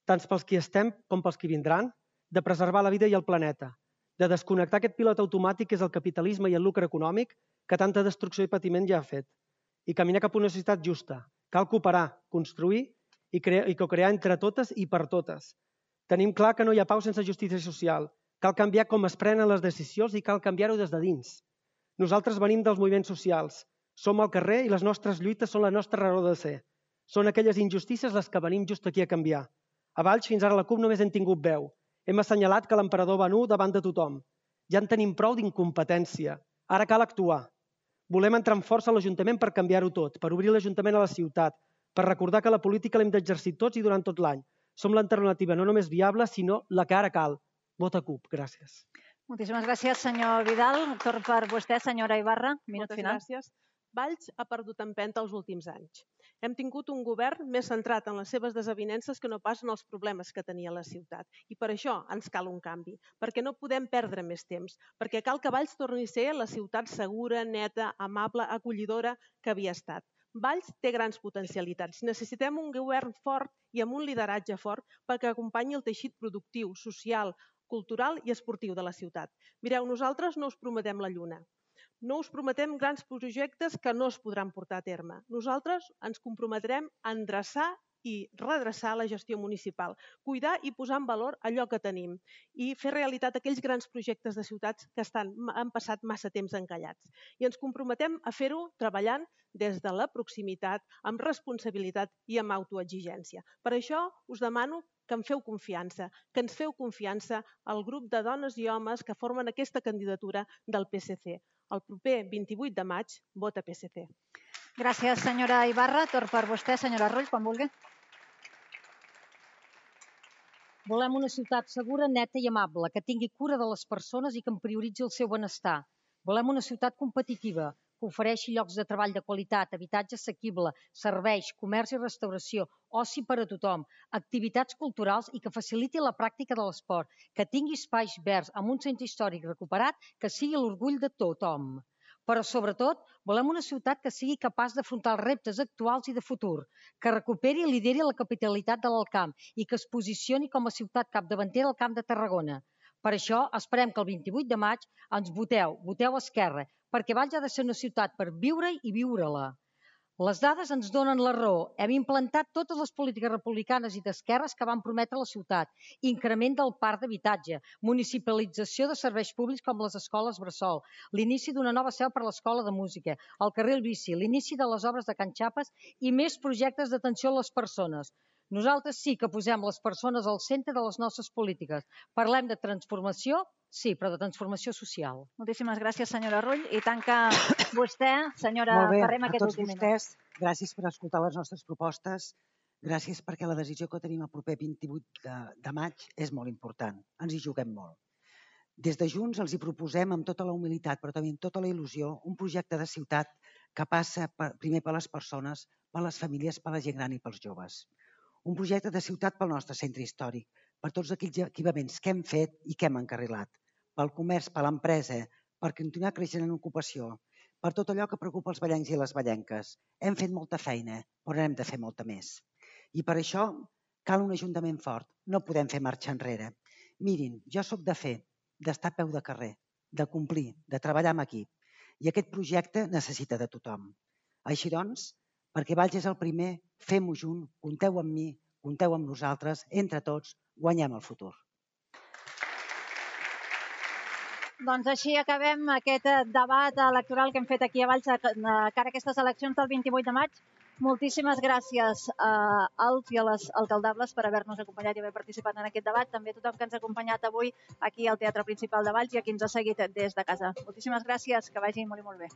tant pels qui estem com pels qui vindran, de preservar la vida i el planeta, de desconnectar aquest pilot automàtic que és el capitalisme i el lucre econòmic que tanta destrucció i patiment ja ha fet, i caminar cap a una societat justa. Cal cooperar, construir i co-crear entre totes i per totes. Tenim clar que no hi ha pau sense justícia social. Cal canviar com es prenen les decisions i cal canviar-ho des de dins. Nosaltres venim dels moviments socials. Som al carrer i les nostres lluites són la nostra raó de ser. Són aquelles injustícies les que venim just aquí a canviar. A Valls, fins ara la CUP només hem tingut veu. Hem assenyalat que l'emperador va nu davant de tothom. Ja en tenim prou d'incompetència. Ara cal actuar. Volem entrar amb força a l'Ajuntament per canviar-ho tot, per obrir l'Ajuntament a la ciutat, per recordar que la política l'hem d'exercir tots i durant tot l'any. Som l'alternativa no només viable, sinó la que ara cal. Vota CUP. Gràcies. Moltíssimes gràcies, senyor Vidal. Torn per vostè, senyora Ibarra. Minut final. Moltes gràcies. Valls ha perdut empenta els últims anys. Hem tingut un govern més centrat en les seves desavinences que no pas en els problemes que tenia la ciutat. I per això ens cal un canvi, perquè no podem perdre més temps, perquè cal que Valls torni a ser la ciutat segura, neta, amable, acollidora que havia estat. Valls té grans potencialitats. Necessitem un govern fort i amb un lideratge fort perquè acompanyi el teixit productiu, social, cultural i esportiu de la ciutat. Mireu, nosaltres no us prometem la lluna. No us prometem grans projectes que no es podran portar a terme. Nosaltres ens comprometrem a endreçar i redreçar la gestió municipal, cuidar i posar en valor allò que tenim i fer realitat aquells grans projectes de ciutats que han passat massa temps encallats. I ens comprometem a fer-ho treballant des de la proximitat, amb responsabilitat i amb autoexigència. Per això us demano que em feu confiança, que ens feu confiança al grup de dones i homes que formen aquesta candidatura del PSC. El proper 28 de maig, vota PSC. Gràcies, senyora Ibarra. Torn per vostè, senyora Rull, quan vulgui. Volem una ciutat segura, neta i amable, que tingui cura de les persones i que en prioritzi el seu benestar. Volem una ciutat competitiva, que ofereixi llocs de treball de qualitat, habitatge assequible, serveis, comerç i restauració, oci per a tothom, activitats culturals i que faciliti la pràctica de l'esport, que tingui espais verds amb un centre històric recuperat que sigui l'orgull de tothom. Però, sobretot, volem una ciutat que sigui capaç d'afrontar els reptes actuals i de futur, que recuperi i lideri la capitalitat de l'Alt Camp i que es posicioni com a ciutat capdavantera al Camp de Tarragona. Per això, esperem que el 28 de maig ens voteu Esquerra, perquè Valls ha de ser una ciutat per viure-hi i viure-la. Les dades ens donen la raó. Hem implantat totes les polítiques republicanes i d'esquerres que van prometre a la ciutat. Increment del parc d'habitatge, municipalització de serveis públics com les escoles bressol, l'inici d'una nova seu per a l'escola de música, el carril bici, l'inici de les obres de Can Xapes i més projectes d'atenció a les persones. Nosaltres sí que posem les persones al centre de les nostres polítiques. Parlem de transformació, sí, però de transformació social. Moltíssimes gràcies, senyora Rull. I tanca vostè, senyora Ferrer, a tots vostès, gràcies per escoltar les nostres propostes. Gràcies perquè la decisió que tenim el proper 28 de maig és molt important. Ens hi juguem molt. Des de Junts els hi proposem amb tota la humilitat, però també amb tota la il·lusió, un projecte de ciutat que passa primer per les persones, per les famílies, per la gent gran i pels joves. Un projecte de ciutat pel nostre centre històric, per tots aquells equipaments que hem fet i que hem encarrilat, pel comerç, per l'empresa, per continuar creixent en ocupació, per tot allò que preocupa els vallencs i les vallenques. Hem fet molta feina, però hem de fer molta més. I per això cal un ajuntament fort, no podem fer marxa enrere. Mirin, jo sóc de fer, d'estar a peu de carrer, de complir, de treballar amb equip, i aquest projecte necessita de tothom. Així doncs, perquè Valls és el primer, fem-ho junt, compteu amb mi, compteu amb nosaltres, entre tots, guanyem el futur. Doncs així acabem aquest debat electoral que hem fet aquí a Valls cara a aquestes eleccions del 28 de maig. Moltíssimes gràcies als i a les alcaldables per haver-nos acompanyat i haver participat en aquest debat. També a tothom que ens ha acompanyat avui aquí al Teatre Principal de Valls i a qui ens ha seguit des de casa. Moltíssimes gràcies, que vagi molt i molt bé.